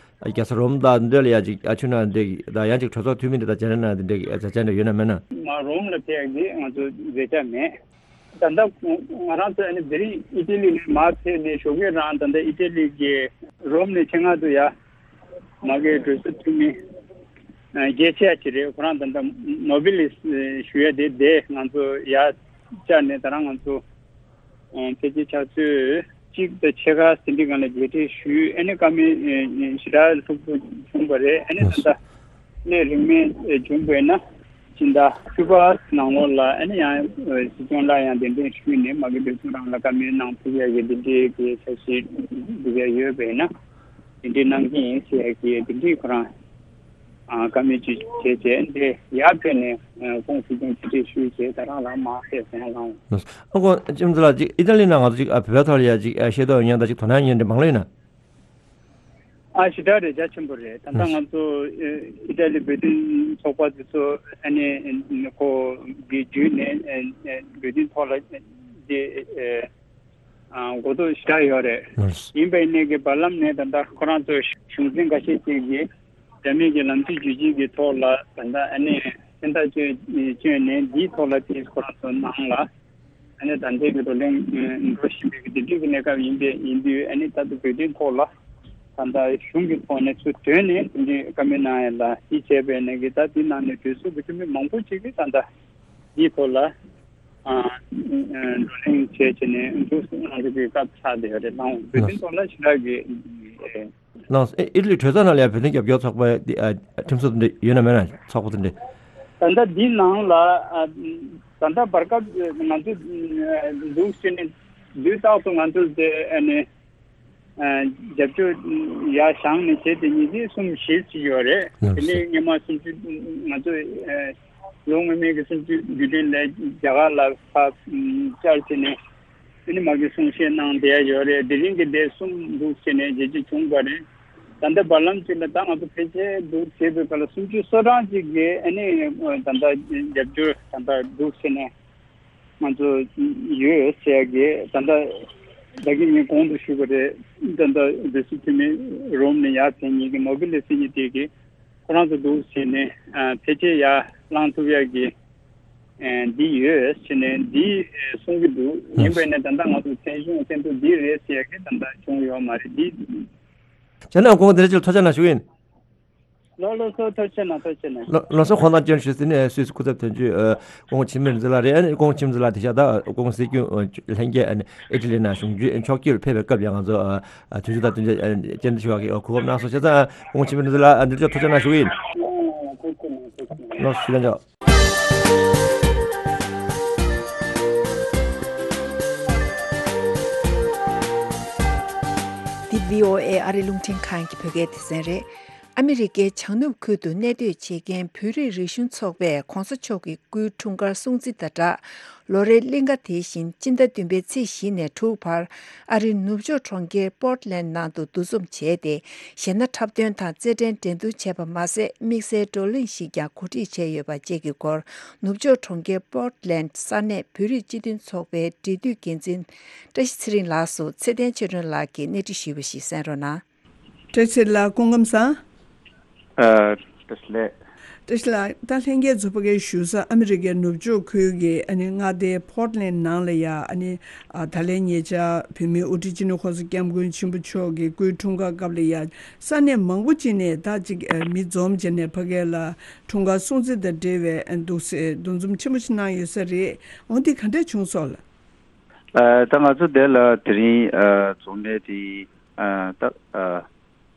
རྒྱལ་ས་རོམ་དང་འདི་ལ་ཡ་ཅིག་ཨ་ཆུ་ན་འདི་གི་ད་ཡང་ཅིག་གྲོས་ཚོགས་འཐུས་མི་འདི་དང་མཇལ་ན་འདི་འདྲ་གི་མཛད་འཆར་འདི་ཡོད་ན་མེད་ན། ང་རོམ་ལ་ཕེབས་ཀྱི་ང་ཚོ་མཛད་འཆར་མེད། ད་ལྟ་ང་རང་ཚོ་ཨ་ནི་དེ་རིང་ཨི་ཊ་ལི་ནས་མར་ཕེབས་ནས་ཞོགས་ཀས་རང་ད་ལྟ་ཨི་ཊ་ལི་གི་རོམ་ནས་ཆེད་མངགས་དུ་ཡ་མ་གི་གྲོས་ཚོགས་འཐུས་མི་རྒྱལ་ཆེ་ཡ་ཅིག་རེད། ཁོ་རང་ད་ལྟ་ནོ་བེ་ལི་ཞུ་ཡ་དེ་དེ་ང་ཚོ་ཡ་བཅར་ནས་ད་རང་ང་ཚོ་ཕལ་ཆེར་ཆུ་ཚོད་གཅིག་དང་ཕྱེད་ཀ་ཟིན་བྲིས་སྒང་ལ་མཇལ་འཕྲད་ཞུས། ཨ་ནི་བཀའ་མོལ་ཞེ་དྲག་ལྷུག་པོ་བྱུང་བ་རེད། ཨ་ནི་ད་ལྟ་གནད་རིང་མོ་བྱུང་བས་ན་སྤྱི་ཟླ་བཅུ་པ་ནང་ལོགས་ལ་ཨ་ནི་ཡང་སྲིད་སྐྱོང་ལ་ཡང་གདན་འདྲེན་ཞུས་ནས་མ་གི་འདོད་ཚུལ་རང་ལ་བཀའ་མོལ་གནང་ཐུབ་ཡ་གི་འདི་འདྲའི་གི་འཆར་གཞི་འདུག་ཡ་ཡོད་པས་ན་འདི་འདྲའི་གནང་གི་ཡིན་ཟེར་ཡ་གི་འདི་འདྲའི་ཁོ་རང་བཀའ་མོལ་ཅིག་བྱས་རྗེས་འདི་ཡར་ཕེབས་ནས་ཁོང་སྲིད་སྐྱོང་ཕྱིར་འཐེན་ཞུས་རྗེས་ད་རང་ལ་མར་ཕེབས་སོང་ལགས། ཨ་ཁོང་ལྕམ་ཚེ་ལགས་ཅིག་ཨི་ཊ་ལི་ནང་ང་ཚོ་ཅིག་ཨ་བོད་པའི་ཐོག་ལ་ཡ་ཅིག་ཤེས་རྟོགས་ཡོད་མཁན་དང་ཅིག་དོ་སྣང་ཡོད་མཁན་འདྲ་མང་ལོས་ཡིན་ན། ཨ་ཞེ་དྲག་རེད། རྒྱ་ཆེན་པོ་རེད། ད་ལྟ་ང་ཚོ་ཨི་ཊ་ལི་བོད་དོན་ཚོགས་པ་དེ་ཚོ་ཨ་ནི་ཁོ་གི་བརྒྱུད་ནས་བོད་དོན་ཐོག་ལ་དེ་གོ་རྟོགས་ཞེ་དྲག་ཡོད་རེད། ཡིན་པའི་གནས་ཀྱི་བར་ལམ་ནས་ད་ལྟ་ཁོ་རང་ཚོ་གཞུང་འཛིན་འགའ་ཤས་ཅིག་གིས་རྒྱ་མི་གི་ལམ་སྟོན་ཇུས་གཅིག་གི་ཐོག་ལ་ད་ལྟ་ཨ་ནི་མཚན་རྟགས་བསྐྱོན་བསྐྱོན་ནས་འདིའི་ཐོག་ལ་དེ་ཁོ་རང་ཚོ་ནང་ལ་ཨ་ནི་ད་ལྟའི་གི་བགྲོ་གླེང་འགྲོ་བཞིན་པའི་གི་དེ་འདྲའི་གི་གནས་སྐབས་ཡིན་པས་ཡིན་དུས་ཨ་ནི་ད་ལྟ་བོད་དོན་ཐོག་ལ་ད་ལྟ་གཞུང་གི་ཐོག་ནས་ཚུར་ཐོན་ནས་དེ་འདྲའི་བཀའ་མོལ་གནང་ཡ་ལ་དེ་བྱས་པའི་ནས་གི་ད་དེ་ནང་ནས་གྲོས་ཚོགས་ཀྱི་འཐུས་མི་མང་པོ་ཅིག་གིས་ད་ལྟ་འདིའི་ཐོག་ལ་བགྲོ་གླེང་བྱས་བྱས་ནས་འདུག་སེ་གནང་རྒྱུ་གི་སྐབས་ཆགས་བསྡད་ཡོད་རེད། ལགས། བོད་དོན་ཐོག་ལ་ཞེ་དྲག་གི་ལགས། ཨི་ཨི་ཊ་ལི་གྲོས་ཚོགས་ནང་ལ་ཡང་བོད་དོན་རྒྱབ་སྐྱོར་ཚོགས་པའི་ཨ་ཁྲིམས་སྲོལ་དེ་འདྲ་ཡོད་ན་མེད་ན། ཚོགས་པ་དེ་འདྲ། ད་ལྟ་འདི་ནང་ལ་ཨ་ད་ལྟ་བར་སྐབས་ང་ཚོ་འདུག་ཟེར་ནས་དུས་རྟག་ཏུ་ང་ཚོ་དེ་ཨ་ནི་ཨ་རྒྱབ་སྐྱོར་ཡར་བཞེངས་ནས་བྱས་ཏེ་ཉིས་བརྒྱ་སུམ་བཞི་ཅིག་ཡོད་རེད། དེ་ནས་སྔོན་མ་སུམ་ཅུ་ང་ཚོ་ཨ་ལོ་སྔོན་མའི་གི་སུམ་ཅུ་དགུ་ཐོན་ལས་རྒྱ་གར་ལ་ཕར་བཅར་བྱས་ནས། ཨ་ནི་མ་གི་གསུང་བཤད་གནང་བསྡད་ཡ་ཡོད་རེད། དེ་རིང་གི་འདི་གསུམ་འདུག་ཟེར་ནས་རྒྱལ་སྤྱི་བྱུང་བ་རེད། ད་ལྟ་བར་ལམ་གཅིག་ལ་ད་ང་ཚོ་ཕལ་ཆེར་འདུག་ཟེར་བའི་སྐབས་ལ་སུམ་ཅུ་སོ་གྲངས་ཅིག་གིས་ཨ་ནི་ད་ལྟ་རྒྱབ་སྐྱོར་ད་ལྟ་འདུག་ཟེར་ནས་ང་ཚོ་ཡོད་ཟེར་ཡ་གི་ད་ལྟ་ད་གིན་ངས་གོང་དུ་ཞུས་པ་རེད། ད་ལྟ་འདི་སུ་འཐུས་མི་རོམ་ནས་ཡར་ཕེབས་མཁན་གྱི་ནོ་བེ་ལི་སི་ཉི་དེ་གི་ཁོ་རང་ཚོ་འདུག་བྱས་ནས་ཨ་ཕལ་ཆེར་ཡར་ལངས་ཐུབ་ཡག་གི་ཨ་འདི་ཡོད་བྱས་ནས་འདི་ཨ་གསུང་གི་འདུག་ཡིན་པས་ནས་ད་ལྟ་ང་ཚོ་མཚན་གཞུང་མཚན་ཐོ་འདི་རེད་ཟེར་ཡག་གི་ད་ལྟ་བྱུང་ཡོད་མ་རེད། འདི་བྱས་ན་ཁོང་དེ་རེ་ཅིག་ཐོས་རྒྱ་གནང་ཞུ་གི་ཡིན། ལགས་ལགས་སོ། ཐུགས་རྗེ་གནང་། ཐུགས་རྗེ་གནང་། ལགས་ལགས་སོ། ཁོང་དང་བཅར་ཞུས་ཟིན་ནས་སུད་སི་སྐུ་ཚབ་དོན་གཅོད་ཨ་སྐུ་ངོ་འཆི་མེད་རིག་འཛིན་ལགས་རེད། ཨ་ནི་སྐུ་ངོ་འཆི་མེད་རིག་འཛིན་ལགས་དེ་ཤ་ད་སྐུ་ངོ་སྲིད་སྐྱོང་ཨ་ལྷན་རྒྱས་ཨ་ནི་ཨི་ཊ་ལི་ནང་གཞུང་འཛིན་ཕྱོགས་ཀྱིར་ཕེབས་པའི་སྐབས་ཡང་ང་ཚོ་ཨ་ཨ་དུས་ཚོད་དང་བསྟུན་ཏེ་ཨ་བཅར་འདྲི་ཞུ་བ་གི་གོ་སྐབས་གནང་སོང་། བྱས་ཙང་ཨ་སྐུ་ངོ་འཆི་མེད་རིག་འཛིན་ལགས་ཨ་འདིར་འབྱོར་ཐུགས་རྗེ་གནང་ཞུ་གི་ཡིན། ལགས་སོ། ཞུ་ལན་ཆོག་འདི་བྷི་ཨོ་ཨེ་ཨ་རི་རླུང་འཕྲིན་ཁང་གི་བོད་སྐད་སྡེ་ཚན་རེད། ཨ་མི་རི་ཀའི་བྱང་ནུབ་ཁུལ་དུ་གནས་སྡོད་བྱེད་མཁན་བོད་རིགས་རིག་གཞུང་ཚོགས་པས་༸གོང་ས་མཆོག་གི་སྐུའི་འཁྲུངས་སྐར་སྲུང་བརྩི་དང་སྦྲགས། ལོ་རེའི་གླིང་ག་དེ་བཞིན་སྤྱི་ཟླ་བདུན་པའི་ཚེས་བཞི་ནས་དྲུག་བར་ཨ་རིའི་ནུབ་ཕྱོགས་གྲོང་ཁྱེར་པོར་ཊི་ལེན་ཌི་ནང་དུ་འདུ་འཛོམས་བྱས་ཏེ། གཞས་སྣ་འཁྲབ་སྟོན་དང་རྩེད་འགྲན་འགྲན་བསྡུར་བྱས་པ་མ་ཟད། དམིགས་བསལ་བགྲོ་གླེང་ཞིག་ཀྱང་གོ་སྒྲིག་བྱས་ཡོད་པ་བཅས་ཀྱི་སྐོར། ནུབ་ཕྱོགས་གྲོང་ཁྱེར་པོར་ཊི་ལེན་ཌི་ས་གནས་བོད་རིགས་སྤྱི་མཐུན་ཚོགས་པའི་འབྲེལ་མཐུད་འགན་འཛིན་བཀྲ་ཤིས་ཚེ་རིང་ལགས་སུ་ཚེ་བརྟན་ཆོས་སྒྲོན་ལགས་ཀྱིས་གནས་འདྲི་ཞུས་པ་ཞིག་གསན་རོགས་གནང་། བཀྲ་ཤིས་ལགས་སྐུ་ཁམས་བཟང་། ཨ། བཀྲ་ཤིས་ལགས། བཀྲ་ཤིས་ལགས། ད་ལྷན་རྒྱས་ཚོ་ཕ་གིར་བཞུགས་ས་ཨ་མི་རི་ཀའི་ནུབ་ཕྱོགས་ཁུལ་གྱི་ཨ་ནི་མངའ་སྡེ་པོར་ཊི་ལེན་ཌི་ནང་ལ་ཡ་ཨ་ནི་ཨ་ད་ལན་ཉེ་ཆར་བོད་མིའི་དབུ་ཁྲིད་སྤྱི་ནོར་༸གོང་ས་༸སྐྱབས་མགོན་ཆེན་པོ་མཆོག་གི་སྐུའི་འཁྲུངས་སྐར་སྐབས་ལ་ཡ་ས་གནས་མང་པོ་ཅིག་ནས་ད་ཅིག་ཨ་མི་འཛོམས་བྱས་ནས་ཕ་གི་ལ་འཁྲུངས་སྐར་སྲུང་བརྩི་དང་འབྲེལ་བའི་ཨ་འདུག་སེ་འདུ་འཛོམས་ཆེན་པོ་ཞིག་གནང་ཡོད་ས་རེད། འོ་འདི་ག་འདྲ་བྱུང་སོང་ལགས། ཨ། ད་ང་ཚོ་དེ་ལ་དེ་རིང་ཨ་འཛོམས་གནས་དེ་ཨ་ད་ཨ་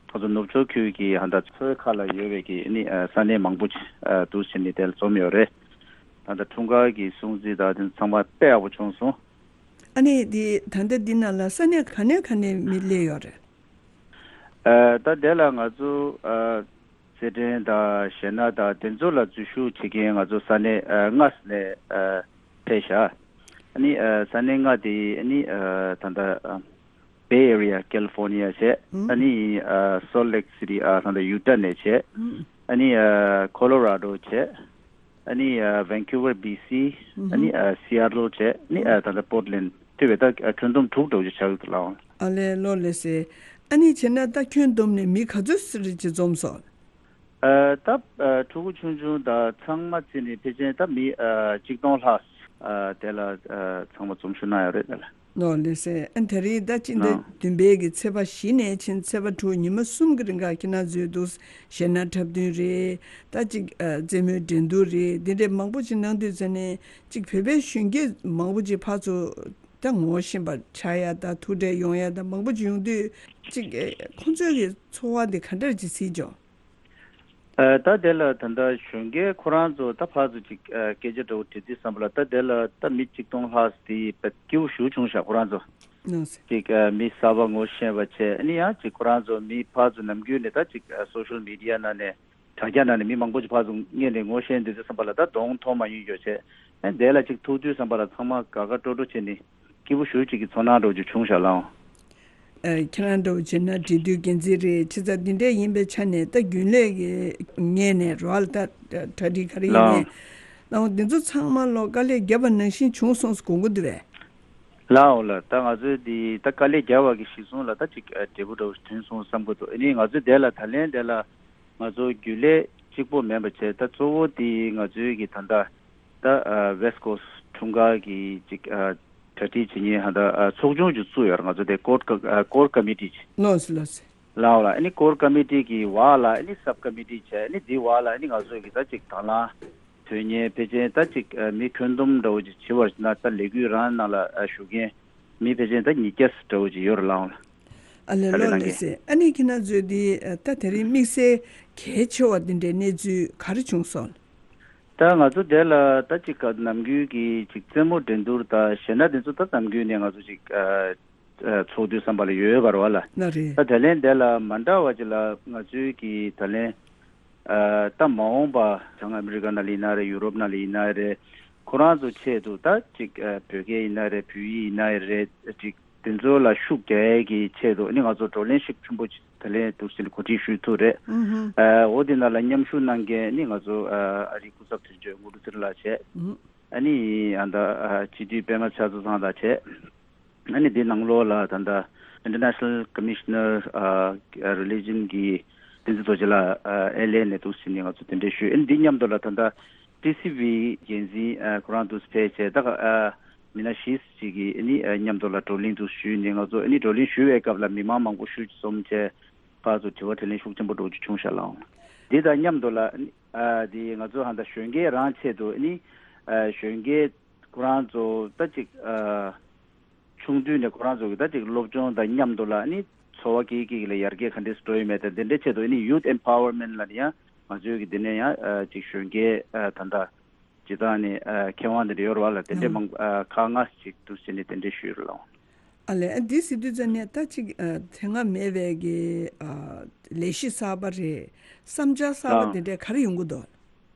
ང་ཚོ་ནུབ་ཕྱོགས་ཁུལ་གྱི་ཧ་ད་མཚོའི་ཁ་ལ་ཡོད་པའི་གི་ནི་ཨ་ས་གནས་མང་པོ་ཅིག་ཨ་འདུ་བྱས་ནས་དེ་ལ་འཛོམས་ཡོད་རེད། ད་ལྟ་འཁྲུངས་སྐར་གྱི་སྲུང་བརྩི་དང་དེ་ཚང་མ་དཔེ་ཡག་པོ་བྱུང་སོང་། ཨ་ནི་དེ་ད་ལྟ་འདི་ནང་ལ་ས་གནས་ག་ནས་ག་ནས་མི་སླེབས་ཡོད་རེད། ཨ། ད་དེ་ལ་ང་ཚོ་ཨ་རྩེད་འགྲན་དང་གཞས་སྣ་དང་དེ་ཚོ་ལ་འཛུལ་ཞུགས་བྱེད་མཁན་ང་ཚོ་ས་གནས་ཨ་ལྔ་ནས་ཨ་ཕེབས་ཤག་ཨ་ནི་ཨ་ས་གནས་ལྔ་དེ་ཨ་ནི་ཨ་ད་ལྟ་ཨ་Bay Area California་བྱས། ཨ་ནི་ཨ་Salt Lake City་ཨ་ད་ལྟ་Utah་ནས་བྱས། ཨ་ནི་ཨ་Colorado་བྱས། ཨ་ནི་ཨ་Vancouver་B C། ཨ་ནི་ཨ་Seattle་བྱས། ཨ་ནི་ཨ་ད་ལྟ་Portland་ཐུབ་པའི་ད་ཨ་ཁྱོན་བསྡོམས་དྲུག་འདྲ་བོ་ཅིག་ཆགས་ཀྱི་འདུག་ལགས། ཨ་ལས་ལོ་ལེ་སེ། ཨ་ནི་བྱས་ན་ད་ཁྱོན་བསྡོམས་ནས་མི་ག་ཚོད་ཙམ་ཅིག་འཛོམས་སོང་། ཨ་ད་ཨ་ཕྲུ་གུ་ཆུང་ཆུང་དང་ཚང་མ་བརྩིས་ནས་ཕལ་ཆེར་ད་མི་ཨ་གཅིག་སྟོང་ལྷག་ཨ་དེ་ལ་ཨ་ཚང་མ་འཛོམས་ཞུགས་གནང་ཡོད་རེད་ད་ལགས། ལོ་ལེ་སེ། ཨ་དེ་རིང་ད་སྤྱི་ཟླ་ཨ་བདུན་པའི་གི་ཚེས་པ་བཞི་ནས་ཕྱིན་ཚེས་པ་དྲུག་ཉི་མ་གསུམ་གི་རིང་ག་ཁྱེད་རང་ཚོའི་འདུག་གཞས་སྣ་འཁྲབ་སྟོན་རེད། ད་ཅིག་ཨ་རྩེད་མོའི་འགྲན་བསྡུར་རེད། འདི་འདྲའི་མང་པོ་ཅིག་གནང་དུས་ཙམ་ནས་ཅིག་བོད་པའི་གཞོན་སྐྱེས་མང་པོ་ཅིག་ཕར་ཚུར་ད་ངོ་ཤེས་པ་ཆགས་ཡ་ད་ཐུག་འཕྲད་ཡོང་ཡ་ད་མང་པོ་ཅིག་ཡོང་དུས་ཅིག་ཨ་ཁོང་ཚོའི་གི་ཚོར་བ་འདི་ག་འདྲ་ཅིག་གཟིགས་བྱུང་། ཨ་ད་དེ་ལ་ད་ལྟ་གཞོན་སྐྱེས་ཁོ་རང་ཚོ་ད་ཕར་ཚུར་ཅིག་ཨ་སྐད་ཆ་འདྲ་བོ་དྲི་དུས་ཙམ་པ་ལ་ད་དེ་ལ་ད་མི་གཅིག་སྟོང་ལྷག་དེ་བས་སྐྱིད་པོ་ཞེ་པོ་བྱུང་ཤག་ཁོ་རང་ཚོ་ལགས་སེ། ཅིག་ཨ་མི་གསར་པ་ངོ་ཤེས་པ་བྱས། ཨ་ནི་ཡང་ཅིག་ཁོ་རང་ཚོ་མི་ཕར་ཚུར་ནམ་རྒྱུན་ནས་ད་ཅིག་ཨ་སོ་ཤལ་མི་ཌི་ཡ་ནང་ནས་དྲ་རྒྱ་ནང་ནས་མི་མང་པོ་ཅིག་ཕར་ཚུར་སྔོན་ནས་ངོ་ཤེས་དུས་ཙམ་པ་ལ་ད་གདོང་མཐོང་མ་མྱོང་ཡོད་བྱས། ཨ་དེ་ལ་ཅིག་ཐུག་དུས་ཙམ་པ་ལ་ཚང་མ་དགའ་དགའ་སྤྲོ་སྤྲོ་བྱས་ནས་སྐྱིད་པོ་ཞེ་པོ་ཅིག་གི་ཚོར་སྣང་འདྲ་བོ་ཅིག་བྱུང་ཤག་ལགས། ཨ་ཁྱེད་རང་འདྲ་བོ་བྱས་ན་འབྲེལ་མཐུད་འགན་འཛིན་རེད། ཆི་ཚ་འདི་འདྲས་ཡིན་པའི་ཆ་ནས་ད་རྒྱུན་ལས་ཀྱི་ངོས་ནས་རོགས་ལ་ད་གྲ་སྒྲིག་ག་རེ་ཡིན་ནའི་ལགས། ལའང་འདི་ཚོ་ཚང་མ་ལོ་དཀའ་ལས་བརྒྱབ་པ་ནང་བཞིན་བྱུང་སོང་ཟེར་དགོངས་ཀྱི་འདུག་པས། ལགས་འོ་ལགས། ད་ང་ཚོས་འདི་ད་དཀའ་ལས་བརྒྱབ་པ་གི་གཞི་བཟུང་ལ་ད་ཅིག་ཨ་འབྲས་བུ་འདྲ་བོ་ཐོན་སོང་བསམ་གྱི་འདུག་ཨ་ནི་ང་ཚོས་དེ་ལ་ད་ལན་དེ་ལ་ང་ཚོ་རྒྱུན་ལས་གཅིག་པོ་མིན་པ་བྱས། ད་གཙོ་བོ་དེ་ང་ཚོའི་གི་ད་ལྟ་ད་ཨ་West Coast་འཁྲུངས་སྐར་གྱི་ཅིག་ཨ་གྲ་སྒྲིག་བྱེད་མཁན་ཧ་ད་ཨ་ཚོགས་ཆུང་ཅིག་བཙུགས་ཡོད་རེད། ང་ཚོ་དེ་Core་ཨ་Core Committee་ཅིག་ལགས་སོ་ལགས་སོ། ལའོ་ལ་ཨ་ནི་Core Committee་གི་འོག་ལ་ཨ་ནི་Sub Committee་བྱས། ཨ་ནི་དེའི་འོག་ལ་ཨ་ནི་ང་ཚོ་གི་ད་ཅིག་དང་བླངས་དོན་གཉེར་ཕལ་ཆེར་ད་ཅིག་ཨ་མི་ཁྱོན་བསྡོམས་འདྲ་བོ་ཅིག་བྱེད་པ་ན་ད་ལས་འགུལ་རང་ནང་ལ་ཨ་ཞུགས་མཁན་མི་ཕལ་ཆེར་ད་ཉིས་བརྒྱ་འདྲ་བོ་ཅིག་ཡོད་རེད་ལའོ་ལ། ཨ་ལས་ད་ལས་ལོ་གནང་ལགས་མཁན་སེ། ཨ་ནི་ཁྱེད་རང་ཚོས་འདི་ཨ་ད་དེ་རིང་དམིགས་བསལ་གལ་ཆེ་བ་འདི་འདྲའི་གནས་ཚུལ་ག་རེ་བྱུང་སོང་། ད་ང་ཚོ་དེ་ལ་ད་ཅིག་ག་ནམ་རྒྱུན་གྱི་ཅིག་རྩེད་མོ་འགྲན་བསྡུར་དང་གཞས་སྣ་དེ་ཚོ་ད་ནམ་རྒྱུན་ནས་ང་ཚོ་ཅིག་ཨ་ཨ་ཚོགས་དུས་བསམ་པ་ལ་ཡོད་པ་རེད་བ་ལ། ན་རེད། ད་དེ་ལན་དེ་ལ་མ་འདྲ་བ་ཅིག་ལ་ང་ཚོའི་གི་ད་ལན་ཨ་ད་མ་འོངས་པ་བྱང་ཨ་མི་རི་ཀ་ནང་ལ་ཡིན་ན་རེད། ཡུ་རོབ་ནང་ལ་ཡིན་ན་རེད། ཁོ་རང་ཚོ་ཆེད་དུ་ད་ཅིག་ཨ་བོད་སྐད་ཡིན་ན་རེད། བོད་ཡིག་ཡིན་ན་རེད། ཅིག་དེ་ཚོ་ལ་ཤུགས་རྒྱག་ཡས་ཀྱི་ཆེད་དུ་ཨ་ནི་ང་ཚོ་བགྲོ་གླེང་ཤུགས་ཆེན་པོ་ཅིག་ད་ལན་འདུག་ཟེར་ནས་གོ་སྒྲིག་ཞུས་ཐུབ་རེད། ཨུ་ཧུམ། ཨ་འོ་དེ་ནང་ལ་མཉམ་ཞུགས་གནང་མཁན་ཨ་ནི་ང་ཚོ་ཨ་ཨ་རིའི་སྐུ་ཚབ་དོན་གཅོད་དངོས་གྲུབ་ཚེ་རིང་ལགས་བྱས། ཨུ་ཧུམ། ཨ་ནི་ཨ་ད་ཨ་སྤྱི་འཐུས་པད་མ་ལྕགས་ཚང་དང་བྱས། ཨ་ནི་འདི་ནང་ལོགས་ལ་ད་ལྟ་International Commissioner ཨ་Religion་གི་བསྟན་འཛིན་རྡོ་རྗེ་ལགས་ཨ་ཨེལ་ཨེ་ནས་འདུག་ཟེར་ནས་ང་ཚོ་གདན་འདྲེན་ཞུས། ཨ་ནི་འདི་མཉམ་དུ་ལ་ད་ལྟ་ཊི་སི་ཝི་འགན་འཛིན་ཨ་ཁོ་རང་འདུག་ཕེབས་བྱས། ད་ཨ་མི་སྣ་བཞི་ཅིག་གིས་ཨ་ནི་ཨ་མཉམ་དུ་ལ་བགྲོ་གླེང་འདུག་ཞུས་ནས། ང་ཚོ་ཨ་ནི་བགྲོ་གླེང་ཞུ་བའི་སྐབས་ལ་མི་མང་མང་པོ་ཤུགས་ཀྱིས་འཛོམས་བྱས། ཕར་ཚུར་དྲི་བ་དྲིས་ལན་ཤུགས་ཆེན་པོ་འདྲ་བོ་ཅིག་བྱུང་ཤག་ལགས། འདི་དང་མཉམ་དུ་ལ་ཨ་འདི་ང་ཚོ་ཧ་ད་གཞོན་སྐྱེས་རང་ཆེད་དུ་ནི་ཨ་གཞོན་སྐྱེས་ཁོ་རང་ཚོ་ད་ཅིག་ཨ་ཆུང་དུས་ནས་ཁོ་རང་ཚོ་གི་ད་ཅིག་སློབ་སྦྱོང་དང་མཉམ་དུ་ལ་ནི་འཚོ་བ་སྐྱིད་སྐྱིད་ལ་ཡར་རྒྱས་ག་འདྲས་འགྲོ་ཡོད་མེད་དང་དེ་འདྲའི་ཆེད་དུ་ནི་ཡུཐ་ཨེམ་པ་ཝར་མེན་ལ་ནི་ཡང་ང་ཚོའི་གི་འདི་ནས་ཡང་ཨ་ཅིག་གཞོན་སྐྱེས་ཨ་ད་ད་སྤྱི་བཏང་ནས་ཨ་མཁས་དབང་དེ་འདྲ་ཡོད་རེད་བ་ལ། དེ་འདྲའི་ཨ་མང་ཨ་ཁག་ལྔ་ཞིག་འདུག་ཟེར་ནས་དེ་འདྲའི་ཞུས་རེད་ལགས། ཨ་ལས། ཨ་འདི་ཟེར་དུས་ཙ་ནས་ད་ཅིག་ཨ་དེ་སྔ་མེད་པའི་གི་ཨ་ལས་གཞི་གསར་པ་རེད། བསམ་འཆར་གསར་པ་ཨ་དེ་འདྲས་ག་རེ་ཡོང་གི་འདུག།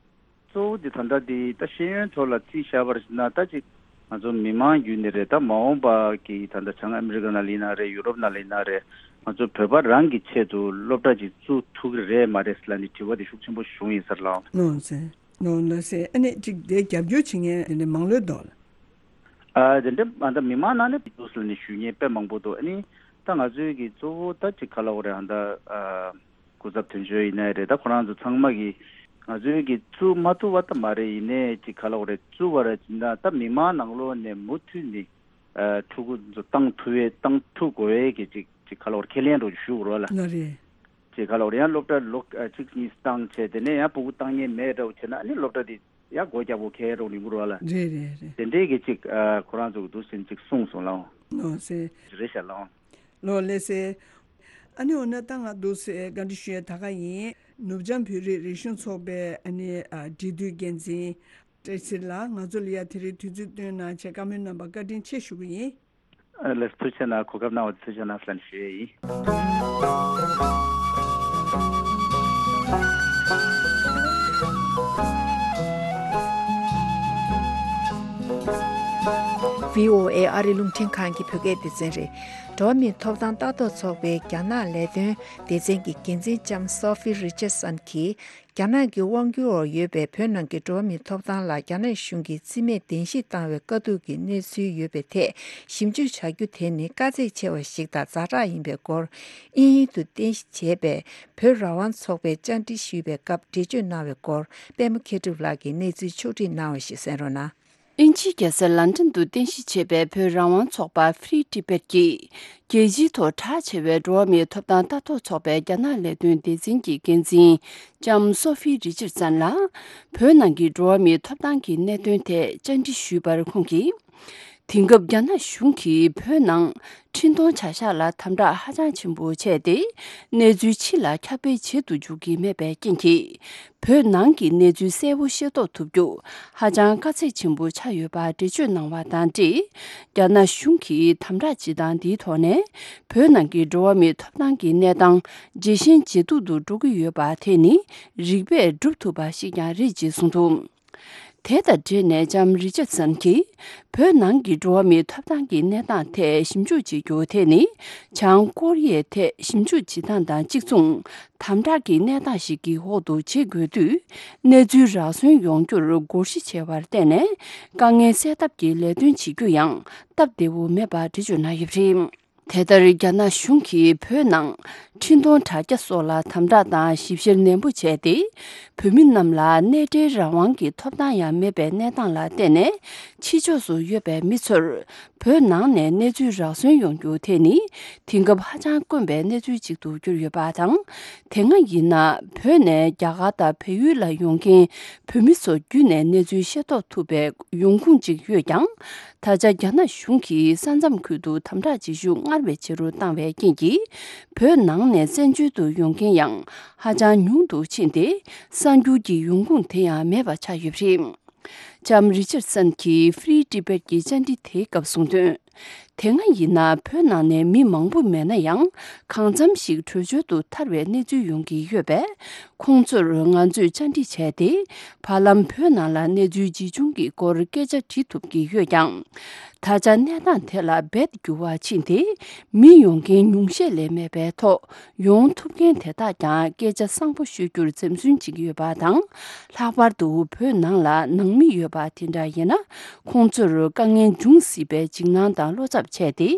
གཙོ་བོ་དེ་ད་ལྟ་དེ་ད་ཤེས་ཡོན་ཐོག་ལ་རྩིས་བཞག་པར་ན་ད་ཅིག་ང་ཚོ་མི་མང་བརྒྱུད་ནས་རེད། ད་མ་འོངས་པ་གི་ད་ལྟ་བྱང་ཨ་མི་རི་ཀ་ནང་ལ་ཡིན་ན་རེད། ཡུ་རོབ་ནང་ལ་ཡིན་ན་རེད། ང་ཚོ་བོད་པ་རང་གི་ཆེད་དུ་སློབ་གྲྭ་ཅིག་བཙུགས་ཐུབ་ཀྱི་རེད་མ་རེད་ལབ་ནས་དྲི་བ་དེ་ཤུགས་ཆེན་པོ་བྱུང་ཡིན་ས་རེད་ལགས། ནོ་ཟེར། ནོ་ལགས་སེ། ཨ་ནི་ཅིག་དེ་རྒྱབ་སྐྱོར་བྱེད་མཁན་དེ་འདྲ་མང་ལོས་འདུག་ལ། ཨ་དེ་འདྲ་ཨ་ད་མི་མང་ནང་ནས་འདུག་ཟེར་ནས་ཞུ་མཁན་དཔེ་མང་པོ་འདུག། ཨ་ནི་ད་ང་ཚོའི་གི་གཙོ་བོ་ད་ཅིག་ག་ལབ་དགོས་རེད། ཨ་ད་ཨ་སྐུ་ཚབ་དོན་གཅོད་ཡིན་ནའི་རེད། ད་ཁོ་རང་ཚོ་ཚང་མ་གི་ང་ཚོའི་གི་བཙུགས་མ་ཐུབ་པ་ད་མ་རེད། ཡིན་ནའི་ཅིག་ག་ལབ་དགོས་རེད། བཙུགས་པ་རེད་ཅིག་ན་ད་མི་མང་ནང་ལོགས་ནས་མུ་མཐུད་ནས་ཨ་ཕྲུ་གུ་ཚོ་བཏང་ཐུབ་པའི་བཏང་ཐུབ་དགོས་པའི་གི་ཅིག་ཅིག་ག་ལབ་དགོས་རེད། ཁས་ལེན་འདྲ་ཞུ་དགོས་རེད་ལ། ལ་རེད། ཅེས་ག་ལབ་རེད། ཡང་སློབ་གྲྭ་ལོ་ཨ་གཅིག་གཉིས་བཏང་བྱས་དེ་ནས་ཡང་ཕྲུ་གུ་བཏང་མཁན་མེད་འདྲ་བོ་བྱས་ན་ཨ་ནི་སློབ་གྲྭ་དེ་ཡང་སྒོ་རྒྱག་དགོས་ཁེལ་རོགས་ཡིན་དགོས་རེད་བ་ལ། རེད་རེད་རེད། དེ་འདྲའི་གི་ཅིག་ཨ་ཁོ་རང་ཚོ་གི་འདུག་ཟེར་ཅིག་གསུངས་སོང་ལགས། ལོ་སེ། རེད་ཤག་ལགས། ལོ་ལེ་སེ། ཨ་ནི་འོ་ན་ད་ང་འདུག་སེ་བཀའ་འདྲི་ཞུ་ཡས་ད་ག་ཡིན། ནུབ་བྱང་བོད་རིགས་རིག་གཞུང་ཚོགས་པའི་ཨ་ནི་ཨ་འབྲེལ་མཐུད་འགན་འཛིན་བཀྲ་ཤིས་ལགས། ང་ཚོ་ལ་ཡ་དེ་རིང་དུས་ཚོད་བཏོན་གནང་བྱས་བཀའ་མོལ་གནང་བར་བཀའ་དྲིན་ཆེ་ཞུ་གི་ཡིན། ཨ་ལགས། ཐུགས་རྗེ་གནང་། གོ་སྐབས་གནང་བ་ཐུགས་རྗེ་གནང་ལབ་ཞུ་ཡས་ཡིན། བྷི་ཨོ་ཨེ་ཨ་རི་རླུང་འཕྲིན་ཁང་གི་བོད་སྐད་སྡེ་ཚན་རེད། འགྲོ་བ་མིའི་ཐོབ་ཐང་ལྟ་རྟོག་ཚོགས་པའི་རྒྱ་ནག་ལས་དོན་སྡེ་ཚན་གྱི་འགན་འཛིན་ལྕམ་སོ་ཧྥི་རི་ཅར་སན་གྱིས། རྒྱ་ནག་གི་དབང་སྒྱུར་འོག་ཡོད་པའི་བོད་ནང་གི་འགྲོ་བ་མིའི་ཐོབ་ཐང་ལ་རྒྱ་ནག་གཞུང་གིས་རྩིས་མེད་གདན་ཞུ་བཏང་བའི་དཀའ་སྡུག་གི་གནས་ཚུལ་ཡོད་པའི་ཐད་ཞིབ་འཇུག་བྱ་རྒྱུ་དེ་ནི་དཀའ་ཚེགས་ཆེ་བ་ཞིག་དང་ཛ་དྲག་ཡིན་པའི་སྐོར། དབྱིན་ཡུལ་དུ་རྟེན་གཞི་བྱས་པའི་བོད་རང་དབང་ཚོགས་པས་བཅར་འདྲི་ཞུས་པའི་སྐབས་འགྲེལ་བརྗོད་གནང་བའི་སྐོར། པད་མ་མཁས་གྲུབ་ལགས་ཀྱིས་གནས་ཚུལ་ཕྱོགས་བསྒྲིགས་གནང་བ་ཞིག་གསན་རོགས་གནང་། དབྱིན་ཇིའི་རྒྱལ་ས་ལན་ཀྲན་དུ་རྟེན་གཞི་བྱས་པའི་བོད་རང་དབང་ཚོགས་པ་Free Tibet་ཀྱིས། རྒྱལ་སྤྱིའི་ཐོག་གྲགས་ཆེ་བའི་འགྲོ་བ་མིའི་ཐོབ་ཐང་ལྟ་རྟོག་ཚོགས་པའི་རྒྱ་ནག་ལས་དོན་སྡེ་ཚན་གྱི་འགན་འཛིན་ལྕམ་སོ་ཧྥི་རི་ཅར་སན་ལ། བོད་ནང་གི་འགྲོ་བ་མིའི་ཐོབ་ཐང་གི་གནད་དོན་ཐད་བཅར་འདྲི་ཞུས་པར་ཁོང་གིས། དེང་སྐབས་རྒྱ་ནག་གཞུང་གིས་བོད་ནང་འཕྲིན་གཏོང་བྱ་གཞག་ལ་དམ་དྲག་ཧ་ཅང་ཆེན་པོ་བྱས་ཏེ། གནས་ཚུལ་ཕྱི་ལ་ཁྱབ་སྤེལ་བྱེད་དུ་འཇུག་གི་མེད་པའི་རྐྱེན་གྱིས། བོད་ནང་གི་གནས་ཚུལ་གསལ་པོ་ཤེས་རྟོགས་ཐུབ་རྒྱུ་ཧ་ཅང་དཀའ་ཚེགས་ཆེན་པོ་ཆགས་ཡོད་པ་འགྲེལ་བརྗོད་གནང་བ་དང་འབྲེལ། རྒྱ་ནག་གཞུང་གིས་དམ་དྲག་བྱེད་སྟངས་འདིའི་ཐོག་ནས་བོད་ནང་གི་འགྲོ་བ་མིའི་ཐོབ་ཐང་གི་གནས་སྟངས་ཇེ་ཞན་ཇེ་སྡུག་ཏུ་འགྲོ་གི་ཡོད་པ་དེ་ནི་རིགས་པས་སྒྲུབ་ཐུབ་པ་ཞིག་ཀྱང་རེད་ཅེས་གསུངས་འདུག། དེ་དང་འབྲེལ་ནས་ལྕམ་རི་ཅར་སན་གྱིས། བོད་ནང་གི་འགྲོ་བ་མིའི་ཐོབ་ཐང་གི་གནས་སྟངས་ཐད་ཞིབ་འཇུག་བྱེད་རྒྱུ་དེ་ནི། བྱང་ཀོ་རི་ཡའི་ཐད་ཞིབ་འཇུག་བྱེད་སྟངས་དང་གཅིག་མཚུངས། དམ་དྲག་གི་གནས་སྟངས་ཤིག་གི་འོག་ཏུ་བྱེད་དགོས་དུས། གནས་ཚུལ་རག་སོན་ཡོང་རྒྱུར་སྒོར་གཞི་བྱས་པར་བརྟེན་ནས། དཀའ་ངལ་སེལ་ཐབས་ཀྱི་ལས་དོན་བྱེད་རྒྱུ་ཡང་སྟབས་བདེ་བོ་མེད་པ་འགྲེལ་བརྗོད་གནང་ཡོད་པ་རེད། དེ་ལྟར་རྒྱ་ནག་གཞུང་གིས་བོད་ནང་འཕྲིན་གཏོང་དྲ་རྒྱ་སོགས་ལ་དམ་དྲག་དང་ཞིབ་བཤེར་ནན་པོ་བྱས་ཏེ། བོད་མི་རྣམས་ལ་གནས་འབྲེལ་རང་དབང་གི་ཐོབ་ཐང་ཡང་མེད་པའི་གནས་སྟངས་ལ་བརྟེན་ནས། ཕྱི་ཕྱོགས་སུ་ཡོད་པའི་མི་ཚོར་བོད་ནང་ནས་གནས་ཚུལ་རག་སོན་ཡོང་རྒྱུ་དེ་ནི། དེང་སྐབས་ཧ་ཅང་དཀོན་པའི་གནས་ཚུལ་ཅིག་ཏུ་གྱུར་ཡོད་པ་དང་། དེ་སྔ་ཡིན་ན་བོད་ནས་རྒྱ་གར་དང་བལ་ཡུལ་ལ་ཡོང་མཁན་བོད་མི་ཚོ་བརྒྱུད་ནས་གནས་ཚུལ་ཤེས་རྟོགས་ཐུབ་པའི་ཡོང་ཁུངས་ཅིག་ཡོད་ཀྱང་། ད་ཆ་རྒྱ་ནག་གཞུང་གིས་ས་མཚམས་ཁུལ་དུ་དམ་དྲག་བྱེད་ཤུགས་སྔར་བས་ཆེ་རུ་བཏང་བའི་རྐྱེན་གྱིས། བོད་ནང་ནས་བཙན་བྱོལ་དུ་ཡོང་མཁན་ཡང་ཧ་ཅང་ཉུང་དུ་ཕྱིན་ཏེ། གསར་འགྱུར་གྱི་ཡོང་ཁུངས་དེ་ཡང་མེད་པ་ཆགས་ཡོད་པ་རེད། ལྕམ་རི་ཅར་སན་གྱིས་Free Tibet་གྱི་བཅར་འདྲི་དེའི་སྐབས་གསུངས་དོན། དེ་སྔ་ཡིན་ན་བོད་ནང་ནས་མི་མང་པོ་མེད་ན་ཡང་། གང་འཚམ་ཞིག་བྲོས་བྱོལ་དུ་ཐར་བའི་གནས་ཚུལ་ཡོང་གི་ཡོད་པས། ཁོང་ཚོར་ང་ཚོས་བཅར་འདྲི་བྱས་ཏེ། བར་ལམ་བོད་ནང་ལ་གནས་ཚུལ་ཇི་བྱུང་གི་སྐོར་སྐད་ཆ་དྲི་ཐུབ་ཀྱི་ཡོད་ཀྱང་། ད་ཆ་གནས་སྟངས་དེ་ལ་རྦད་འགྱུར་བ་ཕྱིན་ཏེ། མི་ཡོང་མཁན་ཉུང་ཤས་ལས་མེད་པའི་ཐོག་ཡོང་ཐུབ་མཁན་དེ་དག་ཀྱང་སྐད་ཆ་བཟང་པོ་ཤོད་རྒྱུར་འཛེམ་ཟོན་བྱེད་ཀྱི་ཡོད་པ་དང་། ལྷག་པར་དུ་བོད་ནང་ལ་ནང་མི་ཡོད་པ་དེ་འདྲ་ཡིན་ན། ཁོང་ཚོར་དཀའ་ངལ་འབྱུང་སྲིད་པའི་འཇིགས་སྣང་དང་བློ་འཚབ་བྱས་ཏེ།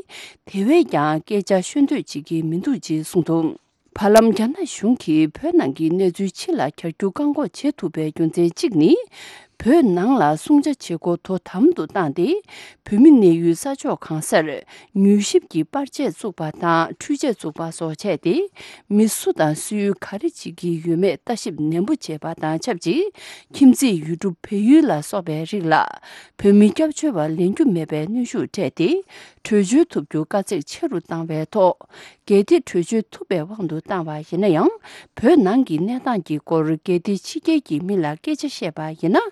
དེ་བས་ཀྱང་སྐད་ཆ་ཤོད་འདོད་བྱེད་ཀྱི་མི་འདུག་ཅེས་གསུངས་འདུག། བར་ལམ་རྒྱ་ནག་གཞུང་གིས་བོད་ནང་གི་གནས་ཚུལ་ཕྱི་ལ་གྱར་རྒྱུ་བཀག་འགོག་བྱེད་ཐུབ་པའི་རྒྱུ་མཚན་གཅིག་ནི། བོད་ནང་ལ་སྲུང་བྱ་བྱེད་སྒོ་དོ་དམ་དུ་བཏང་སྟེ། བོད་མི་གནས་ཡུལ་ས་ཕྱོགས་གང་སར་མྱུལ་ཞིབ་ཀྱི་པར་ཆས་བཙུགས་པ་དང་འཕྲུལ་ཆས་བཙུགས་པ་སོགས་བྱས་ཏེ། མི་སུ་དང་སུས་ག་རེ་བྱེད་ཀྱི་ཡོད་མེད་ལྟ་ཞིབ་ནན་པོ་བྱས་པ་དང་ཆབས་ཅིག་ཁྱིམ་མཚེས་ཡུལ་གྲུ་བལ་ཡུལ་ལ་སོགས་པའི་རིགས་ལ་བོད་མི་སྐྱབས་བཅོལ་བ་ལེན་རྒྱུ་མེད་པའི་གནོན་ཤུགས་སྤྲད་དེ། བྲོས་བྱོལ་ཐུབ་རྒྱུ་དཀའ་ཚེགས་ཆེ་རུ་བཏང་བའི་ཐོག་གལ་ཏེ་བྲོས་བྱོལ་ཐུབ་པའི་དབང་དུ་བཏང་བ་ཡིན་ན་ཡང་། བོད་ནང་གི་གནས་སྟངས་ཀྱི་སྐོར་གལ་ཏེ་ཕྱི་རྒྱལ་གྱི་མི་ལ་སྐད་ཆ་བཤད་པ་ཡིན་ན།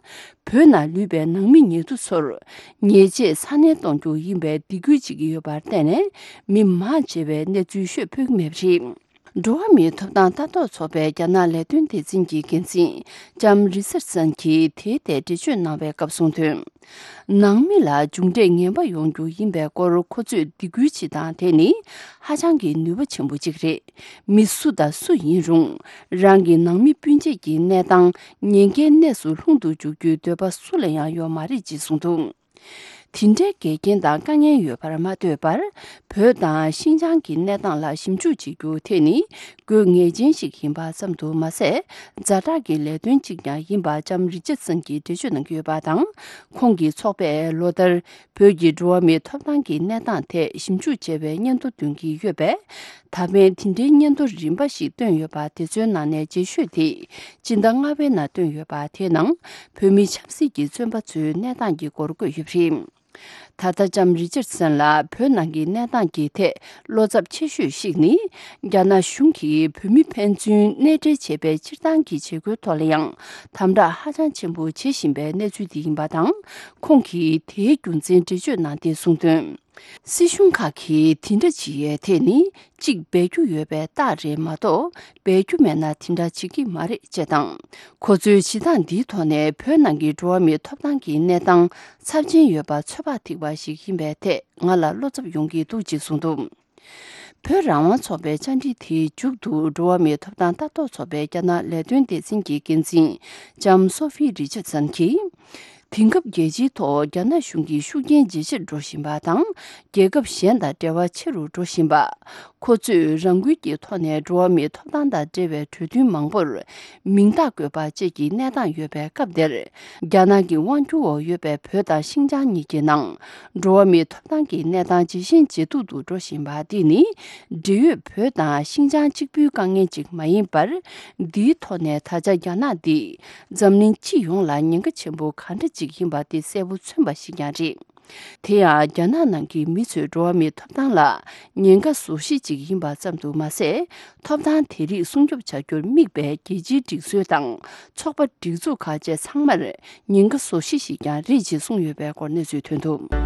བོད་ནང་ལུས་པའི་ནང་མི་ཉེ་དུ་ཚོར་ཉེས་ཆད་ཚ་ནན་གཏོང་རྒྱུ་ཡིན་པའི་སྡིགས་སྐུལ་བྱེད་ཀྱི་ཡོད་པར་བརྟེན་ནས། མི་མང་ཆེ་བས་གནས་ཚུལ་ཤོད་ཕོད་ཀྱི་མེད་པ་རེད། འགྲོ་བ་མིའི་ཐོབ་ཐང་ལྟ་རྟོག་ཚོགས་པའི་རྒྱ་ནག་ལས་དོན་སྡེ་ཚན་གྱི་འགན་འཛིན་ལྕམ་རི་ཆར་སན་གྱིས་དེའི་ཐད་འགྲེལ་བརྗོད་གནང་བའི་སྐབས་གསུངས་དོན། ནང་མི་ལ་མཇུག་འབྲས་ངན་པ་ཡོང་རྒྱུ་ཡིན་པའི་སྐོར་ཁོ་ཚོས་སྡིགས་སྐུལ་བྱེད་སྟངས་དེ་ནི་ཧ་ཅང་གི་ནུས་པ་ཆེན་པོ་གཅིག་རེད། མི་སུ་དང་སུ་ཡིན་རུང་། རང་གི་ནང་མི་སྤུན་མཆེད་ཀྱི་གནས་སྟངས་ཉེན་ཁའི་གནས་སུ་ལྷུང་དུ་འཇུག་རྒྱུའི་འདོད་པ་སུ་ལ་ཡང་ཡོད་མ་རེད་ཅེས་གསུངས་འདུག་དེ་འདྲའི་འགལ་རྐྱེན་དང་དཀའ་ངལ་ཡོད་པར་མ་ལྟོས་པར། བོད་དང་ཤིན་ཅང་གི་གནས་སྟངས་ལ་ཞིབ་འཇུག་བྱེད་རྒྱུ་དེ་ནི་དགོས་ངེས་ཅན་ཞིག་ཡིན་པ་ཙམ་དུ་མ་ཟད། ཛ་དྲག་གི་ལས་དོན་གཅིག་ཀྱང་ཡིན་པ་ལྕམ་རི་ཆར་སན་གྱིས་འགྲེལ་བརྗོད་གནང་གི་ཡོད་པ་དང་། ཁོང་གི་ཚོགས་པས་ལོ་ལྟར་བོད་ཀྱི་འགྲོ་བ་མིའི་ཐོབ་ཐང་གི་གནས་སྟངས་ཐད་ཞིབ་འཇུག་བྱས་པའི་སྙན་ཐོ་འདོན་གྱི་ཡོད་པས། ད་ཕན་དེ་འདྲའི་སྙན་ཐོ་རིམ་པ་ཞིག་བཏོན་ཡོད་པ་དེ་ཚོའི་ནང་ནས་རྗེས་ཤོས་དེ་སྤྱི་ཟླ་ལྔ་པའི་ནང་བཏོན་ཡོད་པ་དེའི་ནང་བོད་མི་ཆབ་སྲིད་ཀྱི་བཙོན་པ་ཚོའི་གནས་སྟངས་ཀྱི་སྐོར་བཀོད་ཡོད་པ་རེད། ད་ལྟ་ལྕམ་རི་ཆར་སན་ལ་བོད་ནང་གི་གནས་སྟངས་ཀྱི་ཐད་བློ་འཚབ་ཆེ་ཤོས་ཤིག་ནི། རྒྱ་ནག་གཞུང་གིས་བོད་མི་ཕན་ཚུན་གནས་འབྲེལ་བྱེད་པའི་སྤྱིར་བཏང་གི་བྱེད་སྒོའི་ཐོག་ལ་ཡང་དམ་དྲག་ཧ་ཅང་ཆེན་པོ་བྱེད་བཞིན་པའི་གནས་ཚུལ་དེ་ཡིན་པ་དང་། ཁོང་གིས་དེའི་རྒྱུ་མཚན་འགྲེལ་བརྗོད་གནང་སྟེ་གསུངས་དོན། སྲིད་གཞུང་ཁག་གིས་དེ་འདྲ་བྱེད་ཡས་དེ་ནི་གཅིག་འབད་རྒྱུ་ཡོད་པའི་རྟགས་རེད་མ་གཏོགས། འབད་རྒྱུ་མེད་ན་དེ་འདྲ་བྱེད་ཀྱི་མ་རེད་ཅེས་དང་། ཁོ་ཚོའི་བྱེད་སྟངས་འདིའི་ཐོག་ནས་བོད་ནང་གི་འགྲོ་བ་མིའི་ཐོབ་ཐང་གི་གནས་སྟངས་ཚབས་ཆེན་ཡོད་པ་ཚོད་དཔག་ཐིག་པ་ཞིག་ཡིན་པའི་ཐད་ང་ལ་བློ་འཚབ་ཡོང་གི་འདུག་ཅེས་གསུངས་འདུག་བོད་རང་དབང་ཚོགས་པའི་བཅར་འདྲི་དེའི་མཇུག་ཏུ་འགྲོ་བ་མིའི་ཐོབ་ཐང་ལྟ་རྟོག་ཚོགས་པའི་རྒྱ་ནག་ལས་དོན་སྡེ་ཚན་གྱི་འགན་འཛིན་ལྕམ་སོ་ཧྥི་རི་ཆར་སན་གྱིས། དེང་སྐབས་རྒྱལ་སྤྱིའི་ཐོག་རྒྱ་ནག་གཞུང་གི་ཤུགས་རྐྱེན་ཇེ་ཆེར་འགྲོ་བཞིན་པ་དང་། རྒྱལ་ཁབ་གཞན་དང་འབྲེལ་བ་ཆེ་རུ་འགྲོ་བཞིན་པ། ཁོ་ཚོས་རང་འགུལ་གྱི་ཐོག་ནས་འགྲོ་བ་མིའི་ཐོབ་ཐང་དང་འབྲེལ་བའི་གྲོས་མཐུན་མང་པོར་མིང་རྟགས་བཀོད་པ་བཅས་ཀྱི་གནས་སྟངས་ཡོད་པའི་སྐབས་འདིར། རྒྱ་ནག་གི་དབང་སྒྱུར་འོག་ཡོད་པའི་བོད་དང་ཤིན་ཅང་གཉིས་ཀྱི་ནང་འགྲོ་བ་མིའི་ཐོབ་ཐང་གི་གནས་སྟངས་ཇེ་ཞན་ཇེ་སྡུག་ཏུ་འགྲོ་བཞིན་པ་འདི་ནི། འབྲེལ་ཡོད་བོད་དང་ཤིན་ཅང་གཅིག་པུའི་དཀའ་ངལ་ཅིག་མ་ཡིན་པར། འདིའི་ཐོག་ནས་ད་ཆ་རྒྱ་ནག་འདི་འཛམ་གླིང་སྤྱི་ཡོངས་ལ་ཉེན་ཁ་ཆེན་པོ་གང་འདྲ་ཅིག་ཡིན་པ་དེ་གསལ་པོ་མཚོན་པ་ཞིག་ཀྱང་རེད། དེ་ཡང་རྒྱ་ནག་ནང་གི་མི་ཚོས་འགྲོ་བ་མིའི་ཐོབ་ཐང་ལ་ཉེན་ཁ་བཟོ་གཞི་ཅིག་ཡིན་པ་ཙམ་དུ་མ་ཟད། ཐོབ་ཐང་དེ་རིགས་སྲུང་སྐྱོབ་བྱ་རྒྱུར་དམིགས་པའི་རྒྱལ་སྤྱིའི་སྒྲིག་སྲོལ་དང་ཚོགས་པ་སྒྲིག་འཛུགས་ཁག་བཅས་ཚང་མར་ཉེན་ཁ་བཟོ་གཞི་ཞིག་ཀྱང་རེད་ཅེས་གསུངས་ཡོད་པའི་སྐོར་གནས་ཚུལ་ཐོན་འདུག་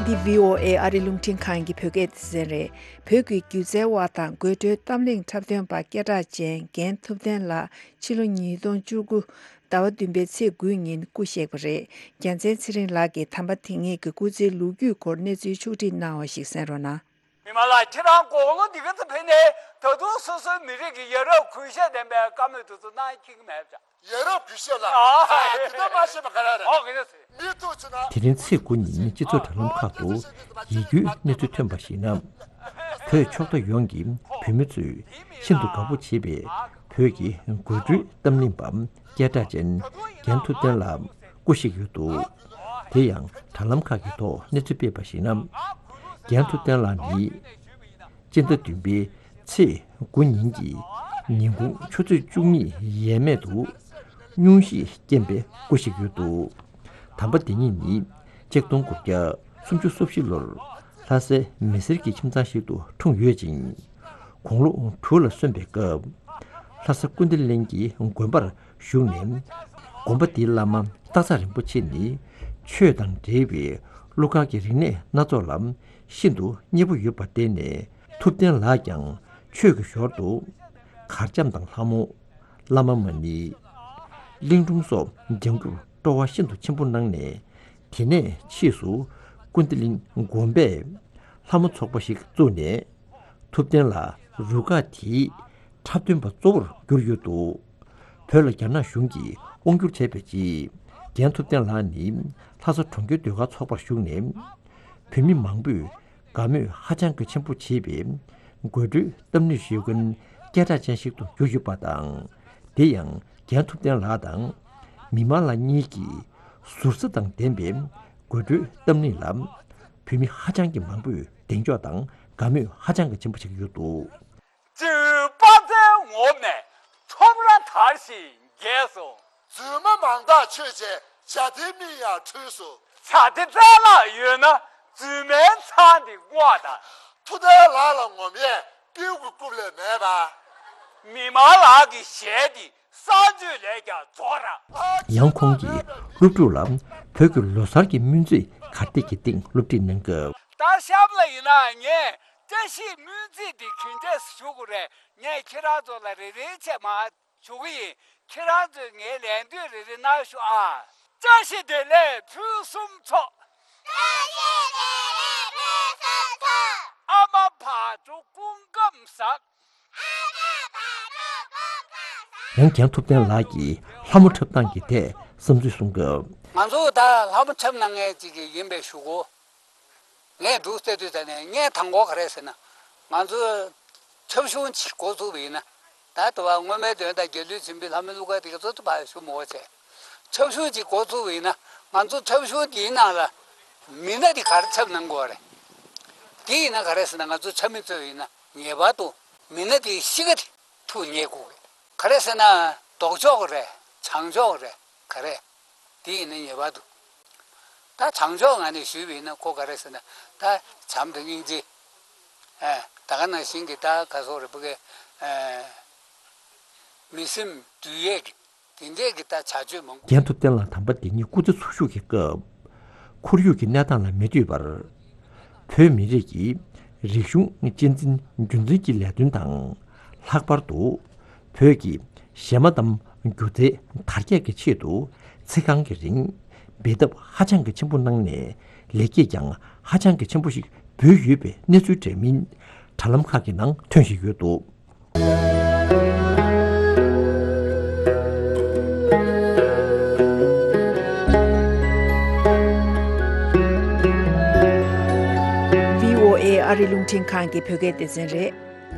འདི་བྷི་ཨོ་ཨེ་ཨ་རི་རླུང་འཕྲིན་ཁང་གི་བོད་སྐད་སྡེ་ཚན་རེད། བོད་ཀྱི་སྒྱུ་རྩལ་བ་དང་དགོད་བྲོའི་གཏམ་གླེང་འཁྲབ་སྟོན་པ་སྐད་གྲགས་ཅན་རྒན་ཐུབ་བསྟན་ལགས་ཕྱི་ལོ་ཉིས་སྟོང་བཅུ་དགུ་ཟླ་བ་བདུན་པའི་ཚེས་དགུའི་ཉིན་སྐུ་གཤེགས་པ་རེད། རྒྱལ་མཚན་ཚེ་རིང་ལགས་ཀྱིས་དམ་པ་དེ་ཉིད་ཀྱི་སྐུ་ཚེའི་ལོ་རྒྱུས་སྐོར་གནས་ཚུལ་ཕྱོགས་སྒྲིག་གནང་བ་ཞིག་གསན་རོགས་གནང་། མི་མང་ལ་ཁྱེད་རང་དགུང་ལོ་འདི་ག་ཙམ་ཕེབས་ནའི་ད་དུང་སོ་སོའི་མི་རིགས་ཀྱི་ཡ་རབས་གུས་ཞབས་ལྡན་པའི་བཀའ་མོལ་དེ་ཚོ་གནང་ཁྱེད་ཀྱི་མེད་པ། ཡ་རབས་གུས་ཞབས་ལ། ཨ། ཨ། དེ་ལྟར་མ་བྱས་པ་ག་རེ་རེད། ཨོ་ག་རེ་ཟེར། མི་ཐུག་ཚུ་ན། དེ་རིང་ཚེས་དགུ་ཉིན་སྤྱི་ཚོགས་དྲ་ལམ་ཁག་ཏུ་ཡིད་སྐྱོའི་གནས་ཚུལ་ཐོན་པར་གཞིགས་ན། བོད་ཕྱོགས་མཐའ་ཡོངས་ཀྱི་བོད་མི་ཚོས་ཤིན་ཏུ་དགའ་པོ་བྱེད་པའི་བོད་ཀྱི་དགོད་བྲོའི་གཏམ་གླེང་པ་སྐད་གྲགས་ཅན་རྒན་ཐུབ་བསྟན་ལགས་སྐུ་གཤེགས་ཡོད་འདུག་དེ་ཡང་དྲ་ལམ་ཁག་གི་ཐོག་གནས་ཚུལ་སྤེལ་བར་གཞིགས་ན། རྒན་ཐུབ་བསྟན་ལགས་ནི། སྤྱི་ཟླ་བདུན་པའི་ཚེས་དགུ་ཉིན་གྱི་ཉིན་གུང་ཆུ་ཚོད་བཅུ་གཉིས་ཡས་མས་དུ་སྙུང་གཞིའི་རྐྱེན་པས་སྐུ་གཤེགས་ཡོད་འདུག་དམ་པ་དེ་ཉིད་ནི་ཆིག་སྟོང་དགུ་བརྒྱ་སུམ་ཅུ་སོ་བཞི་ལོར་ལྷ་སའི་མི་སེར་གྱི་ཁྱིམ་ཚང་ཞིག་ཏུ་འཁྲུངས་ཡོད་ཅིང་། དགུང་ལོ་དྲུག་ལ་སོན་པའི་སྐབས། ལྷ་ས་ཀུན་བཏུས་གླིང་གི་དགོན་པར་ཞུགས་ནས། དགོན་པ་དེའི་བླ་མ་སྟག་ཚང་རིན་པོ་ཆེ་ནི་ཆོས་དང་འབྲེལ་བའི་གླུ་གར་གྱི་རིག་གནས་སྣ་ཚོགས་ལ་ཤིན་ཏུ་མཉེས་པོ་ཡོད་པར་བརྟེན་ནས། ཐུབ་བསྟན་ལགས་ཀྱང་ཆོས་ཀྱི་ཞོར་དུ་གར་འཆམ་དང་ལྷ་མོ། བླ་མ་མ་ཎི། གླིང་སྒྲུང་སོགས་སྦྱང་རྒྱུར་སྤྲོ་བ་ཤིན་ཏུ་ཆེན་པོ་གནང་ནས། དེ་ནས་ཕྱིས་སུ་ཀུན་བཏུས་གླིང་དགོན་པས་ལྷ་མོ་ཚོགས་པ་ཞིག་བཙུགས་ནས། ཐུབ་བསྟན་ལགས་རུ་ཁག་དེའི་འཁྲབ་སྟོན་པ་གཙོ་བོར་གྱུར་ཡོད་འདུག་བོད་ལ་རྒྱ་ནག་གཞུང་གིས་དབང་བསྒྱུར་བྱས་པའི་རྗེས། རྒན་ཐུབ་བསྟན་ལགས་ནི་ལྷ་ས་གྲོང་ཁྱེར་ཟློས་གར་ཚོགས་པར་ཞུགས་ནས། བོད་མི་མང་པོས་ དགའ་མོས་ཧ་ཅང་གི་ཆེན་པོ་བྱེད་པའི་དགོད་བྲོའི་གཏམ་གླེང་ཞུ་མཁན་སྐད་གྲགས་ཅན་ཞིག་ཏུ་གྱུར་ཡོད་པ་དང་། དེ་ཡང་རྒན་ཐུབ་བསྟན་ལགས་དང་། མི་མང་ལགས་གཉིས་ཀྱིས་ཟུར་ཟ་དང་ལྡན་པའི་དགོད་བྲོའི་གཏམ་གླེང་ལ། བོད་མི་ཧ་ཅང་གི་མང་པོས་གདེང་འཇོག་དང་དགའ་མོས་ཧ་ཅང་གི་ཆེན་པོ་བྱེད་ཀྱི་ཡོད་འདུག། སྤྱིར་དཔའ་རྩལ་ངོམས་ནས་ཁྲོམ་ར་དར་ཞིང་རྒྱས་སོ། རྫུན་མ་མང་དག་ཆོས་བྱས་བྱ་དེ་མིག་ཡང་འཁྲུལ་སོ། བྱ་དེ་རྩལ་ལག་ཡོད་ན་རྫུན་མའི་མཚང་དེ་སྔོག་དང་། ཐུབ་བསྟན་ལགས་ལ་ངོམས་ཡས་སྤྲེའུ་གི་རྐུབ་ལས་མེད་པ། མི་མང་ལགས་ཀྱི་ཞལ་དེ་གསང་སྤྱོད་ལས་ཀྱང་རྫོགས་ར། ཡང་ཁོང་གིས་སློབ་ཕྲུག་ལ་བོད་ཀྱི་ལོ་གསར་གྱི་སྨོན་ཚིག་གར་སྟེགས་ཀྱི་སྟེང་སློབ་ཁྲིད་གནང་སྐབས། ད་གཤམ་ལ་ཡིན་ན་ངས་བཀྲ་ཤིས་སྨོན་ཚིག་འདི་ག་འདྲས་ཞུ་དགོས་རེད། ངས་ཁྱེད་རང་ཚོ་ལ་རེ་རེ་བྱས་མར་ཞུ་གི་ཡིན། ཁྱེད་རང་ཚོས་ངའི་ལན་ཟློས་རེ་རེ་གནང་ཤོག་ཨ། བཀྲ་ཤིས་བདེ་ལེགས་ཕུན་སུམ་ཚོགས། བཀྲ་ཤིས་བདེ་ལེགས་ཕུན་སུམ་ཚོགས། ཨ་མ་བག་དྲོ་སྐུ་ཁམས་བཟང་། ཡང་རྒན་ཐུབ་བསྟན་ལགས་ཀྱིས་ལྷ་མོ་འཁྲབ་སྟངས་ཀྱི་ཐད་བསམ་ཚུལ་གསུངས་སྐབས། ང་ཚོ་ད་ལྷ་མོ་འཁྲབ་གནང་མཁན་ཅིག་ཡིན་པའི་ཞུ་གོ། ངས་འབྲུག་སྟོད་དུས་ད་ནས་ངས་དང་པོ་ག་རེ་ཟེར་ན། ང་ཚོ་འཁྲབ་གཞུང་ཅིག་འགོ་བཙུགས་པ་ཡིན་ན། ད་ལྟ་བ་སྔོན་མའི་དོན་དང་རྒྱལ་གླུའི་འཛིན་པའི་ལྷ་མོའི་གླུ་གར་དེ་ག་ཚོད་ཐུབ་པ་ཞུ་མོ་བྱས། འཁྲབ་གཞུང་ཅིག་འགོ་བཙུགས་པ་ཡིན་ན། ང་ཚོ་འཁྲབ་གཞུང་དེའི་ནང་ལ་མི་སྣ་དེ་ག་རེ་འཁྲབ་གནང་དགོས་རེད། དེ་ཡིན་ན་ག་རེ་ཟེར་ན། ང་ཚོ་འཁྲབ་མི་ཚོ་ཡིན་ན་ངེས་པར་དུ་མི་སྣ་དེའི་གཤིས་ཀ་དེ་ཐུགས་མཉེས་དགོས་རེད། ག་རེ་ཟེར་ན་ལྡོག་ཕྱོགས་རེད། བྱང་ཕྱོགས་རེད། ག་རེ། དེ་ཡིན་ན་ངེས་པར་དུ། ད་བྱང་ཕྱོགས་ངོས་ནས་ཞུས་པ་ཡིན་ན་ཁོ་ག་རེ་ཟེར་ན། ད་བྱམས་དང་སྙིང་རྗེ། ཨེ། ད་ག་ནང་བཞིན་གྱི་ད་ག་སོགས་རེད་པ་གི། ཨེ། མི་སེམས་འདུལ་ཡས་ཀྱི་དེ་འདྲས་ཀྱི་ད་བྱ་སྤྱོད་མང་པོ། རྒན་ཐུབ་བསྟན་ལགས་དམ་པ་འདི་ཉིད་སྐུ་ཚེ་འཚོ་བཞུགས་ཀྱི་སྐབས། ཁོར་ཡུག་གི་གནས་སྟངས་ལ་མི་ལྟོས་པར། བོད་མི་རིགས་ཀྱི་རིག་གཞུང་གཅེས་འཛིན་རྒྱུན་འཛིན་གྱི་ལས་དོན་དང་། ལྷག་པར་དུ་བོད་ཀྱི་གཞས་མ་གཏམ་སྒྱུ་རྩལ་དར་རྒྱས་ཀྱི་ཆེད་དུ་ཚིག་རྐང་གི་རིང་འབད་འཐབ་ཧ་ཅང་གི་ཆེན་པོ་གནང་ནས། ལེགས་སྐྱེས་ཀྱང་ཧ་ཅང་གི་ཆེན་པོ་ཞིག་འབུལ་ཡོད་པའི་གནས་ཚུལ་འདྲ་མིན་དྲ་ལམ་ཁག་གི་ནང་ཐོན་བཞིན་ཡོད་འདུག། བྷི་ཨོ་ཨེ་ཨ་རི་རླུང་འཕྲིན་ཁང་གི་བོད་སྐད་སྡེ་ཚན་རེད།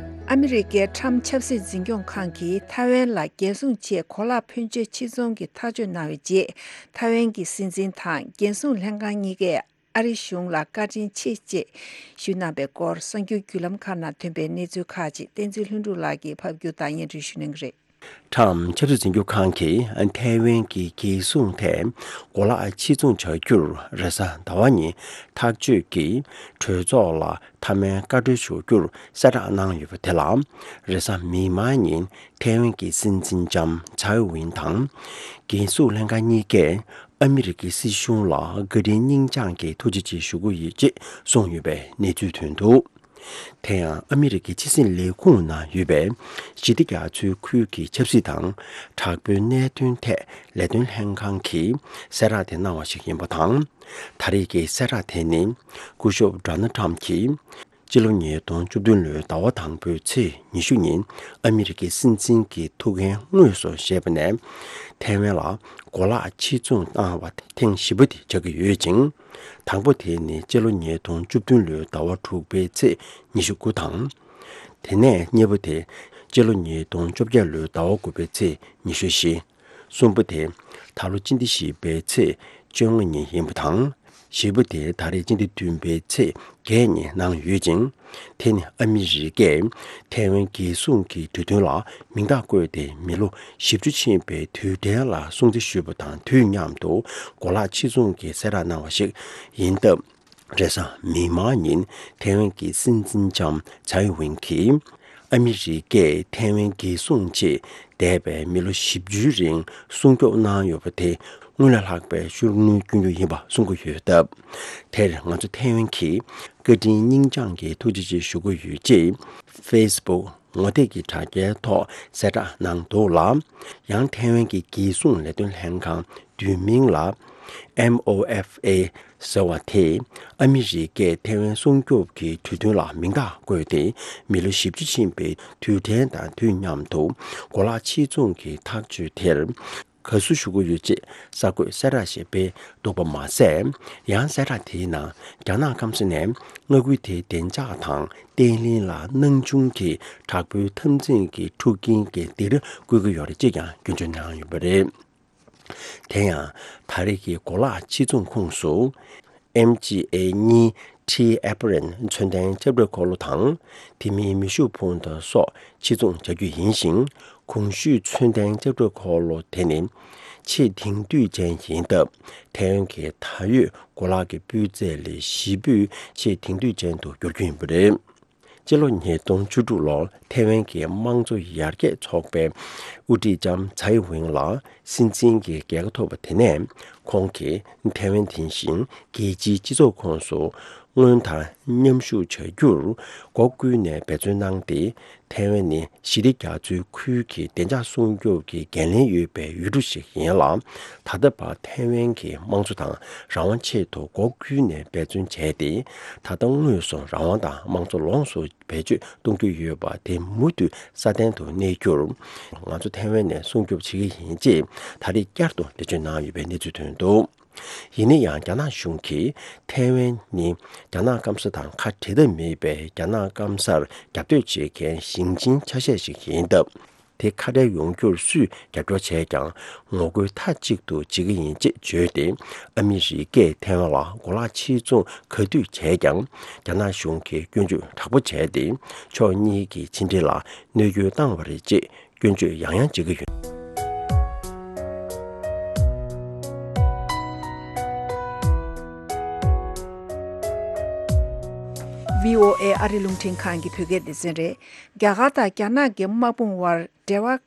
ཨ་མི་རི་ཀའི་ཁྲམ་ཆབ་སྲིད་འཛིན་སྐྱོང་ཁང་གིས་ཐའེ་ཝན་ལ་རྒྱལ་སྲུང་ཆེད་གོ་ལག་ཕོན་ཆེ་ཕྱིར་ཚོང་གི་ཐག་གཅོད་གནང་བའི་རྗེས། ཐའེ་ཝན་གྱི་སྲིད་འཛིན་དང་རྒྱལ་སྲུང་ལྷན་ཁང་གཉིས་ཀས་ཨ་རི་གཞུང་ལ་བཀའ་དྲིན་ཆེ་ཅེས་ཞུས་གནང་པའི་སྐོར། གསར་འགྱུར་བརྒྱུད་ལམ་ཁག་ནང་ཐོན་པའི་གནས་ཚུལ་ཁག་ཅིག་བསྟན་འཛིན་ལྷུན་གྲུབ་ལགས་ཀྱིས་ཕབ་སྒྱུར་དང་སྙན་སྒྲོན་ཞུ་གནང་གི་རེད། ཁྲམ་ཆབ་སྲིད་འཛིན་སྐྱོང་ཁང་གིས་ཐའེ་ཝན་གྱི་རྒྱལ་སྲུང་ཐད་གོ་ལག་ཕྱིར་ཚོང་བྱ་རྒྱུར་རེས་གཟའ་ཟླ་བ་ཉིན་ཐག་གཅོད་ཀྱིས་གྲོས་ཚོགས་ལ་མཐའ་མའི་བཀའ་འཁྲོལ་ཞུ་རྒྱུར་གསལ་བསྒྲགས་གནང་ཡོད་པ་དེ་ལ། རེས་གཟའ་མིག་དམར་ཉིན་ཐའེ་ཝན་གྱི་སྲིད་འཛིན་ལྕམ་ཚའེ་ཝིན་དང་། རྒྱལ་སྲུང་ལྷན་ཁང་གཉིས་ཀས་ཨ་མི་རི་ཀའི་སྲིད་གཞུང་ལ་བཀའ་དྲིན་སྙིང་བཅངས་ཀྱིས་ཐུགས་རྗེ་ཆེ་ཞུ་གི་ཡོད་ཅེས་གསུངས་ཡོད་པའི་གནས་ཚུལ་ཐོན་འདུག། དེ་ཡང་ཨ་མི་རི་ཀའི་ཕྱི་སྲིད་ལས་ཁུངས་ནང་ཡོད་པའི་ཞི་བདེ་རྒྱ་མཚོའི་ཁུལ་གྱི་ཆབ་སྲིད་དང་དྲག་པོའི་གནད་དོན་ཐད་ལས་དོན་ལྷན་ཁང་གིས་གསལ་བསྒྲགས་དེ་གནང་བ་ཞིག་ཡིན་པ་དང་། ད་རེས་ཀྱི་གསལ་བསྒྲགས་དེ་ནི་སྐུ་ཞབས་ཌོ་ནལ་ཊམ་གྱིས་སྤྱི་ལོ་ཉིས་སྟོང་བཅུ་བདུན་ལོའི་ཟླ་བ་དང་པོའི་ཚེས་ཉི་ཤུ་ཉིན་ཨ་མི་རི་ཀའི་སྲིད་འཛིན་གྱི་ཐུགས་འགན་དངོས་སུ་བཞེས་པ་ནས། ཐའེ་ཝན་ལ་གོ་ལག་ཕྱིར་ཚོང་བཏང་བ་ཐེངས་བཞི་པ་དེ་ཆགས་ཀྱི་ཡོད་ཅིང་། དང་པོ་དེ་ནི་སྤྱི་ལོ་ཉིས་སྟོང་བཅུ་བདུན་ལོའི་ཟླ་བ་དྲུག་པའི་ཚེས་ཉི་ཤུ་དགུ་དང་། དེ་ནས་གཉིས་པ་དེ་སྤྱི་ལོ་ཉིས་སྟོང་བཅོ་བརྒྱད་ལོའི་ཟླ་བ་དགུ་པའི་ཚེས་ཉི་ཤུ་བཞི། གསུམ་པ་དེ་ད་ལོ་སྤྱི་ཟླ་བཞི་པའི་ཚེས་བཅོ་ལྔ་ཉིན་ཡིན་པ་དང་། བཞི་པ་དེ་ད་རེས་སྤྱི་ཟླ་བདུན་པའི་ཚེས་བརྒྱད་ཉིན་གནང་ཡོད་ཅིང་། དེ་ནི་ཨ་མི་རི་ཀས་ཐའེ་ཝན་རྒྱལ་སྲུང་གི་གྲོས་མཐུན་ལ་མིང་རྟགས་བཀོད་དེ་མི་ལོ་བཞི་བཅུ་ཕྱིན་པའི་དུས་དྲན་ལ་སྲུང་བརྩི་ཞུས་པ་དང་དུས་མཉམ་དུ་གོ་ལག་ཕྱིར་ཚོང་གི་གསལ་བསྒྲགས་གནང་བ་ཞིག་ཡིན་སྟབས། རེས་གཟའ་མིག་དམར་ཉིན་ཐའེ་ཝན་གྱི་སྲིད་འཛིན་ལྕམ་ཚའེ་ཝིན་གྱིས་ཨ་མི་རི་ཀས་ཐའེ་ཝན་རྒྱལ་སྲུང་ཆེད་འདས་པའི་མི་ལོ་བཞི་བཅུའི་རིང་སྲུང་སྐྱོབ་གནང་ཡོད་པ་དེ་སྔོན་ལས་ལྷག་པའི་ཤུགས་སྣོན་སྐྱོན་རྒྱུ་ཡིན་པ་གསུང་གི་ཡོད་སྟབས། དེར་ང་ཚོ་ཐའེ་ཝན་གྱིས་བཀའ་དྲིན་སྙིང་བཅངས་ཀྱིས་ཐུགས་རྗེ་ཆེ་ཞུ་གི་ཡོད་ཅེས་ཧྥེ་སི་བུག་ངོ་དེབ་ཀྱི་དྲ་རྒྱའི་ཐོག་གསལ་བསྒྲགས་གནང་འདུག་ལ། ཡང་ཐའེ་ཝན་གྱི་རྒྱལ་སྲུང་ལས་དོན་ལྷན་ཁང་བསྡུས་མིང་ལ་ཨེམ་ཨོ་ཨེཕ་ཨེ་ཟེར་བ་དེས་ཨ་མི་རི་ཀས་ཐའེ་ཝན་སྲུང་སྐྱོབ་ཀྱི་གྲོས་མཐུན་ལ་མིང་རྟགས་བཀོད་དེ་མི་ལོ་བཞི་བཅུ་ཕྱིན་པའི་དུས་དྲན་དང་དུས་མཉམ་དུ་གོ་ལག་ཕྱིར་ཚོང་གི་ཐག་གཅོད་དེར། དགའ་བསུ་ཞུ་གི་ཡོད་ཅེས་གསར་འགོད་གསལ་བསྒྲགས་ཤིག་སྤེལ་འདུག་པ་མ་ཟད། ཡང་གསལ་བསྒྲགས་དེའི་ནང་རྒྱ་ནག་སྐམ་ས་ནས་མངའ་ཁུལ་དེའི་བདེ་འཇགས་དང་བརྟན་ལྷིང་ལ་སྣང་ཆུང་གི་དྲག་པོའི་འཐབ་འཛིང་གི་འཁྲུག་རྐྱེན་གྱི་སྡིགས་ར་བསྐུལ་གྱི་ཡོད་རེད་ཅེས་ཀྱང་སྐྱོན་བརྗོད་གནང་ཡོད་པ་རེད། དེ་ཡང་ད་རེས་ཀྱི་གོ་ལག་ཕྱིར་ཚོང་ཁོངས་སུ། ཨེམ་ཇི་ཨེ་གཉིས་ཊི་ཨེ་པི་རིན་ཚོན་ལྡན་ལྕགས་སྒྲོག་འཁོར་ལོ་དང་། དེ་མིན་མེ་ཤུགས་འཕུར་མདའ་སོགས་ཕྱིར་ཚོང་བྱ་རྒྱུ་ཡིན་ཞིང་། གོང་ཞུས་ཚོན་ལྡན་ལྕགས་སྒྲོག་འཁོར་ལོ་དེ་ནི་ཆེས་དེང་དུས་ཅན་ཡིན་སྟབས། ཐའེ་ཝན་གྱི་ད་ཡོད་གོ་ལག་གི་སྤུས་ཚད་ལས་བཞི་པོས་ཆེས་དེང་དུས་ཅན་དུ་འགྱུར་རྒྱུ་ཡིན་པ་རེད། སྤྱི་ལོ་ཉིས་སྟོང་བཅུ་དྲུག་ལོར་ཐའེ་ཝན་གྱི་དམངས་གཙོ་ཡར་རྒྱས་ཚོགས་པའི་དབུ་ཁྲིད་ལྕམ་ཚའེ་ཝེན་ལ་སྲིད་འཛིན་གྱི་རྒྱལ་ཁ་ཐོབ་པ་དེ་ནས་ཁོང་གིས་ཐའེ་ཝན་དེ་བཞིན་རྒྱལ་སྤྱིའི་སྤྱི་ཚོགས་ཁོངས་སུ་སྔོན་དང་མཉམ་ཞུགས་བྱ་རྒྱུར་སྒོ་ཀུན་ནས་འབད་བརྩོན་གནང་སྟེ། ཐའེ་ཝན་ནི་ཞི་བདེ་རྒྱ་མཚོའི་ཁུལ་གྱི་བདེ་འཇགས་སྲུང་སྐྱོབ་ཀྱི་འགན་ལེན་ཡོད་པའི་ཡུལ་གྲུ་ཞིག་ཡིན་ལ། ད་ལྟ་བར་ཐའེ་ཝན་གྱི་དམངས་གཙོ་དང་རང་དབང་ཆེད་དུ་སྒོ་ཀུན་ནས་འབད་བརྩོན་བྱས་ཏེ། ད་ལྟ་དངོས་སུ་རང་དབང་དང་དམངས་གཙོ་ལོངས་སུ་བེད་སྤྱོད་གཏོང་རྒྱུ་ཡོད་པ་དེ་མུ་མཐུད་སྲ་བརྟན་དུ་གནས་རྒྱུར། ང་ཚོ་ཐའེ་ཝན་ནས་སྲུང་སྐྱོབ་བྱེད་ཀྱི་ཡིན་ཅེས་ད་རེས་བསྐྱར་དུ་འགྲེལ་བརྗོད་གནང་ཡོད་པའི་གནས་ཚུལ་ཐོན་འདུག་ཡིན་ན་ཡང་རྒྱ་ནག་གཞུང་གིས་ཐའེ་ཝན་ནི་རྒྱ་ནག་སྐམ་ས་དང་ཁ་བྲལ་ཐབས་མེད་པའི་རྒྱ་ནག་སྐམ་སར་རྒྱབ་གཏོད་བྱེད་མཁན་ཞིང་ཆེན་ཆ་ཤས་ཤིག་ཡིན་སྟབས། དེ་ཁ་བྲལ་ཡོང་རྒྱུར་སུས་རྒྱབ་སྐྱོར་བྱས་ཀྱང་ངོ་རྒོལ་མཐའ་གཅིག་ཏུ་བྱེད་ཀྱི་ཡིན་ཅེས་བརྗོད་དེ། ཨ་མི་རི་ཀས་ཐའེ་ཝན་ལ་གོ་ལག་ཕྱིར་ཚོང་ག་དུས་བྱས་ཀྱང་རྒྱ་ནག་གཞུང་གིས་སྐྱོན་བརྗོད་དྲག་པོ་བྱས་ཏེ། ཕྱོགས་གཉིས་ཀྱི་ཕྱི་འབྲེལ་ལ་གནོད་སྐྱོན་བཏང་བ་རེད་ཅེས་སྐྱོན་བརྗོད་ཡང་ཡང་བྱེད་ཀྱི་ཡོད། བྷི་ཨོ་ཨེ་ཨ་རི་རླུང་འཕྲིན་ཁང་གི་བོད་སྐད་སྡེ་ཚན་རེད། རྒྱ་གར་དང་རྒྱ་ནག་གི་དམག་དཔུང་དབར་འབྲེལ་བ་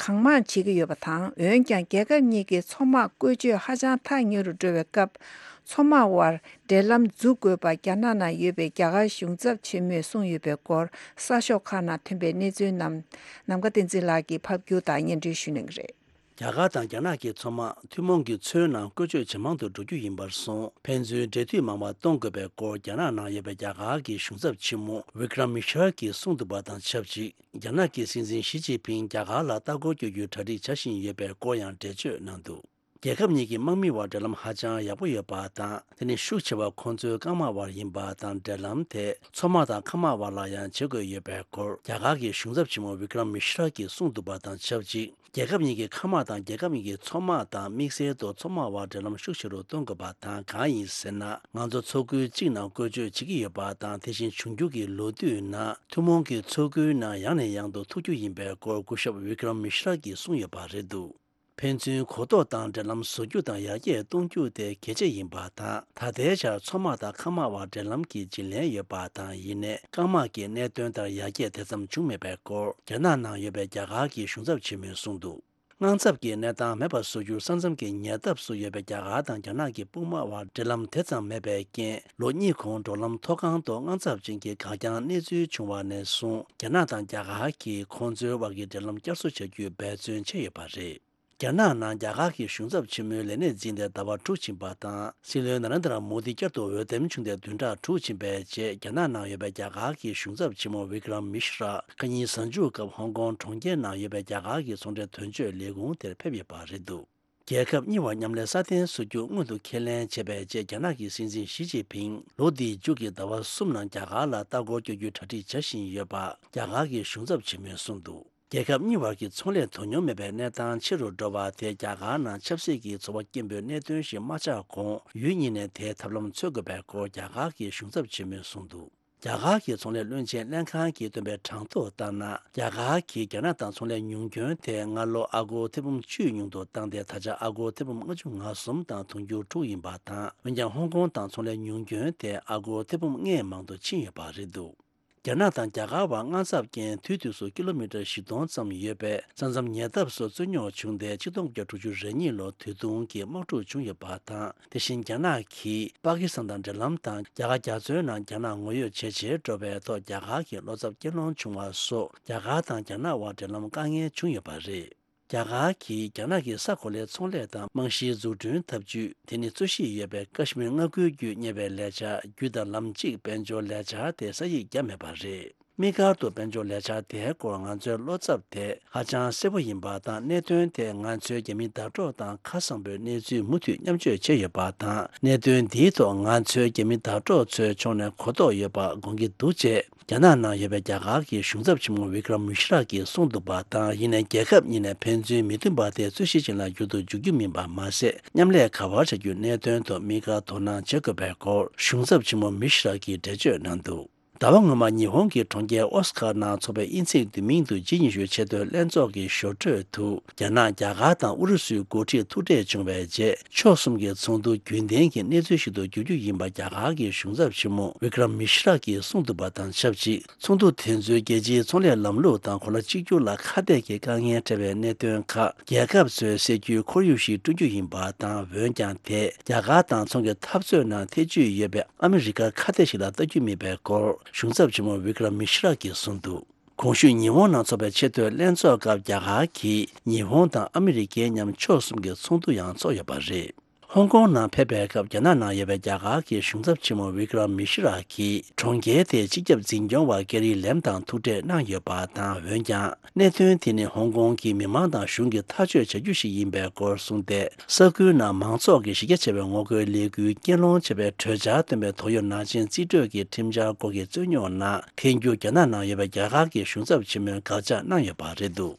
གང་མང་བྱེད་ཀྱི་ཡོད་པ་དང་། འོན་ཀྱང་རྒྱལ་ཁབ་གཉིས་ཀྱི་མཚོ་དམག་བཀོལ་སྤྱོད་ཧ་ཅང་ཐག་ཉེ་རུ་འགྲོ་བའི་སྐབས། མཚོ་དམག་དབར་འབྲེལ་ལམ་འཛུགས་དགོས་པ་རྒྱ་ནག་ནང་ཡོད་པའི་རྒྱ་གར་གཞུང་ཚབ་ཆེན་མོས་གསུངས་ཡོད་པའི་སྐོར། གསར་ཤོག་ཁག་ནང་ཐོན་པའི་གནས་ཚུལ་རྣམས་ནམ་མཁའ་བསྟན་འཛིན་ལགས་ཀྱིས་ཕབ་སྒྱུར་དང་སྙན་སྒྲོན་ཞུ་གནང་གི་རེད། རྒྱ་གར་དང་རྒྱ་ནག་གི་མཚོ་དམག་ཐུན་མོང་གི་མཚོའི་ནང་བཀོལ་སྤྱོད་ཇེ་མང་དུ་འགྲོ་རྒྱུ་ཡིན་པར་སོང་། ཕན་ཚུན་འབྲེལ་མཐུད་མང་བ་གཏོང་དགོས་པའི་སྐོར། རྒྱ་ནག་ནང་ཡོད་པའི་རྒྱ་གར་གྱི་གཞུང་ཚབ་ཆེན་མོ་ཝི་ཀྲམ་མི་ཤྲ་གྱིས་གསུངས་འདུག་པ་དང་ཆབས་ཅིག་རྒྱ་ནག་གི་སྲིད་འཛིན་ཞི་ཅིན་ཕིང་རྒྱ་གར་ལ་ལྟ་སྐོར་སྐྱོད་རྒྱུའི་གྲ་སྒྲིག་བྱ་བཞིན་ཡོད་པའི་སྐོར་ཡང་འགྲེལ་བརྗོད་གནང་འདུག་རྒྱལ་ཁབ་གཉིས་ཀྱི་དམག་མི་བར་འབྲེལ་ལམ་ཧ་ཅང་ཡག་པོ་ཡོད་པ་དང་། དེ་ནི་ཤུགས་ཆེ་བ་ཁོང་ཚོའི་རྐང་དམག་བར་ཡིན་པ་དང་། འབྲེལ་ལམ་དེ་མཚོ་དམག་དང་མཁའ་དམག་བར་ལ་ཡང་བྱེད་དགོས་ཡོད་པའི་སྐོར། རྒྱ་གར་གྱི་གཞུང་ཚབ་ཆེན་མོ་ཝི་ཀྲམ་མི་ཤྲ་གྱིས་གསུངས་འདུག་པ་དང་ཆབས་ཅིག་རྒྱལ་ཁབ་གཉིས་ཀྱི་མཁའ་དམག་དང་རྒྱལ་ཁབ་གཉིས་ཀྱི་མཚོ་དམག་དང་། དམིགས་བསལ་དུ་མཚོ་དམག་བར་འབྲེལ་ལམ་ཤུགས་ཆེ་རུ་གཏོང་དགོས་པ་དང་། གང་ཡིན་ཟེར་ན། ང་ཚོ་མཚོ་ཁུལ་གཅིག་ནང་བཀོལ་སྤྱོད་བྱེད་ཀྱི་ཡོད་པ་དང་། དེ་བཞིན་འབྱུང་འགྱུར་གྱི་ལོ་དུས་ནང་ཐུན་མོང་གི་མཚོ་ཁུལ་ནང་ཡང་ནས་ཡང་དུ་ཐུག་རྒྱུ་ཡིན་པའི་སྐོར། སྐུ་ཞབས་ཝི་ཀྲམ་མི་ཤྲ་གྱིས་གསུངས་ཡོད་པ་རེད་འདུག་ཕན་ཚུན་གོ་རྟོགས་དང་འབྲེལ་ལམ་བཟོ་རྒྱུ་དང་ཡར་རྒྱས་གཏོང་རྒྱུ་དེ་གལ་ཆེ་ཡིན་པ་དང་། ད་ལྟའི་ཆར་མཚོ་དམག་དང་མཁའ་དམག་བར་འབྲེལ་ལམ་གྱི་བརྗེ་ལེན་ཡོད་པ་དང་། ཡིན་ནའི་རྐང་དམག་གི་གནད་དོན་ལྟར་ཡར་རྒྱས་དེ་ཙམ་བྱུང་མེད་པའི་སྐོར། རྒྱ་ནག་ནང་ཡོད་པའི་རྒྱ་གར་གྱི་གཞུང་ཚབ་ཆེན་མོས་གསུངས་འདུག་དངངས་འཚབ་ཀྱི་གནས་སྟངས་མེད་པར་བཟོ་རྒྱུར་ས་མཚམས་ཀྱི་ཉེ་འདབས་སུ་ཡོད་པའི་རྒྱ་གར་དང་རྒྱ་ནག་གི་དཔུང་དམག་དབར་འབྲེལ་ལམ་དེ་ཙམ་མེད་པའི་རྐྱེན། ལོ་གཉིས་གོང་འབྲོག་ལམ་མཐོ་སྒང་དུ་དངངས་འཚབ་ཅན་གྱི་འགག་རྐྱང་གནས་ཚུལ་བྱུང་བ་ནས་བཟུང་། རྒྱ་ནག་དང་རྒྱ་གར་གྱིས་ཁོང་ཚོའི་དབར་གྱི་འབྲེལ་ལམ་བསྐྱར་གསོ་བྱ་རྒྱུའི་འབད་བརྩོན་བྱས་ཡོད་པ་རེད། རྒྱ་ནག་ནང་རྒྱ་གར་གྱི་གཞུང་ཚབ་ཆེན་མོའི་ལས་གནས་འཛིན་ཏེ་ཟླ་བ་དྲུག་ཕྱིན་པ་དང་། སྲིད་བློན་ན་རེན་དྲ་མོ་དི་བསྐྱར་དུ་འོས་འདེམས་བྱུང་སྟེ་བདུན་ཕྲག་དྲུག་ཕྱིན་པའི་རྗེས། རྒྱ་ནག་ནང་ཡོད་པའི་རྒྱ་གར་གྱི་གཞུང་ཚབ་ཆེན་མོ་ཝི་ཀྲམ་མི་ཤྲ་ཁ་ཉིན་གཟའ་མཇུག་སྐབས་ཧོང་ཀོང་གྲོང་ཁྱེར་ནང་ཡོད་པའི་རྒྱ་གར་གྱི་ཚོང་འབྲེལ་དོན་གཅོད་ལས་ཁུངས་དེར་ཕེབས་ཡོད་པ་རེད་འདུག་རྒྱལ་ཁབ་གཉིས་བར་མཉམ་ལས་སྲ་བརྟན་བཟོ་རྒྱུ་སྔོན་དུ་ཁས་ལེན་བྱས་པའི་རྗེས། རྒྱ་ནག་གི་སྲིད་འཛིན་ཞི་ཅིན་ཕིང་ལོ་འདིའི་མཇུག་གི་ཟླ་བ་གསུམ་ནང་རྒྱ་གར་ལ་ལྟ་སྐོར་སྐྱོད་རྒྱུའི་གྲ་སྒྲིག་བྱ་བཞིན་ཡོད་པ་རྒྱ་གར་གྱི་གཞུང་ཚབ་ཆེན་མོས་གསུངས་འདུག་རྒྱལ་ཁབ་གཉིས་བར་གྱི་ཚོང་ལས་དོ་སྙོམས་མེད་པའི་གནས་སྟངས་ཆེ་རུ་འགྲོ་བ་དེ་རྒྱ་གར་ནང་ཆབ་སྲིད་ཀྱི་ཚོར་བ་སྐྱེན་པོའི་གནད་དོན་ཞིག་མ་ཆགས་གོང་ཡུལ་གཉིས་ནས་དེའི་ཐབས་ལམ་འཚོལ་དགོས་པའི་སྐོར་རྒྱ་གར་གྱི་གཞུང་ཚབ་ཆེན་མོས་གསུངས་འདུག་རྒྱ་གར་གྱི་ཚོང་ལས་བློན་ཆེན་ལྷན་ཁང་གིས་བཏོན་པའི་གྲངས་ཐོ་ལྟར་ན། རྒྱ་གར་གྱིས་རྒྱ་ནག་དང་ཚོང་ལས་ཉུང་སྐྱོན་དེ་སྔ་ལོ་ཨ་སྒོར་ཐེར་འབུམ་བཅུ་ཉུང་དུ་བཏང་སྟེ། ད་ཆ་ཨ་སྒོར་ཐེར་འབུམ་ལྔ་བཅུ་ང་གསུམ་དང་དུང་ཕྱུར་དྲུག་ཡིན་པ་དང་། འོན་ཀྱང་ཧོང་ཀོང་དང་ཚོང་ལས་ཉུང་སྐྱོན་དེ་ཨ་སྒོར་ཐེར་འབུམ་ལྔས་མང་དུ་ཕྱིན་ཡོད་པ་རེད་འདུག་རྒྱ་ནག་དང་རྒྱ་གར་བར་དངངས་འཚབ་ཀྱིས་དུས་དུས་སུ་ཀི་ལོ་མི་ཊར་བཞི་སྟོང་ཙམ་ཡོད་པའི་ས་མཚམས་ཉེ་འདབས་སུ་རྩོད་རྙོག་བྱུང་སྟེ། ཆིག་སྟོང་དགུ་བརྒྱ་དྲུག་ཅུ་རེ་གཉིས་ལོར་དུས་ཐུང་གི་དམག་འཁྲུག་བྱུང་ཡོད་པ་དང་། དེ་བཞིན་རྒྱ་ནག་གིས་པ་ཀི་སི་ཐན་དང་འབྲེལ་ལམ་དང་། རྒྱ་གར་རྒྱ་མཚོའི་ནང་རྒྱ་ནག་ངོ་ཡོད་ཇེ་ཆེར་འགྲོ་བའི་ཐོག་རྒྱ་གར་གྱི་བློ་འཚབ་སྐྱེད་སློང་བྱུང་བ་སོགས། རྒྱ་གར་དང་རྒྱ་ནག་དབར་འབྲེལ་ལམ་དཀའ་ངལ་བྱུང་ཡོད་པ་རེད། རྒྱ་གར་གྱིས་རྒྱ་ནག་གི་ས་གོ་ལའི་ཚོང་ལས་དང་རྨང་གཞིའི་འཛུགས་སྐྲུན་འཐབ་ཇུས། དེ་ནི་རྩོད་གཞི་ཡོད་པའི་ཀ་ཤི་མིར་མངའ་ཁུལ་བརྒྱུད་གཉེར་བའི་ལས་འཆར། རྒྱུད་དང་ལམ་གཅིག་དཔལ་འབྱོར་ལས་འཆར་དེ་ས་ཡིག་བརྒྱབ་མེད་པ་རེད། དམིགས་བཀར་དུ་དཔལ་འབྱོར་ལས་འཆར་དེའི་སྐོར་ང་ཚོའི་བློ་འཚབ་དེ་ཧ་ཅང་གསལ་པོ་ཡིན་པ་དང་། གནད་དོན་དེ་ང་ཚོའི་རྒྱ་མི་བརྡ་སྤྲོད་དང་ཁ་གསང་པོའི་གནས་ཚུལ་མུ་མཐུད་མཉམ་སྤྱོད་བྱས་ཡོད་པ་དང་། གནད་དོན་འདིའི་ཐོག་ང་ཚོའི་རྒྱ་མི་བརྡ་སྤྲོད་ཚོའི་ཕྱོགས་ནས་གོ་རྟོགས་ཡོད་པ་དགོངས་ཀྱི་འདུག་ཅེས་རྒྱ་ནག་ནང་ཡོད་པའི་རྒྱ་གར་གྱི་གཞུང་ཚབ་ཆེན་མོ་བི་ཀྲམ་མི་ཤི་ར་གིས་གསུངས་འདུག་པ་དང་། ཡིན་ནའི་རྒྱལ་ཁབ་གཉིས་ནས་ཕན་ཚུན་མི་མཐུན་པ་དེ་རྩོད་གཞི་ཅན་ལ་འགྱུར་དུ་འཇུག་རྒྱུ་མིན་པ་མ་ཟད། མཉམ་ལས་ག་པར་བྱ་རྒྱུའི་གནད་དོན་ཐོག་དམིགས་བཀར་དོ་སྣང་བྱེད་དགོས་པའི་སྐོར་གཞུང་ཚབ་ཆེན་མོ་མི་ཤི་ར་གིས་འགྲེལ་བརྗོད་གནང་འདུག་ཟླ་བ་སྔོན་མ་ཉི་ཧོང་གི་གྲོང་ཁྱེར་ཨོ་སི་ཀར་ནང་འཚོགས་པའི་དབྱིན་ཚེས་བདུན་མའི་ཉིན་དུ་ཇི་ཉི་ཤུའི་ཆེས་མཐོའི་ལྷན་ཚོགས་ཀྱི་ཞོར་འཕྲོས་དུ། རྒྱ་ནག་རྒྱ་གར་དང་ཨུ་རུ་སུའི་འགོ་ཁྲིད་ཐུག་འཕྲད་བྱུང་བའི་རྗེས། ཕྱོགས་གསུམ་གྱི་ཚོགས་འདུ་རྒྱུན་ལྡན་གྱི་གནས་ཚུལ་ཞིག་ཏུ་འགྱུར་རྒྱུ་ཡིན་པ་རྒྱ་གར་གྱི་གཞུང་ཚབ་ཆེན་མོ་བི་ཀྲམ་མི་ཤི་ར་གིས་གསུངས་འདུག་པ་དང་ཆབས་ཅིག་ཚོགས་འདུ་དེ་ཚོས་རྒྱལ་སྤྱིའི་ཚོང་ལས་ལམ་ལུགས་དང་གོ་ལ་གཅིག་གྱུར་ལ་ཁ་གཏད་ཀྱི་དཀའ་ངལ་འཕྲད་པའི་གནད་དོན་ཁག་རྒྱལ་ཁབ་ཚོས་སེལ་རྒྱུའི་ཁོར་ཡུག་ཞིག་བསྐྲུན་རྒྱུ་ཡིན་པ་དང་། འོན་ཀྱང་དེས་རྒྱ་གར་དང་ཚོང་གི་འཐབ་རྩོད་ནང་ཐེ་བྱུས་ཡོད་པའི་ཨ་མི་རི་ཀར་ཁ་གཏད་ཞིག་ལ་ལྟ་རྒྱུ་མིན་པའི་སྐོར་གཞུང་ཚབ་ཆེན་མོ་བི་ཀྲམ་མི་ཤི་ར་གིས་གསུངས་འདུག་གོང་ཞུས་ཉི་ཧོང་ནང་འཚོགས་པའི་ཆེས་མཐོའི་ལྷན་ཚོགས་སྐབས་རྒྱ་གར་གྱིས་ཉི་ཧོང་དང་ཨ་མི་རི་ཀའི་མཉམ་ཕྱོགས་གསུམ་གྱི་ཚོགས་འདུ་ཡང་འཚོགས་ཡོད་པ་རེད། ཧོང་ཀོང་ནང་ཕེབས་པའི་སྐབས་རྒྱ་ནག་ནང་ཡོད་པའི་རྒྱ་གར་གྱི་གཞུང་ཚབ་ཆེན་མོ་བི་ཀྲམ་མི་ཤི་ར་གིས་གྲོང་ཁྱེར་དེའི་སྤྱི་ཁྱབ་འཛིན་སྐྱོང་བ་ཀེ་རི་ལེམ་དང་ཐུག་འཕྲད་གནང་ཡོད་པ་དང་། འོན་ཀྱང་གནད་དོན་དེ་ནི་ཧོང་ཀོང་གི་མི་མང་དང་གཞུང་གིས་ཐག་གཅོད་བྱ་རྒྱུ་ཞིག་ཡིན་པའི་སྐོར་གསུངས་ཏེ། ས་ཁུལ་ནང་མང་ཚོགས་ཀྱི་གཞི་རྒྱ་ཆེ་བའི་ངོ་རྒོལ་ལས་འགུལ་སྐྱེལ་སློང་བྱས་པའི་གྲོས་འཆར་བཏོན་པའི་ཏོག་དབྱིབས་ནང་ཆེན་རྩིས་སྤྲོད་ཀྱི་ཁྲིམས་འཆར་སྐོར་གྱི་རྩོད་རྙོག་ནང་འཐེན་རྒྱུ་རྒྱ་ནག་ནང་ཡོད་པའི་རྒྱ་གར་གྱི་གཞུང་ཚབ་ཆེན་མོས་དགག་བྱ་གནང་ཡོད་པ་རེད་འདུག་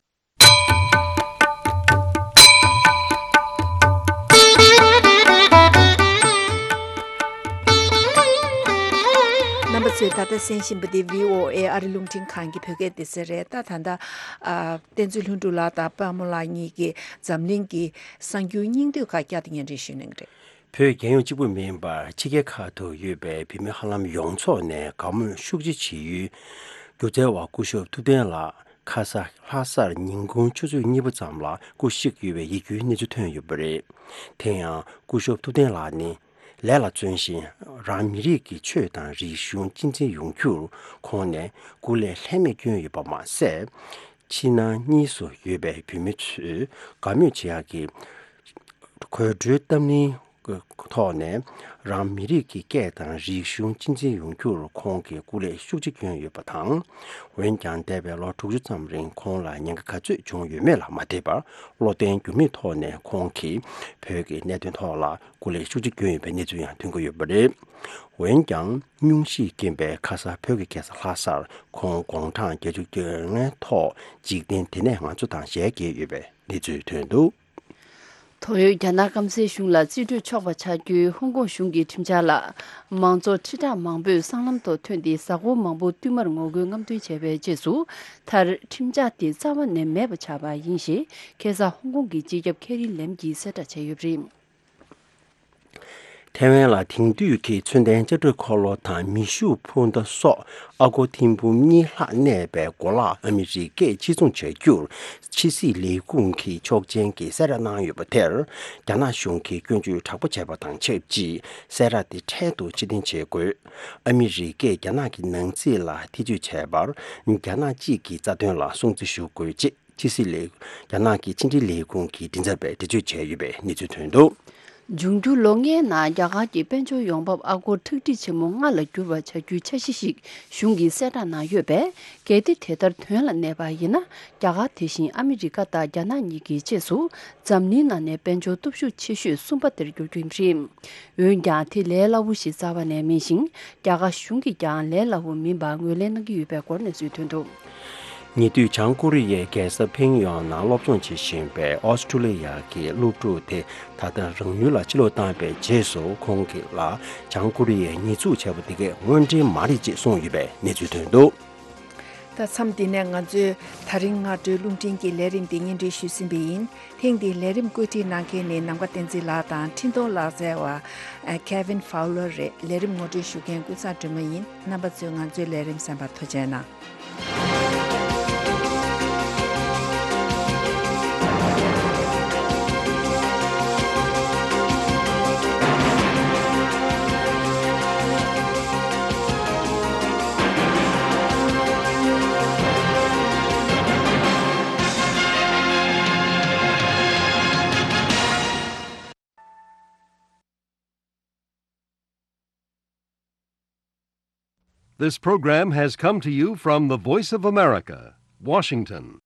རྣམ་པ་ཚོས་ད་ལྟ་གསན་བཞིན་པ་འདི་བྷི་ཨོ་ཨེ་ཨ་རི་རླུང་འཕྲིན་ཁང་གི་བོད་སྐད་སྡེ་ཚན་རེད། ད་ད་ལྟ་ཨ། བསྟན་འཛིན་ལྷུན་གྲུབ་ལགས་དང་པདྨ་ལགས་གཉིས་ཀྱིས་འཛམ་གླིང་གི་གསར་འགྱུར་སྙིང་བསྡུས་ཁག་བསྐྱར་དུ་སྙན་སྒྲོན་ཞུ་གནང་གི་རེད། བོད་རྒྱལ་ཡོངས་གཅིག་པུ་མིན་པར་ཕྱི་རྒྱལ་ཁག་ཏུ་ཡོད་པའི་བོད་མི་ཧ་ལམ་ཡོངས་རྫོགས་ནས་དགའ་མོས་ཤུགས་ཆེ་བྱེད་ཡུལ་སྒྱུ་རྩལ་བ་སྐུ་ཞབས་ཐུབ་བསྟན་ལགས་ཁ་ས་ལྷ་སར་ཉིན་གུང་ཆུ་ཚོད་གཉིས་པ་ཙམ་ལ་སྐུ་གཤེགས་ཡོད་པའི་ཡིད་སྐྱོའི་གནས་ཚུལ་ཐོན་ཡོད་པ་རེད། དེ་ཡང་སྐུ་ཞབས་ཐུབ་བསྟན་ལགས་ནི་ལས་ལ་བརྩོན་ཞིང་རང་མི་རིགས་ཀྱི་ཆོས་དང་རིག་གཞུང་གཅེས་འཛིན་ཡོང་རྒྱུར་ཁོང་ནས་སྐུ་ལས་ལྷད་མེད་བསྐྱོན་ཡོད་པ་མ་ཟད། ཕྱི་ནང་གཉིས་སུ་ཡོད་པའི་བོད་མི་ཚོས་དགའ་མོས་བྱེད་ཡག་གི་དགོད་བྲོའི་གཏམ་གླེང་ཐོག་ནས་རང་མི་རིགས་ཀྱི་སྐད་དང་རིག་གཞུང་གཅེས་འཛིན་ཡོང་རྒྱུར་ཁོང་གིས་སྐུ་ལས་ཤུགས་ཆེ་བསྐྱོན་ཡོད་པ་དང་། འོན་ཀྱང་འདས་པའི་ལོ་དྲུག་ཅུ་ཙམ་རིང་ཁོང་ལ་ཉེན་ཁ་ག་ཚོད་བྱུང་ཡོད་མེད་ལ་མ་ལྟོས་པར། བློ་བརྟན་འགྱུར་མེད་ཐོག་ནས་ཁོང་གིས་བོད་ཀྱི་གནད་དོན་ཐོག་ལ་སྐུ་ལས་ཤུགས་ཆེ་བསྐྱོན་ཡོད་པའི་གནས་ཚུལ་ཡང་ཐོན་གྱི་ཡོད་པ་རེད། འོན་ཀྱང་སྙུང་གཞིས་ཀྱིན་པའི་ཁ་ས་བོད་ཀྱི་རྒྱལ་ས་ལྷ་སར་ཁོང་དགུང་གྲངས་བརྒྱད་ཅུ་གྱ་ལྔའི་ཐོག་འཇིག་རྟེན་འདི་ནས་ང་ཚོ་དང་ཞལ་གྱེས་ཡོད་པའི་གནས་ཚུལ་ཐོན་འདུག་དོན་ཡོད་རྒྱ་ནག་སྐམ་སའི་གཞུང་ལ་རྩིས་སྤྲོད་ཆོག་པ་ཆགས་རྒྱུའི་ཧོང་ཀོང་གཞུང་གི་ཁྲིམས་འཆར་ལ། མང་ཚོགས་ཁྲི་ཕྲག་མང་པོས་སྲང་ལམ་ཐོག་ཐོན་ཏེ་གཟའ་འཁོར་མང་པོ་བསྟུད་མར་ངོ་རྒོལ་རྔམ་སྟོན་བྱས་པའི་རྗེས་སུ། མཐར་ཁྲིམས་འཆར་དེ་རྩ་བ་ནས་མེད་པ་ཆགས་པ་ཡིན་ཞེས་ཁ་སང་ཧོང་ཀོང་གི་སྤྱི་ཁྱབ་ཁེ་རི་ལེམ་གྱིས་གསལ་བསྒྲགས་བྱས་ཡོད་པ་རེད། ཐའེ་ཝན་ལ་དེང་དུས་ཀྱི་མཚོན་ལྡན་ལྕགས་སྒྲོག་འཁོར་ལོ་དང་མེ་ཤུགས་འཕུར་མདའ་སོགས་ཨ་སྒོར་ཐེར་འབུམ་གཉིས་ལྷག་གནས་པའི་གོ་ལག་ཨ་མི་རི་ཀས་ཕྱིར་ཚོང་བྱ་རྒྱུར་ཕྱི་སྲིད་ལས་ཁུངས་ཀྱི་ཆོག་མཆན་གྱི་གསལ་བསྒྲགས་གནང་ཡོད་པ་དེར། རྒྱ་ནག་གཞུང་གིས་སྐྱོན་བརྗོད་དྲག་པོ་བྱས་པ་དང་ཆབས་ཅིག་གསལ་བསྒྲགས་དེ་འཕྲལ་དུ་ཕྱིར་འཐེན་བྱེད་དགོས། ཨ་མི་རི་ཀས་རྒྱ་ནག་གི་ནང་སྲིད་ལ་ཐེ་ཇུས་བྱས་པར། རྒྱ་ནག་གཅིག་གི་རྩ་དོན་ལ་སྲུང་བརྩི་ཞུ་དགོས་ཅེས། ཕྱི་སྲིད་ལས། རྒྱ་ནག་གི་ཕྱི་འབྲེལ་ལས་ཁུངས་ཀྱི་མགྲིན་ཚབ་པས་འགྲེལ་བརྗོད་བྱས་ཡོད་པའི་གནས་ཚུལ་ཐོན་འདུག་འབྱུང་འགྱུར་ལོ་ལྔའི་ནང་རྒྱ་གར་གྱི་དཔལ་འབྱོར་ཡོང་འབབ་ཨ་སྒོར་ཁྲག་ཁྲིག་ཆེན་མོ་ལྔ་ལ་འགྱུར་བ་བྱ་རྒྱུའི་འཆར་གཞི་ཞིག་གཞུང་གིས་གསལ་བསྒྲགས་གནང་ཡོད་པས། གལ་ཏེ་དེ་ལྟར་དོན་ལ་གནས་པ་ཡིན་ན། རྒྱ་གར་དེ་བཞིན་ཨ་མི་རི་ཀ་དང་རྒྱ་ནག་གཉིས་ཀྱི་རྗེས་སུ་འཛམ་གླིང་ནང་ནས་དཔལ་འབྱོར་སྟོབས་ཤུགས་ཆེ་ཤོས་གསུམ་པ་དེར་འགྱུར་རྒྱུ་རེད། འོན་ཀྱང་དེ་ལས་སླ་བོ་ཞིག་རྩ་བ་ནས་མིན་ཞིང་། རྒྱ་གར་གཞུང་གིས་ཀྱང་ལས་སླ་བོ་མིན་པར་ངོས་ལེན་གནང་གི་ཡོད་པའི་སྐོར་གནས་ཚུལ་ཐོན་འདུག་ཉེ་དུས་བྱང་ཀོ་རི་ཡའི་རྒྱལ་ས་ཕིང་ཡོང་ནང་སློབ་སྦྱོང་བྱེད་བཞིན་པའི་ཨོ་སི་ཀྲུ་ལི་ཡ་གི་སློབ་ཕྲུག་དེ་ད་ལྟ་རང་ཡུལ་ལ་ཕྱིར་ལོག་བཏང་བའི་རྗེས་སུ། ཁོང་གིས་ལ་བྱང་ཀོ་རི་ཡས་ཉེས་འཛུགས་བྱས་པ་དེ་གས་དངོས་འབྲེལ་མ་རེད་ཅེས་གསུངས་ཡོད་པའི་གནས་ཚུལ་ཐོན་འདུག་ད་མཚམས་འདི་ནས་ང་ཚོས་ད་རིང་སྔ་དྲོའི་རླུང་འཕྲིན་གྱི་ལས་རིམ་འདི་སྙན་སྒྲོན་ཞུས་ཟིན་པ་ཡིན། ཐེངས་འདིའི་ལས་རིམ་བཀོད་སྒྲིག་གནང་མཁན་ནི་ནམ་མཁའ་བསྟན་འཛིན་ལགས་དང་འཕྲིན་གཏོང་ལག་རྩལ་བ་Kevin Fowler རེད། ལས་རིམ་ངོ་སྤྲོད་ཞུ་མཁན་ཀུན་བཟང་སྒྲོལ་མ་ཡིན། རྣམ་པ་ཚོས་ང་ཚོའི་ལས་རིམ་གསན་པར་ཐུགས་རྗེ་གནང་། This program has come to you from the Voice of America, Washington.